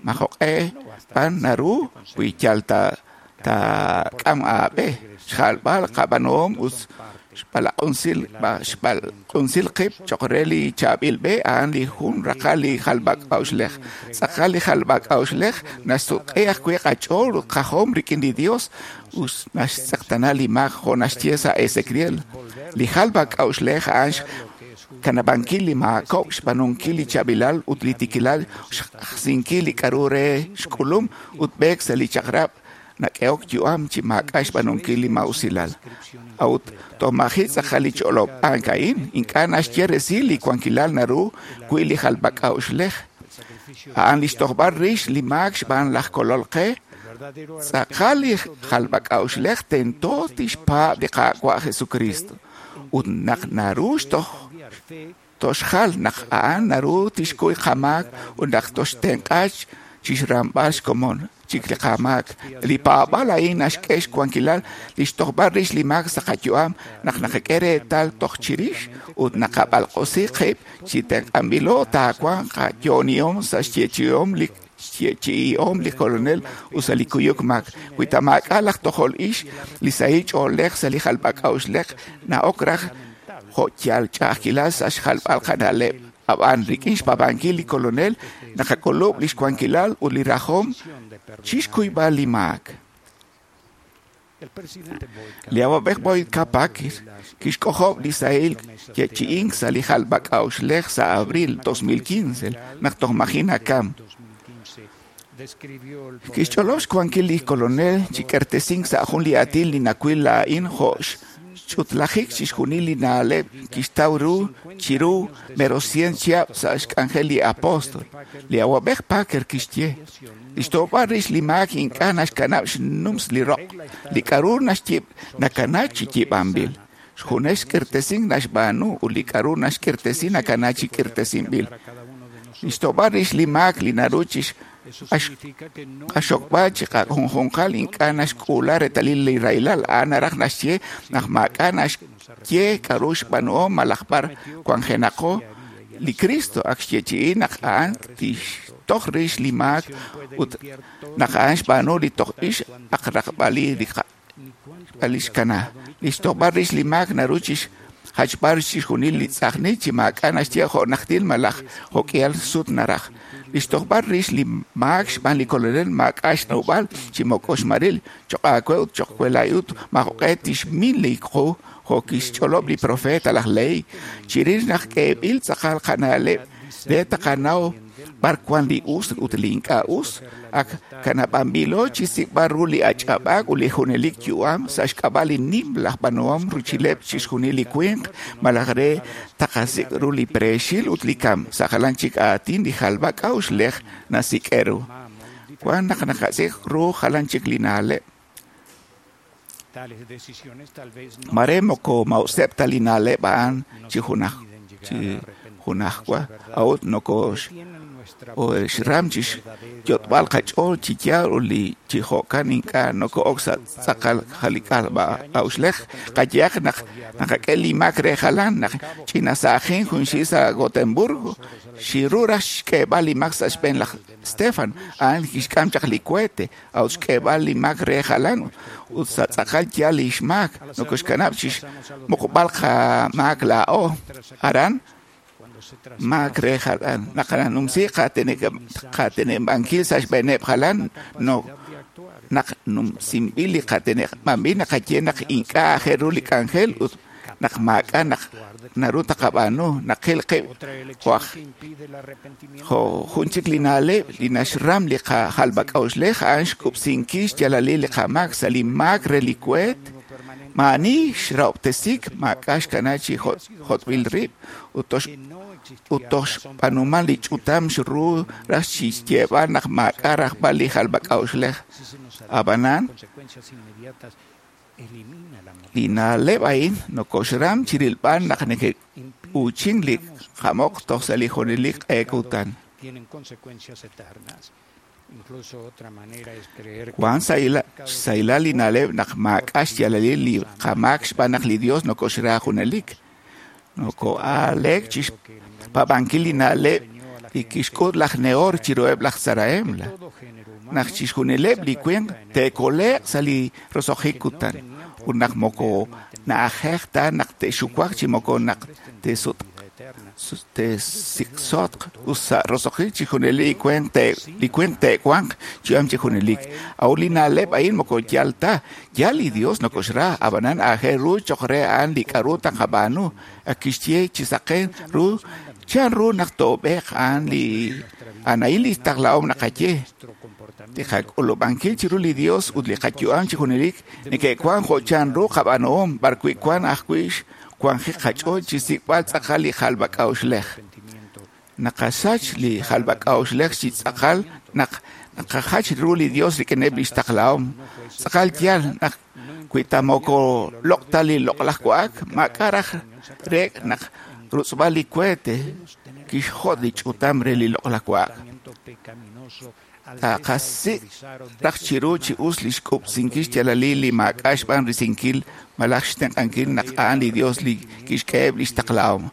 Majo'q'e b'an naru wi yal taak'am aab'e xjalb'al qab'aanuhom ut xb'alaq'unsil xb'alaq'unsil qib' cho'q re li chaab'il b'e a'an li jun raqal li jalb'ak'a'uxlej. Tz'aqal li jalb'ak'a'uxlej naxsutq'i ajwi' qach'ool ut qajom rik'in li Dios ut naxtz'eqtana li maak jo' naxye sa' Ezequiel. Li jalb'ak'a'uxlej a'an xkanab'ankil li maakob', xb'aanunkil li chaab'ilal ut li tiikilal, xajsinkil li k'aru re xk'ulum ut b'eek sa' li chaq'rab' nak'ehok yu'am chi maak'a' xb'aanunkil li ma'usilal. A'ut tomaji tz'aqal li ch'olob'ank a'in ink'a' naxye resil li wankilal naru wi li jalb'ak'a'uxlej. A'an li xtojb'al rix li maak xb'aan laj kolol qe. Tz'aqal li jalb'ak'a'uxlej tento tixpaab' li Qaawa' Jesucristo. Ut naq naru xtoj toxjal naq a'an naru tixkuy qamaak ut naq toxtenq'a chixramb'al xkomon chik li qamaak. Li paab'al a'in naxk'e xwankilal li xtojb'al rix li maak sa' qayu'am naq naqak'e reetal toj chirix ut naqab'alq'osi qib' chi tenq'anb'ilo taawanq qayo'onihom sa' xyeechi'om li xyeechi'ihom li kolonel ut sa' li kuyuk maak. Wi ta maak'a' laj tojol ix li sahil ch'oolej sa' li jalb'ak'a'uxlej na'ok raj jo' yal ch'a'ajkilal sa' xjalb'al qana'leb'. Ab'an rik'in xpaab'ankil li kolonel naqak'ulub' li xwankilal ut li rajom chixkuyb'al li maak. Li awab'ej Boyd K. Packer kixk'ojob' li sahil yeechi'ink sa' li jalb'ak'a'uxlej sa' abril dos mil quince naq toj maji' nakam. Kixch'olob' xwankil li kolonel chi k'ertesink sa' jun li aatin li nawil laa'in jo' xch'utlajik chixjunil li na'leb' kixtaw ru chiru mero cien chihab' sa' xk'anjel li apóstol. Li awab'ej Packer kixye: li xtojb'al rix li maak ink'a' naxkanab' xnums li roq, li k'a'ru naxyib' nakana chi yiib'anb'il. Xjunes xk'irtesink naxb'aanu ut li k'a'ru naxk'irtesi nakana chi k'irtesinb'il. Li xtojb'al rix li maak li naru chi qaxokb'al chi qajunjunqal ink'a' naxk'uula reetalil li rahilal. A'an naraj naxye naq maak'a' naxye k'a'ru xb'aanuhom malaj b'ar wanjenaqo. Li Cristo ak xyeechi'i naq a'an tixtoj rix li maak ut naq a'an xb'aanu li toj ix ak raqb'al li xkana. Li xtojb'al rix li maak naru chi jachb'al chixjunil li tz'ajnil chi maak'a' naxye jo' najtil malaj jo'k'ihal sut naraj. Li xtojb'al rix li maak xb'aan li kolonel maak'a' xnawb'al chi moko xmaril choq' aawe ut choq' we laa'in ut maajoq'e tixmin li qu jo' kixch'olob' li profeta laj Lehi. Chirix naq k'eeb'il tz'aqal qana'leb' re taqanaw b'ar wan li us ut li ink'a' us, ak kanab'anb'ilo chi sik'b'al ru li ach'ab'aak ut li junelik yu'am sa' xk'ab'a' li nim laj b'aanuhom ruchileb' chixjunil li winq malaj re taqasik' ru li preexil ut li kam. Sa' jalan chik aatin li jalb'ak'a'uxlej nasik'e ru. Wan naq naqasik' ru jalan chik li na'leb'. Mare moko ma'useb' ta li na'leb' a'an chi junaj chi junajwa a'ut nokox xram chi xyot'b'al qach'ool chi yaal ut li chi jo'kan ink'a' noko'ok sa' tz'aqal jalb'ak'a'uxlej. Qayehaq naq naqak'e li maak re jalan naq ch'inasa'ajin junxil sa' Gotemburgo xiru raj xk'eeb'al li maak sa' xb'een laj Stefan a'an kixk'am chaq li cohete a'ut xk'eeb'al li maak re jalan ut sa' tz'aqal yaal li xmaak nokoxkanab' chi xmuqb'al qamaak laa'o aran maak re jalan naqanumsi qateneb'ankil sa' xb'eeneb' jalan no naq numsinb'il li qateneb'anb'il naqaye naq ink'a' aajel ru li k'anjel ut naq maak'a' naq naru taqab'aanu naqil qib' jo' jo' jun chik li na'leb' li naxram li qajalb'ak'a'uxlej a'an xkub'sinkil xyaalalil li qamaak sa' li maak re li kueet. Maani xrahob'tesik maak'a' xkana chi jot'b'il rib' ut toj xb'aanuman li ch'utam xru raj chi xyeeb'al naq maak'a' rajb'al li jalb'ak'a'uxlej. Ab'anan li na'leb' a'in nokoxram chirilb'al naq neke'uuchin li qamoq toj sa' li junelik q'e kutan. Wan xsahilal li na'leb' naq maak'a' xyaalalil li qamaak xb'aan naq li Dios nokoxra junelik. Noko'aleek chi xpaab'ankil li na'leb' li kixk'ut laj Nehor chiruheb' laj Tzarahemla. Naq chixjunileb' li winq te'kole'q sa' li roso'jik kutan ut naq moko na'ajej ta naq te'xuwaq chi moko naq te'sutq te'siksotq ut sa' roso'jik chixjunil li winq li winq te'wanq yu'am chi junelik. A'ut li na'leb' a'in moko yaal ta. Yaal li Dios nokoxra, ab'anan aajel ru choq' re a'an li k'a'ru taqab'aanu. Ak kixye chi saqen ru chan ru naq toob'eq a'an li a'an a'in li taqlahom naqaye. Li qak'ulub'ankil chiru li Dios ut li qayu'am chi junelik neke'wan jo' chanru qab'aanuhom b'arwi' wan ajwi' xwanjik qach'ool chi xsik'b'al tz'aqal li jalb'ak'a'uxlej. Naqasach li jalb'ak'a'uxlej chi tz'aqal naq naqajach ru li Dios rik'ineb' lix taqlahom. Tz'aqal yaal naq wi ta moko loq' ta li loq'laj wa'ak, maak'a' raj reek' naq rutz'b'al li kuete kixjot' li ch'utam re li loq'laj wa'ak. Taqasik' raj chiru chi us li xk'ub'sinkil xyaalalil li maak'a' xb'aan risinkil malaj xtenq'ankil naq a'an li Dios li kixk'eheb' lix taqlahom.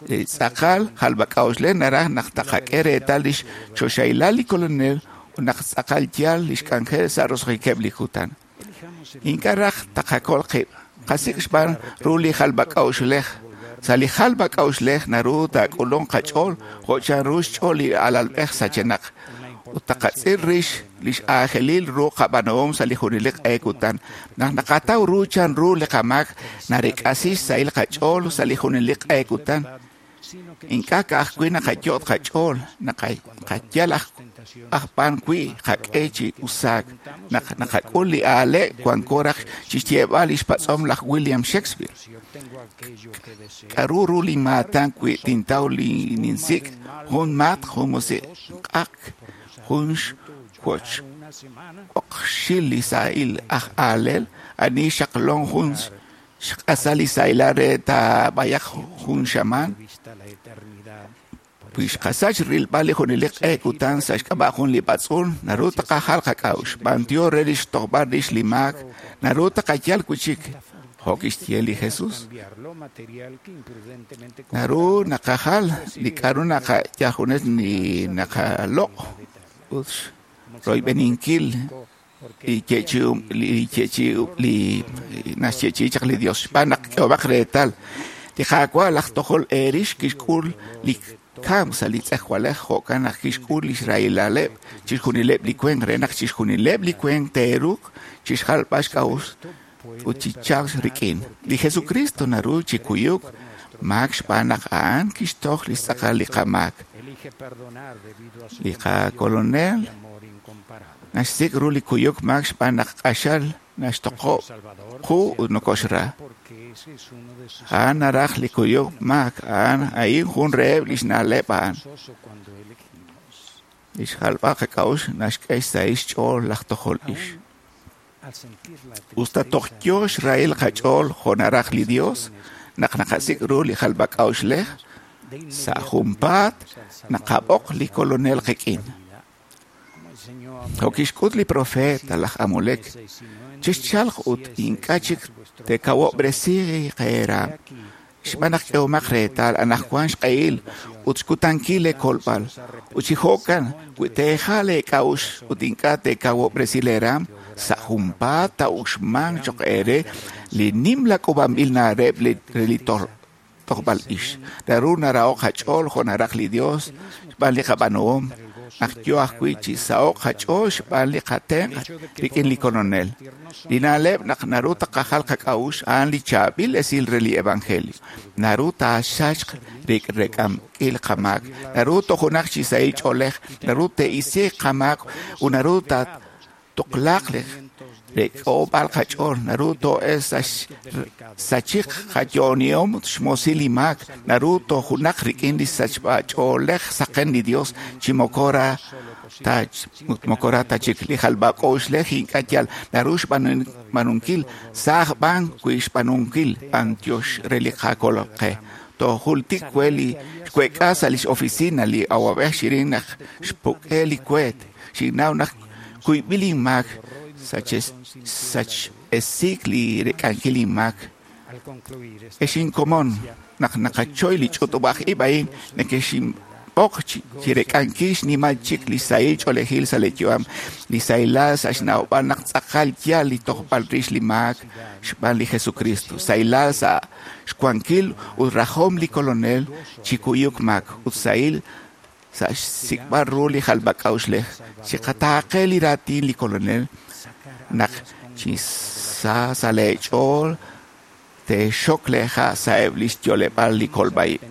Li tz'aqal jalb'ak'a'uxlej naraj naq taqak'e reetal lix choxahilal li Kolonel ut naq tz'aqal yaal lix k'anjel sa' roso'jikeb' li kutan. Ink'a' raj taqakol qib', qasik' xb'aan ru li jalb'ak'a'uxlej. Sa' li jalb'ak'a'uxlej naru taak'ulunq qach'ool jo' chanru xch'ool li alalb'ej sachenaq. Ut taqatz'il rix lix aajelil ru qab'aanuhom sa' li junelik q'e kutan. Naq naqataw ru chanru li qamaak narek'asi xsahil qach'ool sa' li junelik q'e kutan. Ink'a' ka'ajwi' naqayot' qach'ool, naqayal aj b'an wi' qak'e chi usaak. Naq naqak'ul li aale' wanko raj chixyeeb'al lix patz'om laj William Shakespeare. K'a'ru ru li maatan wi' tintaw li ninsik'? Jun maat, jun musiq'aq, jun xwoch oqxil li sahil aj aalel, ani xaqlon jun xq'asal li sahilal re taab'ayaq jun xamaan. Wi xqasach rilb'al li junelik q'e kutan sa' xk'ab'a' jun li b'atz'uul, naru taqajal qak'a'uxl, b'antiox re lix tojb'al rix li maak, naru taqayal wi' chik, jo' kixye li Jesus. Naru naqajal li k'a'ru naqayajunes ni naqaloq' ut royb'eninkil li yeechi'um li yeechi'um li naxyeechi'i chaq li Dios. Xb'aan naq k'ehob'aq reetal li Qaawa' laj tojol eerix kixk'ul li kamk sa' li tz'ejwalej, jo'kan naq kixk'ul lix rahilaleb' chixjunileb' li winq re naq chixjunileb' li winq te'ruuq chixjalb'al xk'a'uxl ut chi chalk rik'in. Li Jesucristo naru chi kuyuk maak xb'aan naq a'an kixtoj li tz'aqal li qamaak. Li qakolonel naxsik' ru li kuyuk maak xb'aan naq q'axal naxtoqob' qu ut nokoxra. A'an naraj li kuyuk maak, a'an a'in jun reheb' lix na'leb' a'an. Lix jalb'al qak'a'uxl naxk'e xsahil xch'ool laj tojol ix. Us ta toj yoo xrahil qach'ool jo' naraj li Dios, naq naqasik' ru li jalb'ak'a'uxlej, sa' junpaat naqab'oq li Kolonel qik'in. Jo' kixk'ut li profeet laj Amulek, chixchalq ut ink'a' chik teekawob'resi qeeraam. Xb'aan naq k'ehomaq reetal anaqwan xq'ehil ut xkutankil leekolb'al. Ut chi jo'kan wi teejal leek'a'uxl ut ink'a' teekawob'resi leeraam, sa' junpaat taa'uxmanq cho'q eere li nimla k'uub'anb'il na'leb' re li tojb'al ix. Naru naraho'k qach'ool jo' naraj li Dios xb'aan li qab'aanuhom, naq yoo ajwi' chi saho'k qach'ool xb'aan li qatenq' rik'in li Kolonel. Li na'leb' naq naru taqajal qak'a'uxl a'an li chaab'il esil re li Evangelio. Naru taasachq rek'amk'il qamaak, naru tojunaq chi sahil ch'oolej, naru te'isiiq qamaak ut naru taatuqlaaq li rek'oob'al qach'ool, naru to'e sachiq qayo'onihom xmoosil li maak, naru tojunaq rik'in li sachb'ach'oolej saqen li Dios chi moko ra ta moko ra ta chik li jalb'ak'a'uxlej ink'a' yal naru xb'aanunkil sa'aj b'an wi' xb'aanunkil b'antiox re li qakolol qe. Tojultik we li xweek'a sa' lix oficina li awab'ej xirin naq xpuk'e li kueet, xinnaw naq kuyb'il inmaak sach esik li rek'ankil inmaak. Ex inkomon naq naqachoy li ch'utub'aj ib' a'in nekexinb'oq chi rek'ankil xnimal chik li sahil ch'oolejil sa' li yu'am, li sahilal sa' xnawb'al naq tz'aqal yaal li tojb'al rix li maak xb'aan li Jesucristo, sahilal sa' xwankil ut rajom li Kolonel chi kuyuk maak ut sahil sa' xsik'b'al ru li jalb'ak'a'uxlej. Chiqataaqe li raatin li Kolonel naq chi sa sa' leech'ool teexok leeha' sa'eb' lix yo'leb'aal li kolb'a-ib'.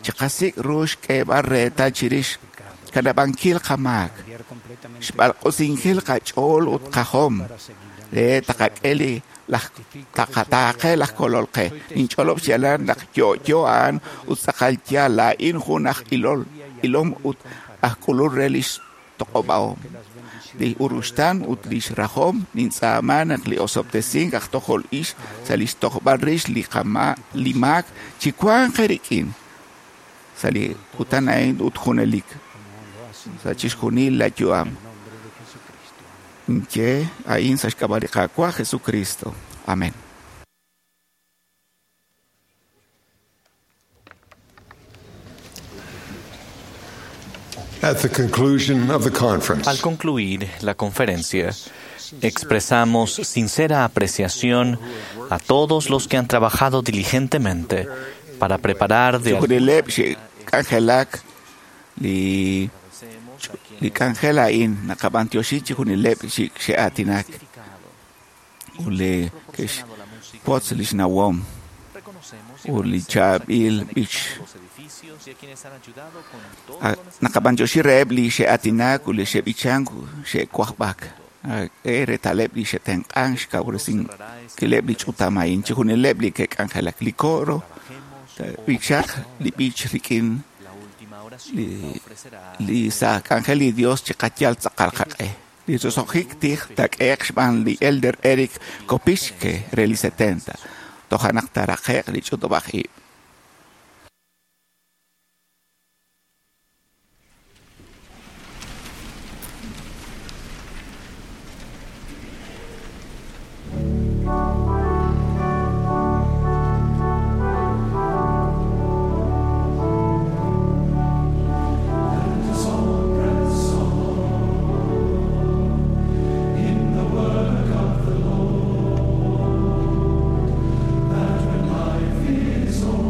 Chiqasik' ru xk'eeb'al reetal chirix Xkanab'ankil qamaak, xb'alq'usinkil qach'ool ut qajom, re taqak'e li laj taqataaqe laj kolol qe. Ninch'olob' xyaalal naq yo'yo a'an ut tz'aqal yaal laa'in jun aj ilol, ilom ut aj k'ulul re lix toq'ob'ahom. Li uruxtan ut lix rajom nintz'aama naq li osob'tesink aj tojol ix sa' lix tojb'al rix li qama li maak chiwanq eerik'in sa' li kutan a'in ut junelik sa' chixjunil la yu'am. Ninye a'in sa' xk'ab'a' li Qaawa' Jesucristo. Amén. At the conclusion of the conference, Al concluir la conferencia, expresamos sincera apreciación a todos los que han trabajado diligentemente para preparar de Chixjunileb' xe'k'anjelak li li k'anjel a'in naqab'antioxi chixjunileb' xe'aatinak ut li ke'xwotz lix nawom ut li chaab'il b'ich. Naqab'antioxi reheb' li xe'aatinak ut li xe'b'ichank xe'wajb'ak. K'e reetaleb' li xe'tenq'ank xkawresinkileb' li ch'utam a'in chixjunileb' li ke'k'anjelak li coro b'ichaq li b'ich rik'in li li sa' k'anjel li Dios chiqayal tz'aqal qaq'e. Li roso'jik tij taak'ehe'q xb'aan li Elder Eric Kopischke re li setenta. Toja' naq taaraqe'q li ch'utub'aj ib'. In the work of the Lord, that when life is over.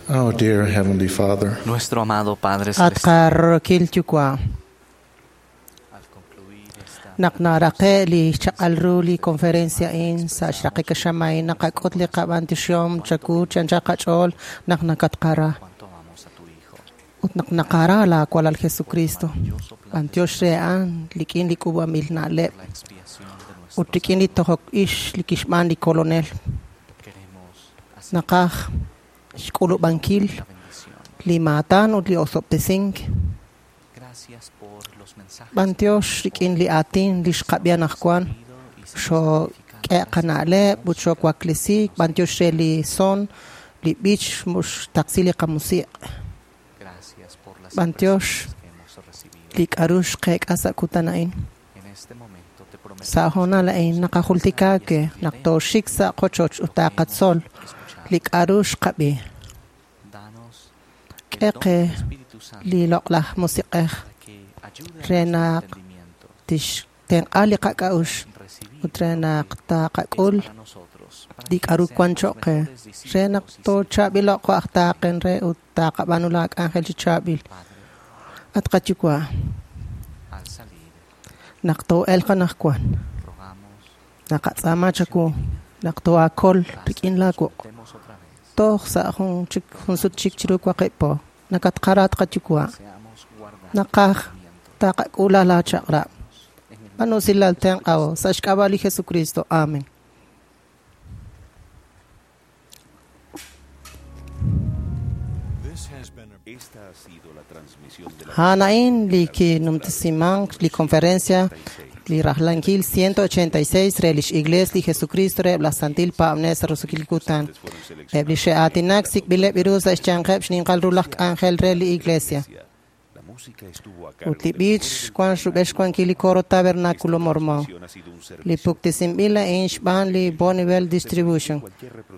Our dear Heavenly Father, Nuestro amado Padre At Celestial, qarokil yuwa'. Naq naraqe' li xchaq'al ru li conferencia a'in sa' xraqik xamay naqak'ut li qab'antioxihom chawu chi anchal qach'ool naq nakatqara. Ut naq naqara laawalal Jesucristo. B'antiox re a'an rik'in li k'uub'anb'il na'leb' ut rik'in li tojok ix li kixb'aan li Kolonel. Naqaj xk'ulub'ankil li maatan ut li osob'tesink. B'antiox rik'in li aatin li xqab'i anaqwan xook'e qana'leb' ut xoowaklesiik. B'antiox re li son, li b'ich xtaqsi li qamusiq'. B'antiox li k'a'ru xqeek'a sa' kutan a'in. Sa' hoonal a'in naqajultika ke naq tooxik sa' qochoch ut taqatzol li k'a'ru xqab'i. K'e qe li loq'laj musiq'ej re naq tixtenq'a li qak'a'uxl ut re naq taqak'ul li k'a'ru wan choq' qe re naq toochaab'ilo'q jo' aj taaqen re ut taqab'aanu la k'anjel chi chaab'il. At qayuwa', naq too'elq anaqwan, naqatz'aama chawu naq too'aakol rik'in laawuq' toj sa' jun chik jun sut chik chiru waqib' po. Nakatqara at qayuwa', naqaj taqak'ula laachaq'rab'. B'aanu usilal tenq'aho sa' xk'ab'a' li Jesucristo. Amen. A'an a'in li kinumtesimank li conferencia li rajlankil ciento ochenta y seis re lix Iglesia li Jesucristo reheb' laj Santil Paab'anel sa' roso'jil kutan. Eb' li xe'aatinak sik'b'ileb' ru sa' xyanqeb' xninqal ru laj k'anjel re li Iglesia. Ut li b'ich wan rub'el xwankil li coro Tabernáculo Mormón. Li puktesinb'il a'in xb'aan li Bonneville Distribution.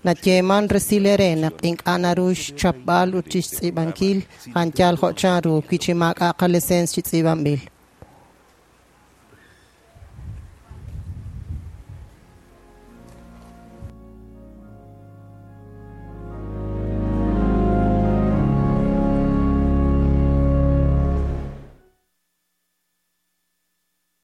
Nayeeman resil ere naq ink'a' naru xchapb'al ut chixtz'iib'ankil a'an yal jo' chanru wi chi maak'a' qaliseens chi tz'iib'anb'il.